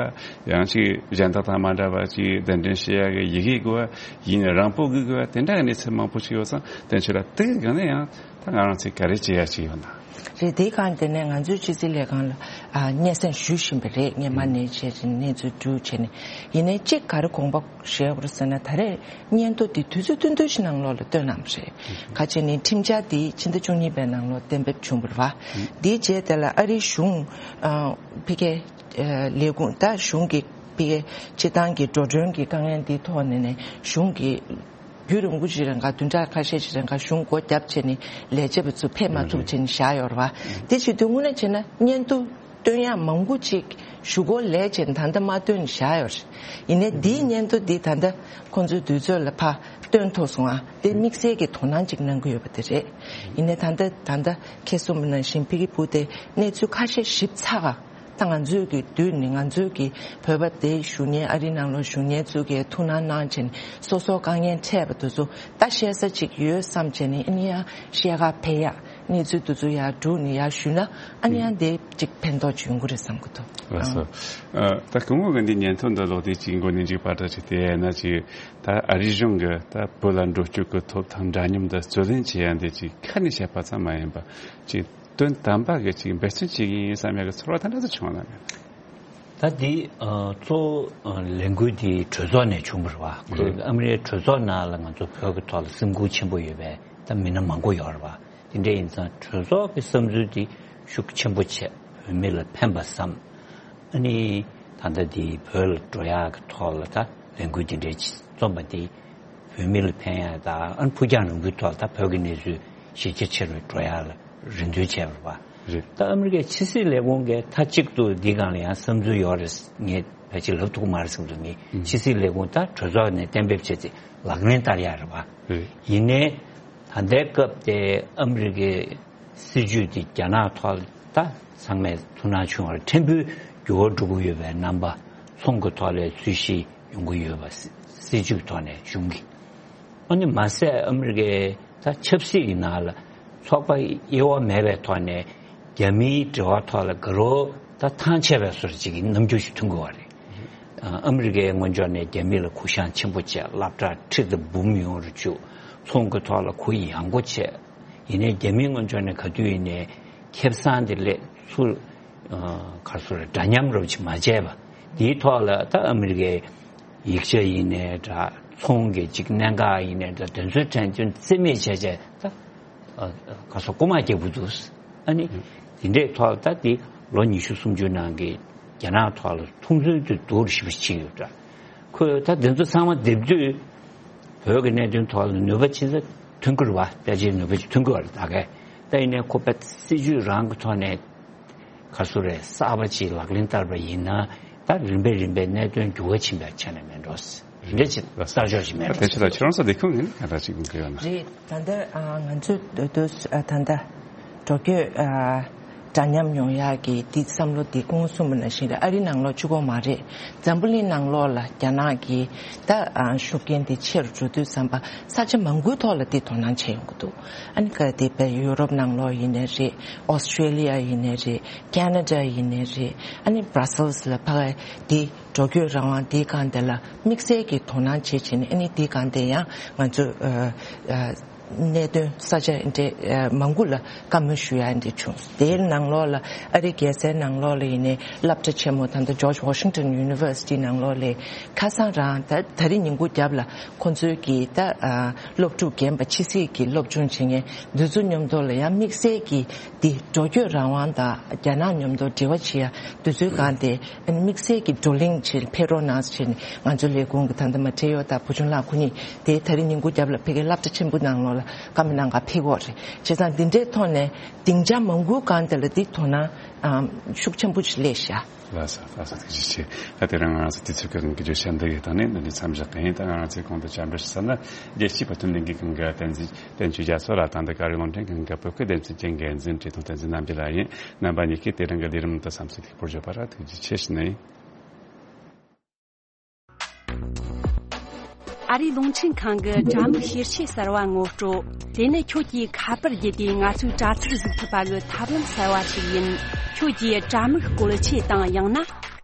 ཡང་ཅིག་གཞན་དག་དང་མ་འདྲ་བ་ཅིག་གདན་འདྲེན་བྱེད་ཡ་གི་ཡི་གེ་དགོས་པ་ཡིན་ན་རང་པོ་གི་དགོས་པ་དེ་འདྲ་གི་གནས་ཚུལ་མང་པོ་ཞིག་ཡོད་ཙང་དེ་ཚོ་ལ་དེ་གི་སྒང་ནས་ཡང་ད་ང་རང་ཚོས་ག་རེ་བྱེད་ཡ་ཅིག་ཡོད་ན། རེད། དེའི་སྒང་དེ་ནས་ང་ཚོའི་ཕྱི་སྲིད་ལས་ཁང་ལ་ཨ་སྙན་སེང་ཞུ་བཞིན་པ་རེད། སྔོན་མ་ནས་བྱས་ཙང་གནས་ཚུལ་བསྡུར་བྱས་ནས་ཡིན་ནའི་གཅིག་ག་རེ་དགོངས་པ་བཞེས་དགོས་རེད་ཟེར་ན་ད་རེས། སྙན་ཐོ་འདི་དུས་ཚོད་ཐུང་ཐུང་ཞིག་ནང་ལོགས་ལ་བཏོན་གནང་བ་རེད། ཁ་ཆེ་ནི་ཁྲིམས་འཆར་འདི་ཕྱི་ཟླ་བཅུ་གཉིས་པའི་ནང་ལོགས་གཏན་འབེབས་བྱུང་བ་རེད་བ། འདིའི་རྗེས་དེ་ལ་ཨ་རིའི་གཞུང་ཕ་གིའི་ལས་ཁུངས་ད་གཞུང་གི་ཕ་གིའི་སྤྱི་བཏང་གི་འགྲོ་གྲོན་གྱི་དཀའ་ངལ་འདིའི་ཐོག་ནས་ནས་གཞུང་གི་རྒྱུན་རིང་པོ་ཞིག་རིང་ག་བདུན་ཕྲག་ཁ་ཤས་ཤིག་རིང་ག་གཞུང་སྒོ་བརྒྱབ་བྱས་ནས་ལས་བྱེད་པ་ཚོ་ཕེབས་མ་ཐུབ་བྱས་ནས་བཞག་ཡོད་རེད་བ། དེ་བྱེད་དུས་དངོས་གནས་བྱས་ན་སྙན་ཐོ། བཏོན་ཡག་མང་པོ་ཅིག་ཞུ་སྒོ་ལས་བྱས་ད་ལྟ་མ་བཏོན་བཞག་ཡོད་རེད། ཡིན་ནའི་འདིའི་སྙན་ཐོ་འདི་ད་ལྟ་ཁོང་ཚོའི་དུས་ཚོད་ལ་ཕར་བཏོན་ཐུབ་སོང་ཨ། དེ་དམིགས་བསལ་གྱི་དོ་སྣང་ཅིག་གནང་གི་ཡོད་པ་དེ་རེད། ཡིན་ནའི་ད་ལྟ་ད་ལྟ་ཁྱེད་གསུངས་པ་ནང་བཞིན་ཕ་གི་བུ་དེ་གནས་ཚུལ་ཁ་ཤས་ཞིབ་ཚགས་ཨ། ད་ང་ཚོའི་གི་དུས་ནི་ང་ཚོའི་གི་བོད་པ་དེ་བཞུགས་མཁན་ཨ་རི་ནང་ལོགས་བཞུགས་མཁན་ཚོ་གིས་ཐུགས་སྣང་གནང་བྱས་ནས་སོ་སོ་དཀའ་ངལ་འཕྲད་པ་དེ་ཚོ་ད་བཤད་ས་ཅིག་ཡོད་བསམ་བྱས་ནས་ཨ་ནི་ཡང་བཤད་ག་ཕེབས་ཡག་གནས་ཚུལ་དེ་ཚོ་ཡར་བསྒྲུགས་ནས་ཡར་ཞུས་ན་ཨ་ནི་ཡང་དེ་གཅིག་ཕན་ཐོགས་ཅིག་ཡོང་གི་རེད་བསམ་གི་འདུག་ལགས་སོ། ཨ། ད་སྐུ་ངོ་གི་འདི་སྙན་ཐོ་འདི་ཀློག་དུས་ཅིག་མགོ་ནས་མཇུག་བར་དུ་ཅིག་བལྟས་ན་ཅིག་ད་ཨ་རི་གཞུང་གི་ད་བོད་ལ་འགྲོ་སྐྱོད་ཀྱི་ཐོབ་ཐང་འདྲ་མཉམ་འདི་རྩོད་ལེན་བྱེད་ཡ་འདི་ཅིག་ཁ་ནས་བཤད་པ་ཙམ་མ་ཡིན་པ་ཅིག་དོན་དམ་པ་གི་ཅིག་འབད་བརྩོན་བྱེད་ཀྱི་ཡིན་བསམ་ཡ་གི་ཚོར་བ་ད་འདྲ་ཙམ་བྱུང་བ་ལ་མེད། ད་འདི་ཨ་གཙོ་བོ་ཨ་ལས་འགུལ་འདི་གྲོས་ཚོགས་ནས་བྱུང་བ་རེད་བ། ཁོས་ཨ་མི་རིའི་གྲོས་ཚོགས་ནང་ལ་ང་ཚོ་བོད་ཀྱི་ཐོག་ལ་སེམས་ཁུར་ཆེན་པོ་ཡོད་པའི་ད་མི་སྣ་མང་པོ་ཡོད་རེད་བ། དེ་འདྲ་ཡིན་ཙང་གྲོས་ཚོགས་ཀྱི་བསམ་ཚུལ་འདི་ཤུགས་ཆེན་པོ་བྱས་བོད་མི་ལ་ཕན་པ་བསམ། ཨ་ནི་ད་ལྟ་འདི་བོད་ལ་འགྲོ་ཡག་གི་ཐོག་ལ་ད་ལས་འགུལ་འདི་འདྲའི་རྩོམ་པ་འདི་བོད་མི་ལ་ཕན་ཡག་དང་ཨ་ནི་ཕུགས་རྒྱང་རིང་པོའི་ཐོག་ལ་ད་བོད་ཀྱི་གནས་ཚུལ་གཞི་རྒྱ་ཆེ་རུ་འགྲོ་ཡག་ལ་རེ་འདུན་བྱས་པ་རེད་བ། རེད། ད་ཨ་མི་རི་ཀའི་ཕྱི་སྲིད་ལས་ཁུངས་ཀྱིས་མཐའ་གཅིག་ཏུ་འདི་སྒང་ལ་ཡང་བསམ་ཚུལ་ཡོད་རེད། ངས་ཕལ་ཆེར་ལབ་ཐུབ་ཀྱི་མ་རེད་བསམ་འདུག་ངས་ཕྱི་སྲིད་ལས་ཁུངས་ད་གྲོས་ཚོགས་ནས་གཏན་འབེབས་བྱས་ཏེ་ལག་ལེན་བསྟར་ཡག་རེད་བ། རེད། ཡིན་ནའི་ད་ལྟའི་སྐབས་དེ་ཨ་མི་རི་ཀའི་སྲིད་ཇུས་དེ་རྒྱ་ནག་ཐོག་ད་ཚང་མས་ཐུགས་སྣང་བྱུང་བར་ཕྲན་བུ་འགྱུར་བ་འགྲོ་གི་ཡོད་པའི་རྣམ་པ་ཚོང་གི་ཐོག་ལ་ཚུལ་བཞིན་ཡོང་གི་ཡོད་པ་སྲིད་ཇུས་ཐོག་ནས་བྱུང་གི། ཨ་ནི་མ་ཟད་ཨ་མི་རི་ཀའི་ད་ཆབ་སྲིད་ཀྱི་ནང་ལ་ཚོགས་པ་དབྱེ་བ་མེད་པའི་ཐོག་ནས་རྒྱ་མིའི་འབྲེལ་བ་ཐོག་ལ་དགའ་རབ་ད་ཐང་ཆད་པའི་བཟོ་འདྲ་ཅིག་གི་རྣམ་འགྱུར་ཞིག་མཐོང་གི་ཡོད་རེད། ཨ་མི་རི་ཀའི་ངོས་ཕྱོགས་ནས་རྒྱ་མི་ལ་གུ་བཤངས་ཆེན་པོ་བྱས། སློབ་གྲྭ་ཁྲི་དང་འབུམ་ཡོང་རུ་བཅུག་ཚོང་གི་ཐོག་ལ་གུ་ཡངས་པོ་བྱས། ཡིན་ནའི་རྒྱ་མིའི་ངོས་ཕྱོགས་ནས་ག་དུས་ཡིན་ནའི་ཁེ་བཟང་དེ་ལས་ཚུར་ཨ་ག་རེ་ཟེར་འདྲ་མཉམ་རུ་ཅིག་མ་བྱས་པ། དེའི་ཐོག་ལ་ད་ཨ་མི་རི་ཀའི་ཡིག་ཆ་ཡིན་ནའི་འདྲ། ཚོང་གི་ཅིག་གནད་འགག་ཡིན་ནའི་འདྲ། དེ་ཚོའི་དྲན་སྐྱོན་རྩིས་མེད་བྱས་བྱས་ད་ཨ་ག་རེ་ཟེར་རྐུ་མ་རྒྱག་གི་འདུག་ཨ་ནི་དེ་འདྲའི་ཐོག་ད་དེ་ལོ་ཉི་ཤུ་སུམ་ཅུ་ནང་གི་རྒྱ་ནག་ཐོག་ལ་མཐོང་ཚུལ་དེ་སྡུག་རུ་ཞེ་པོ་ཕྱིན་ཡོད་འདྲ། ཁོས་ད་དེ་ཚོ་ཚང་མ་བསྡེབས་དུས་བོད་ཀྱི་གནད་དོན་ཐོག་ལ་ནུས་པ་ཅི་ཙམ་ཐོན་གྱི་རེད་བ། ཕལ་ཆེར་ནུས་པ་ཅིག་ཐོན་གྱི་རེད་ད་གས། ད་ཡིན་ནའི་ཁོ་པའི་སྲིད་ཇུས་རང་གི་ཐོག་ནས་ག་རེ་ཟེར་རེད། གསར་པ་ཅིག་ལག་ལེན་བསྟར་བ་ཡིན་ན་ད་རིམ་པས་རིམ་པས་གནད་དོན་འགྱུར་བ་ཕྱིན་པའི་ཆ་ནས་མེད་འགྲོ། རེད་ཅེས་གསར་འཇོག་ཅིག་མེད་འགྲོ། ད་ཆེ་ལ་ཁྱེད་རང་ཚོ་ལས་ཁུངས་ཡིན་ག་འདྲ་ཞིག་དགོངས་ཀྱི་ཡོད་ན། རེད། ད་ལྟ་ཨ་ང་ཚོས་འདོད་འདོད་ཨ་ད་ལྟ་འགྲོ་སྐྱོད་ཨ་འདྲ་མཉམ་ཡོང་ཡག་གི་འདི་བསམ་བློ་འདི་སྐུ་ངོ་གསུངས་པ་ནང་བཞིན་རེད། ཨ་རི་ནང་ལོགས་གཅིག་པོ་མ་རེད། འཛམ་བུ་གླིང་ནང་ལོགས་ལ་རྒྱ་ནག་གི་ད་ཨ་ཤུགས་རྐྱེན་འདི་ཆེ་རུ་འགྲོ་དུས་ཙམ་པ་ས་ཆ་མང་པོའི་ཐོག་ལ་འདི་དོ་སྣང་བྱེད་ཡོང་གི་འདུག་ཨ་ནི་ག་དེ་བས་ཡུ་རོབ་ནང་ལོགས་ཡིན་ནའི་རེད། ཨོ་སི་ཀྲེ་ལི་ཡ་ཡིན་ནའི་རེད། ཁེ་ན་ཌ་ཡིན་ནའི་རེད། ཨ་ནི་བྷ་ར་སེལ་སི་ལ་ཕ་གི་འདི་འགྲོ་སྐྱོད་རང་དབང་དེའི་སྒང་དེ་ལ་དམིགས་བསལ་གྱི་དོ་སྣང་བྱེད་བྱས་ནས། ཨ་ནི་དེའི་སྒང་དེ་ཡང་ང་ཚོས་ཨ་ཨ་གནད་དོན་ས་ཆ་འདྲ་ཨ་མང་པོ་ལ་བཀའ་མོལ་ཞུ་ཡ་འདྲ་བྱུང་། དེའི་ནང་ལོགས་ལ་ཨ་རི་རྒྱལ་སའི་ནང་ལོགས་ལ་ཡིན་ནའི་སློབ་གྲྭ་ཆེན་མོ་ད་ལྟ་ཇོརྗ་ཝ་ཤིང་ཊོན་ཡུ་ནི་ཝར་སི་ཊི་ནང་ལོགས་ལ་ཁ་སང་རང་ད་ད་རིང་ཉིན་གུང་རྒྱབ་ལ་ཁོང་ཚོའི་གི་ད་ཨ་སློབ་ཕྲུག་རྒན་པ་ཕྱི་སྲིད་ཀྱི་སློབ་སྦྱོང་བྱེད་མཁན་འདི་ཚོ་མཉམ་དུ་ལ་ཡང་དམིགས་བསལ་གྱི་འདི་འགྲོ་སྐྱོད་རང་དབང་དང་རྒྱ་ནག་མཉམ་དུ་འབྲེལ་བ་བྱེད་ཡ་དེ་ཚོའི་སྒང་དེ་དམིགས་བསལ་གྱི་བགྲོ་གླེང་བྱེད་ཕེབས་རོགས་གནང་ཟེར་ནས་ང་ཚོ་ལས་ཁུངས་ཀྱི་ད་ལྟ་མ་ཁྲེ་ཡོ་དང་བུ་ཆུང་ལགས་ཁོ་གཉིས་དེ་ད་རིང་ཉིན་གུང་རྒྱབ་ལ་ཕ་གིའི་སློབ་གྲྭ་ཆེན་པོ་ནང་ལོགས་ལ་བཀའ་མོལ་གནང་ག་ཕེབས་ཀྱི་ཡོད་རེད། བྱས་ཙང་འདི་འདྲའི་ཐོག་ནས་སྡིངས་ཆ་མང་པོའི་སྒང་དེ་ལ་འདི་དོ་སྣང་ཨམ་ཤུགས་ཆེན་པོ་ཞིག་སླེབས་ཤག་ལགས་སོ། ལགས་སོ། ཐུགས་རྗེ་ཆེ། ད་དེ་རིང་ང་རང་ཚོ་དུས་ཚོད་ཀྱི་དབང་གིས་བརྗོད་བྱ་འདི་གའི་སྟེང་ནས་འདི་ནས་མཚམས་བཞག་གི་ཡིན། ད་ང་རང་ཚོའི་གོང་དུ་བཅར་འདྲི་ཞུ་ས་ནི་རྒྱལ་སྤྱིའི་བར་མཐུན་ལྷན་རྒྱས་ཁང་གི་བསྟན་འཛིན་བསྟན་ཆོས་རྒྱ་མཚོ་ལགས་དང་འདི་ག་རེ་རླུང་འཕྲིན་ཁང་གི་བོད་སྐད་སྡེ་ཚན་གྱི་འགན་འཛིན་བཀྲས་མཐོང་བསྟན་འཛིན་རྣམ་རྒྱལ་ལགས་ཡིན། རྣམ་པ་གཉིས་ཀས་དེ་རིང་གི་ལས་རིམ་དུ་བསམ་ཚུལ་ལེགས་པོར་བརྗོད་པར་ཐུགས་རྗེ་ཆེ་ཞུ་ནི་ཡིན། ཨ་རིའི་རླུང་འཕྲིན་ཁང་གི་དྲ་མིག་ཤེར་ཆས་གསར་བ་ངོ་སྤྲོད། དེ་ནི་ཁྱོད་ཀྱིས་ཁ་པར་བརྒྱུད་དེ་ང་ཚོའི་དྲ་ཚིགས་གཟིགས་ཐུབ་པ་གི་ཐབས་ལམ་གསར་བ་ཞིག་ཡིན། ཁྱོད་ཀྱིས་དྲ་མིག་བཀོལ་ཆས་དང་ཡང་ན་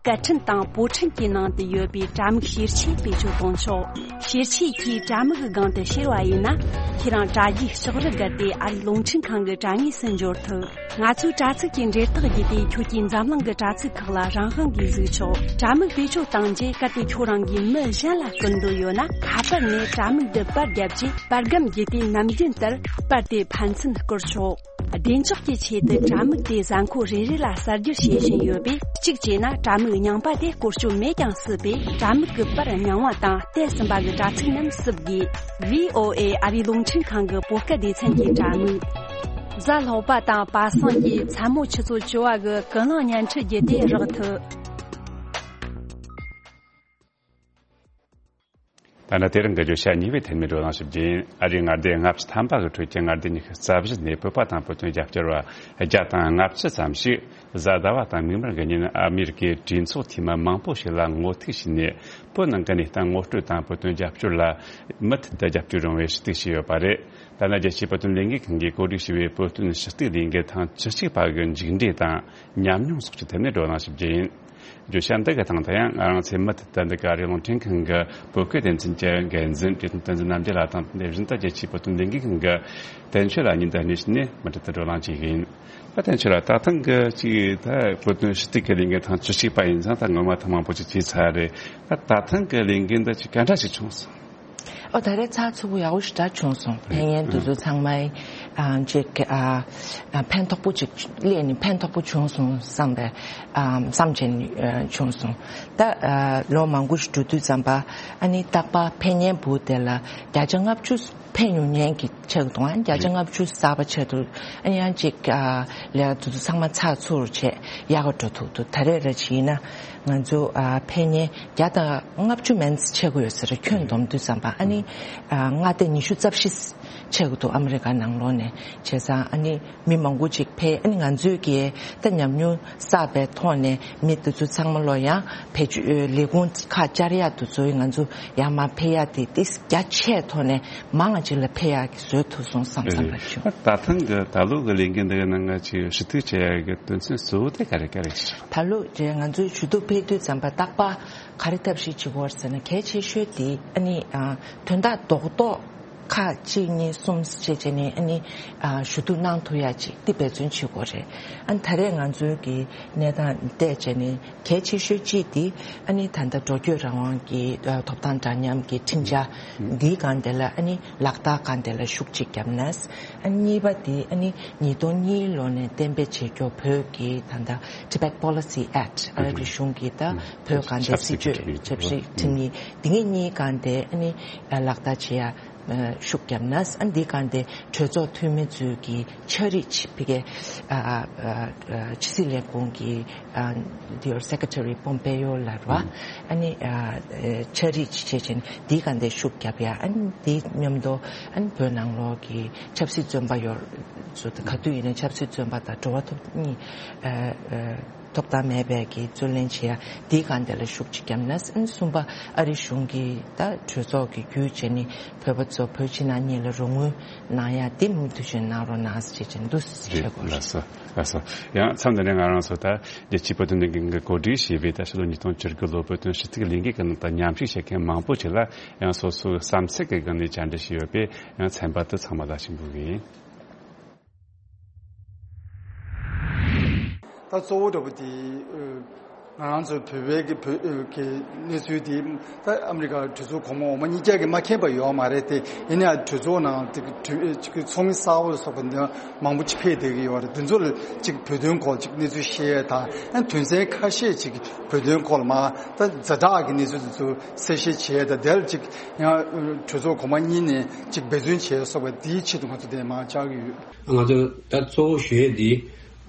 སྐད་འཕྲིན་དང་པོ་འཕྲིན་གྱི་ནང་དུ་ཡོད་པའི་དྲ་མིག་ཤེར་ཆས་བེད་སྤྱོད་གཏོང་ཆོག་ཤེར་ཆས་ཀྱིས་དྲ་མིག་གི་སྒང་དུ་ཤེར་བ་ཡིན་ན། ཁྱེད་རང་དྲ་རྒྱའི་ལྕགས་རི་བརྒལ་ཏེ་ཨ་རིའི་རླུང་འཕྲིན་ཁང་གི་དྲ་ངོས་སུ་འབྱོར་ཐུབ། ང་ཚོའི་དྲ་ཚིགས་ཀྱི་འབྲེལ་ཐག་བརྒྱུད་དེ་ཁྱོད་ཀྱིས་འཛམ་གླིང་གི་དྲ་ཚིགས་ཁག་ལ་རང་དབང་གིས་གཟིགས་ཆོག་དྲ་མིག་བེད་སྤྱོད་བཏང་རྗེས་གལ་ཏེ་ཁྱོད་རང་གིས་མི་གཞན་ལ་སྐུར་འདོད་ཡོད་ན། ཁ་པར་ནས་དྲ་མིག་འདི་པར་བརྒྱབ་རྗེས་པར་སྒམ་བརྒྱུད་དེ་ནམ་རྒྱུན་ལྟར་པར་དེ་ཕན་ཚུན་བསྐུར་ཆོག་བདེ་འཇགས་ཀྱི་ཆེད་དུ་དྲ་མིག་དེ་གཟའ་འཁོར་རེ་རེ་ལ་གསར་བསྒྱུར་བྱེད་བཞིན་ཡོད་པས། གཅིག་བྱས་ན་དྲ་མིག་རྙིང་པ་དེ་བཀོལ་སྤྱོད་མེད་ཀྱང་སྲིད་པས། དྲ་མིག་གི་པར་རྙིང་བ་དང་བལྟས་ཟིན་པ་གི་དྲ་ཚིགས་རྣམས་བསུབ་དགོས། ཝི་ཨོ་ཨེ་ཨ་རིའི་རླུང་འཕྲིན་ཁང་གི་བོད་སྐད་སྡེ་ཚན་གྱི་དྲ་མིག་གཟའ་ལྷག་པ་དང་པ་སངས་ཀྱི་མཚན་མོ་ཆུ་ཚོད་བཅུ་བ་གི་ཀུན་གླེང་བརྙན་འཕྲིན་བརྒྱུད་དེ་རག་ཐུབ། ད་ནི་དེ་རིང་གི་བརྗོད་བྱ་གཉིས་པའི་ཐད་ནས་བགྲོ་གླེང་ཞུ་རྒྱུ་ཡིན། ཨ་རིའི་མངའ་སྡེ་ལྔ་བཅུ་ཐམ་པ་གི་ཁྲོད་ཀྱི་མངའ་སྡེ་ཉི་ཤུ་རྩ་བཞི་ནས་བོད་པ་དང་བོད་དོན་རྒྱབ་སྐྱོར་བ་བརྒྱ་དང་ལྔ་བཅུ་ཙམ་ཞིག་ གཟའ་ཟླ་བ་དང་མིག་དམར་གྱི་ཉིན་ཨ་མི་རི་ཀའི་གྲོས་ཚོགས་འཐུས་མི་མང་པོ་ཞིག་ལ་ངོ་ཐུག་བྱས་ནས། བོད་ནང་གི་གནས་སྟངས་ངོ་སྤྲོད་དང་། བོད་དོན་རྒྱབ་སྐྱོར་ལ་མུ་མཐུད་དུ་རྒྱབ་སྐྱོར་ཡོང་བའི་ཞུ་གཏུག་བྱས་ཡོད་པ་རེད། ད་ནི་རྒྱལ་སྤྱིའི་བོད་དོན་ལས་འགུལ་ཁང་གིས་གོ་སྒྲིག་བྱས་པའི་བོད་དོན་ཞུ་གཏུག་ལས་འགུལ་ཐེངས་བཅུ་གཅིག་པ་གི་མཇུག་འབྲས་དང་ཉམས་མྱོང་སོགས་ཀྱི་ཐད་ནས་བགྲོ་གླེང་ཞུ་རྒྱུ་ཡིན། བརྗོད་བྱ་འདི་གི་སྟེང་དུ་ཡང་ང་རང་ཚོའི་མུ་མཐུད་དུ་འདི་ག་རེ་རླུང་འཕྲིན་ཁང་གི་བོད་སྐད་སྡེ་ཚན་གྱི་འགན་འཛིན་བཀྲས་མཐོང་བསྟན་འཛིན་རྣམ་རྒྱལ་ལགས་དང་། དེ་བཞིན་དུ་རྒྱལ་སྤྱིའི་བོད་དོན་ལས་འགུལ་ཁང་གི་དོན་གཅོད་ལགས་གཉིས་འདི་གནས་བྱས་ནས་མུ་མཐུད་དུ་བགྲོ་གླེང་བྱེད་ཀྱི་ཡིན། ད་དོན་གཅོད་ལགས། ད་ཐེངས་ཀྱི་ཅིག་ད་བོད་དོན་ཞུ་གཏུག་གི་ལས་འགུལ་ཐེངས་བཅུ་གཅིག་པ་ཡིན་ཙང་། ད་སྔོན་མ་ཐེངས་མང་པོ་ཅིག་བྱས་ཚར་རེད། ད་ད་ཐེངས་ཀྱི་ལས་འགུལ་འདི་ཅིག་ག་འདྲ་ཞིག་བྱུང་སོང་། ཨོ། ད་རེས་ཚགས་ཚུད་པོ་ཡག་པོ་ཞེ་དྲག་བྱུང་སོང་། ཕན་ཡོན་དེ་ཚོ་ཚང་མ་ཨ་ཅིག་ཨ་ཨ་ཕན་ཐོགས་པོ་ཅིག་སླེབས་ནས་ཕན་ཐོགས་པོ་བྱུང་སོང་བསམ་པའི་ཨ་བསམ་བྱས་ནས་ཨ་བྱུང་སོང་། ད་ཨ་ལོ་མང་པོ་ཞིག་འགྲོ་དུས་ཙམ་པ། ཨ་ནི་རྟག་པར་ཕེབས་མཁན་བུ་དེ་ལ་བརྒྱ་ཆ་ལྔ་བཅུ་ཕེབས་མྱོང་མཁན་གྱི་ཆགས་འདུག་ཨ་ནི་བརྒྱ་ཆ་ལྔ་བཅུ་གསར་པ་ཆགས་འདུག་ཨ་ནི་ཡང་ཅིག་ཨ་ལས་དེ་ཚོ་ཚང་མ་ཚགས་ཚུད་བྱས་ཡག་ག་འགྲོ་ཐུབ་འདུག་ད་རེས་ར་ཅིག་ཡིན་ན་ང་ཚོ་ཨ་ཕེབས་མཁན་བརྒྱ་དང་ལྔ་བཅུ་མན་ཙམ་ཆགས་ཀྱི་ཡོད་ས་རེད། ཁྱོན་བསྡོམས་དུས་ཙམ་པ། ཨ་ནི་ཨ་མངའ་སྡེ་ཉི་ཤུ་རྩ་བཞི་ཆགས་ཀྱི་འདུག་ཨ་མི་རི་ཀ་ནང་ལོགས་ནས། བྱས་ཙང་ཨ་ནི་མི་མང་པོ་ཅིག་ཕེབས། ཨ་ནི་ང་ཚོས་ཀྱིས་ད་ཉམས་མྱོང་བསགས་པའི་ཐོག་ནས་མི་དེ་ཚོ་ཚང་མ་ལོ་ཡང་བེད་སྤྱོད་ལས་ཁུངས་ཁག་བཅར་ཡག་དེ་ཚོ་ང་ཚོ་ཡར་མར་ཕེབས་ཡག་དེ་ཏིས་རྒྱ་ཆེའི་ཐོག་ནས་མང་ང་ཅིག་ལ་ཕེབས་ཡག་གི་བཟོ་ཐུབ་སོང་བསམ་བསམ་པ་བྱུང་། ད་ཐེངས་ཀྱི་ད་ལོ་གི་ལས་འགུལ་འདི་གི་ནང་ང་ཅིག་ཞུ་གཏུག་བྱེད་ཡག་གི་དོན་ཚན་གཙོ་བོ་དེ་ག་རེ་ག་རེ་ཞིག་ད་ལོ་རེད། ང་ཚོའི་ཞུ་གཏུག་ཕེབས་དུས་ཙམ་པ་རྟག་པར་ག་རེ་ཐབས་ཤེས་བྱེད་དགོས་ཟེར་ན། གལ་ཆེ་ཤོས་དེ་ཨ་ནི་ཨ་དོན་དག་རྡོག་རྡོག་ཁག་གཅིག་གཉིས་གསུམ་བྱས་བྱས་ནས་ཨ་ནི་ཨ་ཞུ་གཏུག་གནང་ཐུབ་ཡག་ཅིག་དེ་འབད་བརྩོན་བྱེད་དགོས་རེད། ཨ་ནི་ད་རེས་ང་ཚོའི་གི་གནས་སྟངས་བལྟས་བྱས་ནས་གལ་ཆེ་ཤོས་གཅིག་དེ་ཨ་ནི་ད་ལྟ་འགྲོ་སྐྱོད་རང་དབང་གི་ཨ་ཐོབ་ཐང་འདྲ་མཉམ་གྱི་ཁྲིམས་འཆར་འདིའི་སྒང་དེ་ལ་ཨ་ནི་ལག་བསྟར་སྒང་དེ་ལ་ཤུགས་གཅིག་བརྒྱབ་ན། ཨ་ནི་གཉིས་པ་དེ་ཨ་ནི་ཉིས་སྟོང་གཉིས་ལོ་ནས་གཏན་འབེབས་བྱེད་རྒྱུ་བོད་ཀྱི་ད་ལྟ་Tibet Policy Act། ཨ་རི་གཞུང་གི་ད་བོད་སྒང་དེ་སྲིད་བྱུས་ཆབ་སྲིད་ཁྲིམས་ཡིག་འདི་གཉིས་ཀྱི་སྒང་དེ་ཨ་ནི་ལག་བསྟར་བྱེད་ཡ་ཤུགས་བརྒྱབ་ན། ཨ་འདི་སྒང་དེ་གྲོས་ཚོགས་འཐུས་མི་ཚོས་ཀྱི་ཕྱག་བྲིས་ཕ་གི་ཨ་ཨ་ཨ་ཕྱི་སྲིད་ལས་ཁུངས་ཀྱི་ཨ་འདི་Secretary Pompeo ལ་རེད་བ། ཨ་ནི་ཨ་ཨ་ཕྱག་བྲིས་བྱས་བྱས་ནས་འདི་སྒང་དེ་ཤུགས་བརྒྱབ་ཡ། ཨ་ནི་འདི་མཉམ་དུ་ཨ་ནི་བོད་ནང་ལོགས་ཀྱི་ཆབ་སྲིད་བཙོན་པ་ཡོད་ཚོ་ག་དུས་ཡིན་ན་ཆབ་སྲིད་བཙོན་པ་དང་འགྲོ་བ་ཐོབ་གཉིས་ཨ་ཨ་ཐོབ་ཐང་མེད་པའི་གི་རྩོད་ལེན་བྱེད་ཡ་འདིའི་སྒང་དེ་ལ་ཤུགས་ཅིག་བརྒྱབ་ན། ཨ་ནི་གསུམ་པ་ཨ་རི་གཞུང་གིས་ད་གྲོས་ཚོགས་ཀྱི་བརྒྱུད་བྱས་ནས་བོད་པ་ཚོ་བོད་ཕྱི་ནང་གཉིས་ལ་རོགས་དངུལ་གནང་ཡ་དེ་མུ་མཐུད་བྱས་གནང་རོགས་གནང་ཟེར་བྱས་བྱས་འདུག་ཟེར་རེད། གོ་ལགས་སོ། ལགས་སོ། ཡང་མཚམས་འདི་ནས་ང་རང་ཚོ་ད་རྒྱལ་སྤྱིའི་བོད་དོན་ལས་འགུལ་གྱི་གོ་སྒྲིག་བྱས་པའི་ད་ཕྱི་ལོ་ཉིས་སྟོང་བཅུ་དགུ་ལོ་བོད་དོན་ཞུ་གཏུག་ལས་འགུལ་གྱི་ནང་དུ་མཉམ་ཞུགས་བྱེད་མཁན་མང་པོ་ཞིག་ལ་ཡང་སོ་སོའི་བསམ་ཚུལ་གྱི་སྒང་ནས་བཅར་འདྲི་ཞུས་ཡོད་པས། ཡང་ཚན་པ་དེ་ཚང་མ་ལ་ཞུ་འབུལ་གྱི་ཡིན། ད་གཙོ་བོ་འདྲ་པོ་དེ་ཨ་ང་རང་ཚོ་བོད་པའི་གི་བོད་ཨ་གི་གནས་ཚུལ་དེ་ད་ཨ་མི་རི་ཀ་གྲོས་ཚོགས་གོང་མ་འོག་མ་གཉིས་ཀ་གིས་མ་མཁྱེན་པ་ཡོད་མ་རེད་དེ། ཡིན་ནའང་གྲོས་ཚོགས་ནང་དེ་གྲོས་ཨ་ཅིག་ཚོགས་མི་གསར་པ་ལ་སོགས་པ་འདི་མང་པོ་ཅིག་ཕེབས་བསྡད་ཀྱི་ཡོད་རེད། དེ་ཚོ་ལ་ཅིག་བོད་དོན་སྐོར་ཅིག་གནས་ཚུལ་བཤད་ཡས་དང་། ཡང་དོན་ཚན་ཁ་ཤས་ཅིག་བོད་དོན་སྐོར་ལ་མ་ད་ཛ་དྲག་གི་གནས་ཚུལ་དེ་ཚོ་གསལ་བཤད་བྱེད་ཡས་དང་། དེ་ལ་ཅིག་ཡང་གྲོས་ཚོགས་གོང་མ་གཉིས་ནས་ཅིག་འབད་བརྩོན་བྱེད་ཡས་སོགས་པ་དེའི་ཆེད་དུ་ང་ཚོ་དེ་མར་བཅར་གྱི་ཡོད། ང་ཚོ་ད་གཙོ་བོ་ཞུ་ཡས་འདི་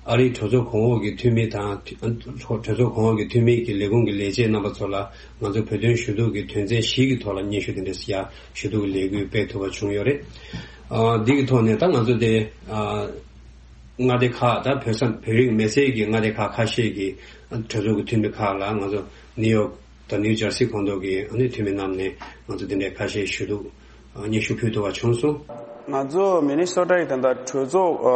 ཨ་རིའི་གྲོས་ཚོགས་གོང་འོག་གི་འཐུས་མི་དང་། གྲོས་ཚོགས་གོང་འོག་གི་འཐུས་མི་གི་ལས་ཁུངས་ཀྱི་ལས་བྱེད་རྣམ་པ་ཚོ་ལ་ང་ཚོ་བོད་དོན་ཞུ་གཏུག་གི་དོན་ཚན་བཞི་གི་ཐོག་ལ་སྙན་ཞུ་དེ་འདྲ་ཞིག་ཡ་ཞུ་གཏུག་གི་ལས་འགུལ་སྤེལ་ཐུབ་པ་བྱུང་ཡོད་རེད། ཨ་འདི་གི་ཐོག་ནས་ད་ང་ཚོ་དེ་ཨ་མངའ་སྡེ་ཁག་ད་བོད་ས་བོད་རིགས་མི་སེར་གྱི་མངའ་སྡེ་ཁག་ཁ་ཤས་ཀྱི་གྲོས་ཚོགས་ཀྱི་འཐུས་མི་ཁག་ལ་ང་ཚོ་ནིའུ་ཡོག་དང་ནིའུ་ཇར་སི་ཁོངས་གཏོགས་ཀྱི་ཨ་ནི་འཐུས་མི་རྣམས་ནས་ང་ཚོ་དེ་འདྲའི་ཁ་ཤས་ཞུ་གཏུག་སྙན་ཞུ་ཕུལ་ཐུབ་པ་བྱུང་སོང་། ང་ཚོ་མི་ནི་སོ་ཊ་ཡི་ད་ལྟ་གྲོས་ཚོགས་ཨ་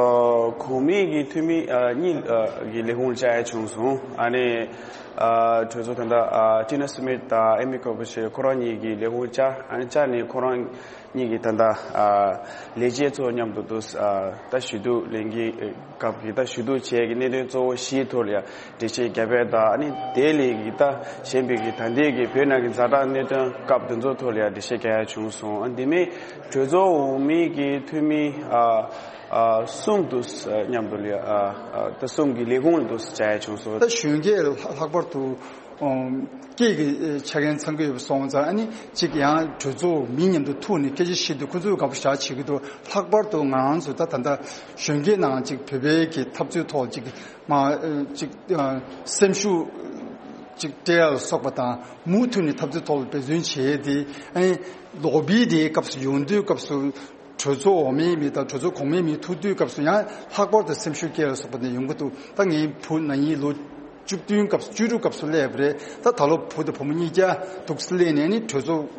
གོང་མའི་གི་འཐུས་མི་ཨ་གཉིས་ཨ་གི་ལས་ཁུངས་བཅར་ཡ་བྱུང་སོང་། ཨ་ནི་ཨ་གྲོས་ཚོགས་ད་ལྟ་ཨ་ཊི་ན་སི་མིཐ་དང་ཨེ་མི་ཀོ་བྷ་ཤི་ཁོ་རང་གཉིས་ཀྱི་ལས་ཁུངས་བཅར། ཨ་ནི་བཅར་ནས་ཁོ་རང་གཉིས་ཀྱིས་ད་ལྟ་ཨ་ལས་བྱེད་ཚོ་མཉམ་དུ་འདུག་ཨ་ད་ཞུ་གཏུག་ལས་འགུལ་སྐབས་ཀྱི་ད་ཞུ་གཏུག་བྱས་ཀྱི་གནད་དོན་གཙོ་བོ་བཞིའི་ཐོག་ལ་ཡ་འགྲེལ་བཤད་རྒྱབ་ཡས་དང་། ཨ་ནི་དེ་ལས་ཀྱི་ད་གཞན་པའི་གི་ད་ལྟའི་གི་བོད་ནང་གི་ཛ་དྲག་གནད་དོན་སྐབས་དེ་ཚོ་ཐོག་ལ་ཡ་འགྲེལ་བཤད་རྒྱག་ཡ་བྱུང་སོང་། ཨ་འདི་མིན་གྲོས་ཚོགས་འོག་མའི་གི་འཐུས་མི་ཨ་ཨ་གསུམ་འདུག་ཨ་མཉམ་དུ་ལ་ཡ་ཨ་ཨ་ད་གསུམ་གྱི་ལས་ཁུངས་ལ་འདུག་བཅར་ཡ་བྱུང་སོང་། ད་གཞོན་སྐྱེས་ལྷག་པར་དུ་ཨོ་སྐྱེས་ཀྱི་ཆ་རྐྱེན་ཚང་གི་ཡོད་པ་སོང་ཙང་། ཨ་ནི་གཅིག་ཡང་གྲོས་ཚོགས་མི་མཉམ་དུ་ཐུག་ནས་སྐད་ཆ་བཤད་དུས་ཁོ་ཚོས་དགའ་པོ་ཞེ་དྲག་བྱེད་ཀྱི་འདུག་ལྷག་པར་དུ་ང་རང་ཚོ་ད་ད་ལྟ་གཞོན་སྐྱེས་ནང་གཅིག་བོད་པའི་གི་འཐབ་རྩོད་ཐོག་གཅིག་མ་ཨ་གཅིག་ཨ་སེམས་ཤུགས་གཅིག་སྤྲད་ཡ་ལ་སོགས་པ་དང་། མུ་མཐུད་ནས་འཐབ་རྩོད་ཐོག་ལ་འབད་བརྩོན་བྱེད་ཡས་དེ། ཨ་ནི་ལོ་བི་དེའི་སྐབས་སུ་ཡོང་དུས་སྐབས་སུ་ གྲོས་ཚོགས་འོག་མའི་མི་དང་གྲོས་ཚོགས་གོང་མའི་མི་ཐུག་དུས་སྐབས་སུ་ཡང་ལྷག་པར་དུ་སེམས་ཤུགས་སྐྱེ་བ་སོགས་པ་ནི་ཡོང་གི་འདུག་ད་ངའི་བུ་ན་ནིང་ལོ་བཅུ་བདུན་སྐབས་སུ་བཅུ་དྲུག་སྐབས་སུ་སླེབས་པ་རེད། ད་ད་ལོ་བུ་དང་བུ་མོ་གཉིས་ཀ་འདུག་སླེབས་ནས་ནི་གྲོས་ཚོགས་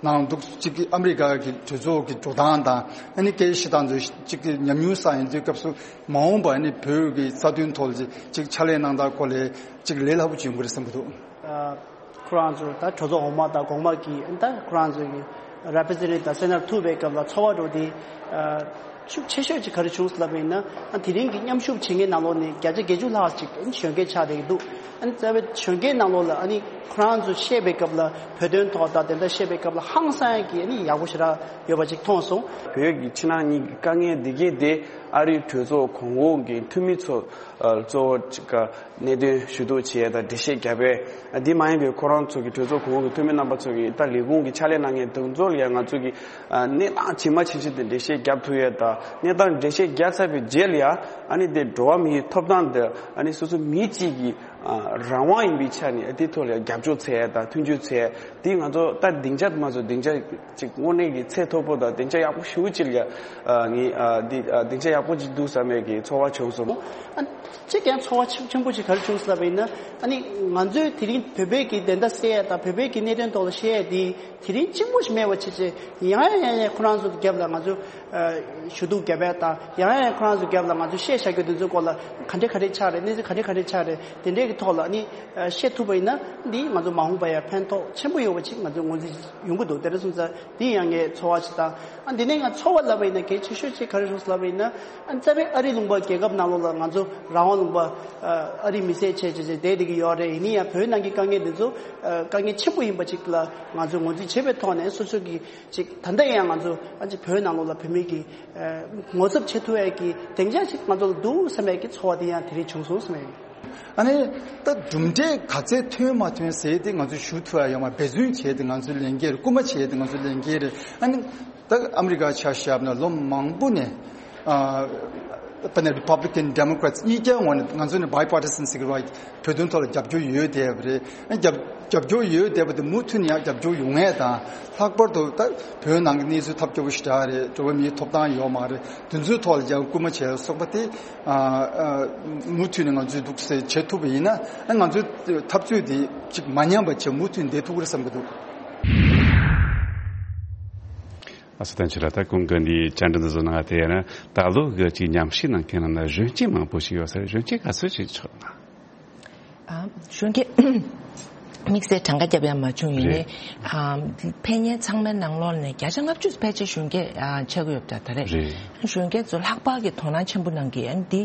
ནང་འདུག་གཅིག་གི་ཨ་མི་རི་ཀ་གི་གྲོས་ཚོགས་ཀྱི་འགྲོ་སྟངས་དང་ཨ་ནི་སྐད་ཆ་བཤད་སྟངས་ཚོ་གཅིག་གི་ཉམས་མྱོང་བསགས་ཡོང་དུས་སྐབས་སུ་མ་འོངས་པ་ཨ་ནི་བོད་ཀྱི་རྩ་དོན་ཐོག་ལ་གཅིག་ཕྱག་ལས་གནང་སྟངས་སྐོར་ལ་གཅིག་ལས་སླ་པོ་ཅིག་ཡོང་གི་རེད་བསམ་གྱི་འདུག་ཁོ་རང་ཚོ་ད་གྲོས་ཚོགས་འོག་མ་དང་གོང་མ་གི་ད་ཁོ་རང་ཚོ་གི་རེ་པི་རེ་ཛེན་ཊེ་ཊིབ་དང་སེ་ནེ་ཊར་ཐུག་པའི་སྐབས་ལ་ཚོར་བ་འདྲ་བོ་དེ་ཤུགས་ཆེ་ཤོས་ཅིག་ག་རེ་བྱུང་ཟེར་ལབ་པ་ཡིན་ན། ཨ་དེ་རིང་གི་མཉམ་ཞུགས་བྱེད་མཁན་ནང་ལོགས་ནས་བརྒྱ་ཆ་བརྒྱད་ཅུ་ལྷག་ཅིག་གཞོན་སྐྱེས་ཆགས་བསྡད་ཀྱི་འདུག་ཨ་ནི་རྩ་བའི་གཞོན་སྐྱེས་ནང་ལོགས་ལ་ཨ་ནི་ཁོ་རང་ཚོ་བཤད་པའི་སྐབས་ལ་བོད་དོན་ཐོག་དང་དེ་འདྲ་བཤད་པའི་སྐབས་ལ་ཧང་སང་ཡག་གི་ཨ་ནི་ཡག་པོ་ཞེ་དྲག་ཡོད་པ་ཅིག་མཐོང་སོང་། བོད་ཀྱི་ཕྱི་ནང་གཉིས་ཀྱི་དཀའ་ངལ་འདི་གས་དེ་ཨ་རིའི་གྲོས་ཚོགས་གོང་འོག་གི་འཐུས་མི་ཚོ་གཙོ་བོ་ཅིག་ག་གནད་དོན་ཞུ་གཏུག་བྱེད་ཡས་དང་འགྲེལ་བཤད་རྒྱབ་པས། འདི་མ་ཡིན་པའི་ཁོ་རང་ཚོ་གི་གྲོས་ཚོགས་གོང་འོག་གི་འཐུས་མི་རྣམ་པ་ཚོ་གི་ད་ལས་ཁུངས་ཀྱི་ཕྱག་ལས་གནང་མཁན་དེ་ཚོ་ལ་ཡང་ང་ཚོ་གི་གནས་སྟངས་ཇི་མ་ཇི་བཞིན་དུ་འགྲེལ་བཤད་རྒྱབ་ཐུབ་ཡས་དང་། གནས་སྟངས་འགྲེལ་བཤད་རྒྱབ་ཚར་བའི་རྗེས་ལ་ཡང་ཨ་ནི་དེ་འགྲོ་བ་མིའི་ཐོབ་ཐང་དེ་ཨ་ནི་སོ་སོ་མི་གཅིག་གི་རང་དབང་ཡིན་པའི་ཆ་ནས་དེ་ཐོག་ལ་ཡང་རྒྱབ་སྐྱོར་བྱེད་ཡས་དང་མཐུན་འགྱུར་བྱེད་ཡས་དེ་ང་ཚོ་ད་སྡིངས་ཆ་དེ་མ་ཚོ་སྡིངས་ཆ་ཅིག་དངོས་གནས་ཀྱི་ཚད་མཐོ་པོ་དང་སྡིངས་ཆ་ཡག་པོ་ཞེ་པོ་ཅིག་ལ་ཡ་ངས་འདི་སྡིངས་ཆ་ཡག་པོ་ཅིག་འདུག་བསམ་པའི་གི་ཚོར་བ་བྱུང་སོང་། ཨ་གཅིག་ཀྱང་ཚོར་བ་ཆེན་ཆེན་པོ་ཅིག་ག་རེ་བྱུང་ཟེར་བ་ཡིན་ན། ཨ་ནི་ང་ཚོས་དེ་རིང་བོད་པའི་གི་བདེན་མཐའ་གསལ་ཡ་དང་བོད་པའི་གི་གནད་དོན་ཐོག་ལ་བཤད་ཡ་དེ་དེ་རིང་གཅིག་པོ་ཞིག་མེད་པ་བྱས་བྱས་ཡང་ཡང་ཡང་ཡང་ཁོ་རང་ཚོ་གི་རྒྱབ་ལ་ང་ཚོ་ཞུ་གཏུག་རྒྱབ་ཡ་དང་ཡང་ཡང་ཡང་ཁོ་རང་ཚོ་གི་རྒྱབ་ལ་ང་ཚོ་བཤད་བཞག་རྒྱུ་དེ་ཚོའི་སྐོར་ལ་ག་འདྲས་ག་འདྲས་ཆགས་རེད། གནས་ཚུལ་ག་འདྲས་ག་འདྲས་ཆགས་རེད། དེ་འདྲས་ཀྱི་ཐོག་ལ་ཨ་ནི་བཤད་ཐུབ་པ་ཡིན་ན་འདི་ང་ཚོ་མ་འོངས་པ་ཡ་ཕན་ཐོགས་ཆེན་པོ་ཡོད་པ་ཅིག་ང་ཚོས་ངོས་འཛིན་ཡོང་གི་འདུག་དེ་འདྲ་སོང་ཙང་འདི་ཡང་ངའི་ཚོར་བ་ཞིག་དང་། ཨ་འདི་ནས་ང་ཚོར་བ་ལབ་པ་ཡིན་ན་གལ་ཆེ་ཤོས་ཅིག་ག་རེ་རེད་ལབ་པ་ཡིན་ན། ཨ་རྩ་བའི་ཨ་རི་ལུང་པ་རྒྱལ་ཁབ་ནང་ལོགས་ལ་ང་ཚོ་རང་དབང་ལུང་པ་ཨ་རི་མི་སེར་བྱས་བྱས་བྱས་བསྡད་བསྡད་ཀྱི་ཡོད་རེད། ཡིན་ན་ཡང་བོད་ནང་གི་དཀའ་ངལ་འདི་ཚོ་ཨ་དཀའ་ངལ་ཆེན་པོ་ཡིན་པ་ཅིག་ལ་ང་ཚོས་ངོས་འཛིན་བྱེད་པའི་ཐོག་ནས་སོ་སོ་གི་ཅིག་ད་ལྟ་ཡང་ང་ཚོ་ཨ་ཅིག་བོད་ནང་ལོགས་ལ་བོད་མི་གི་ཨ་ངོ་ཚབ་བྱེད་ཐུབ་ཡས་ཀྱི་སྡིངས་ཆ་ཅིག་ང་ཚོ་ལ་འདུག་བསམ་ཡས་ཀྱི་ཚོར་བ་དེ་ཡང་དེ་རིང་བྱུང་སོང་བསམ་ཡས། ཨ་ནི་ད་གྲུབ་འབྲས་ག་ཚད་ཐོན་མ་ཐོན་ཟེར་ཏེ་ང་ཚོས་ཞུ་ཐུབ་ཡ་ཡོད་མ་རེད། འབད་བརྩོན་བྱས་ཏེ་ང་ཚོའི་ལས་འགན་རེད། སྐུལ་མ་བྱས་ཏེ་ང་ཚོའི་ལས་འགན་རེད། ཨ་ནི་ད་ཨ་མི་རི་ཀ་ཆ་བཞག་ན་ལོ་མང་པོ་ནས་ཨ་དཔེར་ན་Republican Democrats་གཉིས་ཀའི་ངོས་ནས་ང་ཚོ་ནི་bipartisan་ཟེར་གི་རེད་བ། བོད་དོན་ཐོག་ལ་རྒྱབ་སྐྱོར་ཡོད་བསྡད་པ་རེད། ཨ་རྒྱབ་རྒྱབ་སྐྱོར་ཡོད་བསྡད་པ་དེ་མུ་མཐུད་ནས་ཡང་རྒྱབ་སྐྱོར་ཡོང་ཡས་དང་། ལྷག་པར་དུ་ད་བོད་ནང་གི་གནས་ཚུལ་ཐབས་སྐྱོ་པོ་ཞེ་དྲག་རེད། འགྲོ་བ་མིའི་ཐོབ་ཐང་ཡོད་མ་རེད། དེ་ཚོའི་ཐོག་ལ་ཡང་སྐུལ་མ་བྱས་སོགས་པ་དེ་ཨ་ཨ་མུ་མཐུད་ནས་ང་ཚོས་འདུག་སེ་བྱེད་ཐུབ་པ་ཡིན་ན། ཨ་ང་ཚོའི་འཐབ་རྩོད་དེ་ཅིག་མ་ཉམས་པ་བྱས་མུ་མཐུད་ནས་བསྡད་ཐུབ་ཀྱི་རེད་བསམ་གྱི་འདུག་ཨ་སོ་བསྟན་ཆོས་ལགས། ད་གོང་གི་འདི་བཅར་འདྲི་འདི་ཚོ་ནང་དེ་ཡིན་ན་ད་ལོ་གི་ཅིག་ཉམས་ཞིབ་གནང་མཁན་ནང་ན་གཞོན་སྐྱེས་མང་པོ་ཞིག་ཡོད་ས་རེད། གཞོན་སྐྱེས་ག་ཚོད་ཅིག་ཆགས་ན། ཨ་གཞོན་སྐྱེས་དམིགས་བསལ་གྲངས་ཀ་རྒྱབ་ཡ་མ་བྱུང་། ཡིན་ནའི་རེད། ཨ་ཕེབས་མཁན་ཚང་མའི་ནང་ལོགས་ནས་བརྒྱ་ཆ་ལྔ་བཅུ་ཕལ་ཆེར་གཞོན་སྐྱེས་ཨ་ཆགས་ཀྱི་ཡོད་པ་འདྲ་ད་རེད། རེད། གཞོན་སྐྱེས་ཚོ་ལྷག་པར་གྱི་དོ་སྣང་ཆེན་པོ་གནང་གི་ཨ་ནི་འདི་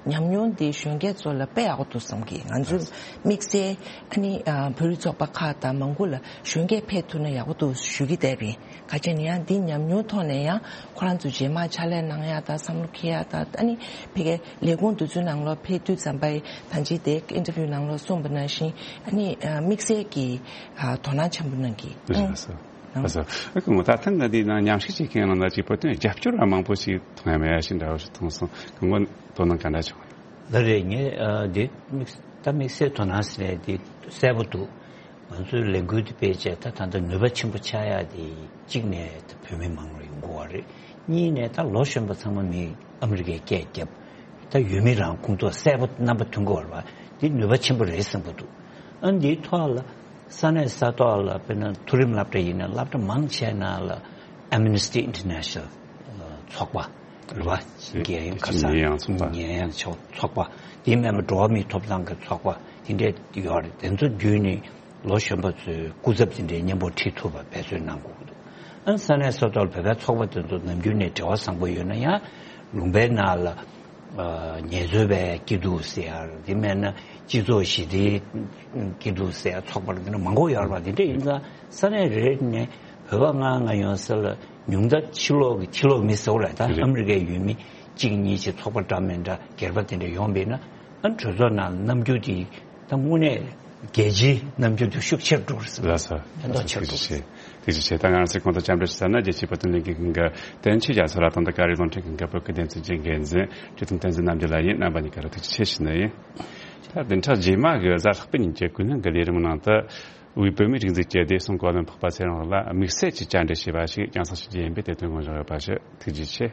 ཉམས་མྱོང་འདི་གཞོན་སྐྱེས་ཚོ་ལ་དཔེ་ཡག་པོ་འདུག་བསམ་གི། ང་ཚོས་དམིགས་བསལ་ཨ་ནི་ཨ་བོད་རིགས་ཚོགས་པ་ཁག་དང་མང་པོ་ལ་གཞོན་སྐྱེས་ཕེབས་ཐུབ་ན་ཡག་པོ་འདུག་ཞུ་གི་བསྡད་པ་ཡིན། ག་ཅི་ནས་ཡང་འདི་ཉམས་མྱོང་ཐོག་ནས་ཡང་ཁོ་རང་ཚོ་རྗེས་མ་ཕྱག་ལས་གནང་ཡ་དང་བསམ་བློ་འཁྱེར་ཡ་དང་། ཨ་ནི་ཕ་གིའི་ལས་ཁུངས་དེ་ཚོའི་ནང་ལོགས་ཕེབས་དུས་ཙམ་པ་ཡི་ད་ཅི་དེ་ཨིན་ཊར་བིའུ་ནང་ལོགས་གསུངས་པ་ནང་བཞིན་ཨ་ནི་དམིགས་བསལ་གྱི་དོ་སྣང་ཆེན་པོ་གནང་གི། ལགས་སོ། ལགས་སོ། ཨ་ཁུ་ངོ་ད་ཐེངས་འདི་ནང་མཉམ་ཞུགས་བྱེད་མཁན་ནང་ལ་ཅིག་བོད་དོན་རྒྱབ་སྐྱོར་བ་མང་པོ་ཞིག་མཐོང་ཡ་མེད་ཡ་ཞིག་འདྲ་བོ་ཞིག་མཐོང་སོང་། ཁུ་ངོ་དོ་སྣང་ག་འདྲ་བྱུང་། ལགས་རེད། ངས་འདི་དམིགས་ད་དམིགས་བསལ་དོ་སྣང་ཟེར་ནས་འདི་གསལ་པོ་འདུག་ང་ཚོའི་ལས་འགུལ་འདི་སྤེལ་བྱས་ད་ད་ལྟ་ནུས་པ་ཆེན་པོ་ཆགས་ཡག་དེ་གཅིག་ནས་ད་བོད་མི་མང་རུ་ཡོང་དགོས་པ་རེད། གཉིས་ནས་ད་ལོ་གཞོན་པ་ཚང་མ་མི་ཨ་མི་རི་ཀའི་སྐད་རྒྱབ། ད་ཡུལ་མི་རང་ཁོང་ཚོ་གསལ་པོ་རྣམ་པ་མཐོང་གི་ཡོད་རེད་པ། འདི་ནུས་པ་ཆེན་པོ་རེད་བསམ་གྱི་འདུག་ཨ་འདིའི་ཐོག་ལ་ས་གནས་ས་ཐོག་ལ་དཔེར་ན་མཐོ་རིམ་སློབ་གྲྭ་ཡིན་ན་སློབ་གྲྭ་མང་ཆེ་ནང་ལ་Amnesty International་ཚོགས་པ་རེད་པ། རྒྱལ་ཡོངས་ཁ་སང་ཉེས་ཡངས་ཚོགས་པ། ཉེས་ཡངས་ཚོགས་པ། དེ་མིན་པ་འགྲོ་བ་མིའི་ཐོབ་ཐང་གི་ཚོགས་པ་དེ་འདྲས་ཡོད་རེད། དེ་ཚོ་བརྒྱུད་ནས་ལོ་གཞོན་པ་ཚོའི་སྐུ་ཚབ་དེ་འདྲའི་མཉམ་པོ་ཁྲིད་ཐུབ་པ་འབད་བརྩོན་གནང་དགོས་ཀྱི་འདུག་ཨ་ས་གནས་ས་ཐོག་ལ་བོད་པའི་ཚོགས་པ་དེ་ཚོ་ནམ་རྒྱུན་ནས་འབྲེལ་བ་བཟང་པོ་ཡོད་ན་ཡང་ལུང་པའི་ནང་ལ་ཨ་ངལ་རྩོལ་པའི་སྐྱིད་སྡུག་ཟེར་ཡ། དེ་མིན་ན་སྤྱི་ཚོགས་ཞི་བདེའི་སྐྱིད་སྡུག་ཟེར་ཡ་ཚོགས་པ་འདི་འདྲ་མང་པོ་ཡོད་རེད་པ། དེ་འདྲ་ཡིན་ཙང་ས་གནས་རེ་རེ་ནས་བོད་པ་ལྔ་ལྔ་ཡོང་ས་ལ་ཉུང་མཐའ་ཕྱི་ལོགས་ཀྱི་ཕྱི་ལོགས་མི་ཟེར་བ་རེད། ད་རེད། ཨ་མི་རི་ཀའི་ཡུལ་མི་གཅིག་གཉིས་ཅིག་ཚོགས་པ་འདྲ་མིན་འདྲ་སྒེར་པ་དེ་འདྲ་ཡོང་བས་ན་ཨ་གྲོས་ཚོགས་ནང་རྣམ་འགྱུར་དེ་ད་དངོས་གནས་རྒྱལ་སྤྱིའི་རྣམ་འགྱུར་དེ་ཤུགས་ཆེར་འགྲོ་གི་རེད་ཟེར། ལགས་སོ། ཕན་ཐོགས་ཆེར་འགྲོ་གི་རེད། ཐུགས་རྗེ་ཆེ། ད་ང་རང་ཚོའི་གོང་དུ་འཆམ་མཐུན་ཞུ་ས་ན་རྒྱལ་སྤྱིའི་བོད་དོན་ལས་འགུལ་ཁང་གི་བསྟན་ཆོས་རྒྱ་མཚོ་ལགས་དང་ད་ཀ་རི་རླུང་འཕྲིན་ཁང་གི་བོད་སྐད་སྡེ་ཚན་གྱི་འགན་འཛིན་བཀྲས་མཐོང་བསྟན་འཛིན་རྣམ་རྒྱལ་ལགས་ཡིན། རྣམ་པ་གཉིས་ཀ་ལ་ཐུགས་རྗེ་ཆེ་ཞུ་ནི་ཡིན། ད་བདུན་ཕྲག་རྗེས་མ་གི་གཟའ་ལྷག་པའི་ཉིན་གྱི་ཀུན་སློང་གི་ལས་རིམ་ནང་དུ། དབུས་བོད་མིའི་སྒྲིག་འཛུགས་ཀྱི་བདེ་སྲུང་གོ་ལོན་ཚོགས་པ་ཚེ་རིང་ལགས་ལ་དམིགས་བསལ་གྱི་བཅར་འདྲི་བྱས་པ་ཞིག་རྒྱང་སྲིང་ཞུ་རྒྱུ་ཡིན་པས་དེ་དོན་དགོངས་བཞག་ཡོད་པ་ཞུ། ཐུགས་རྗེ་ཆེ།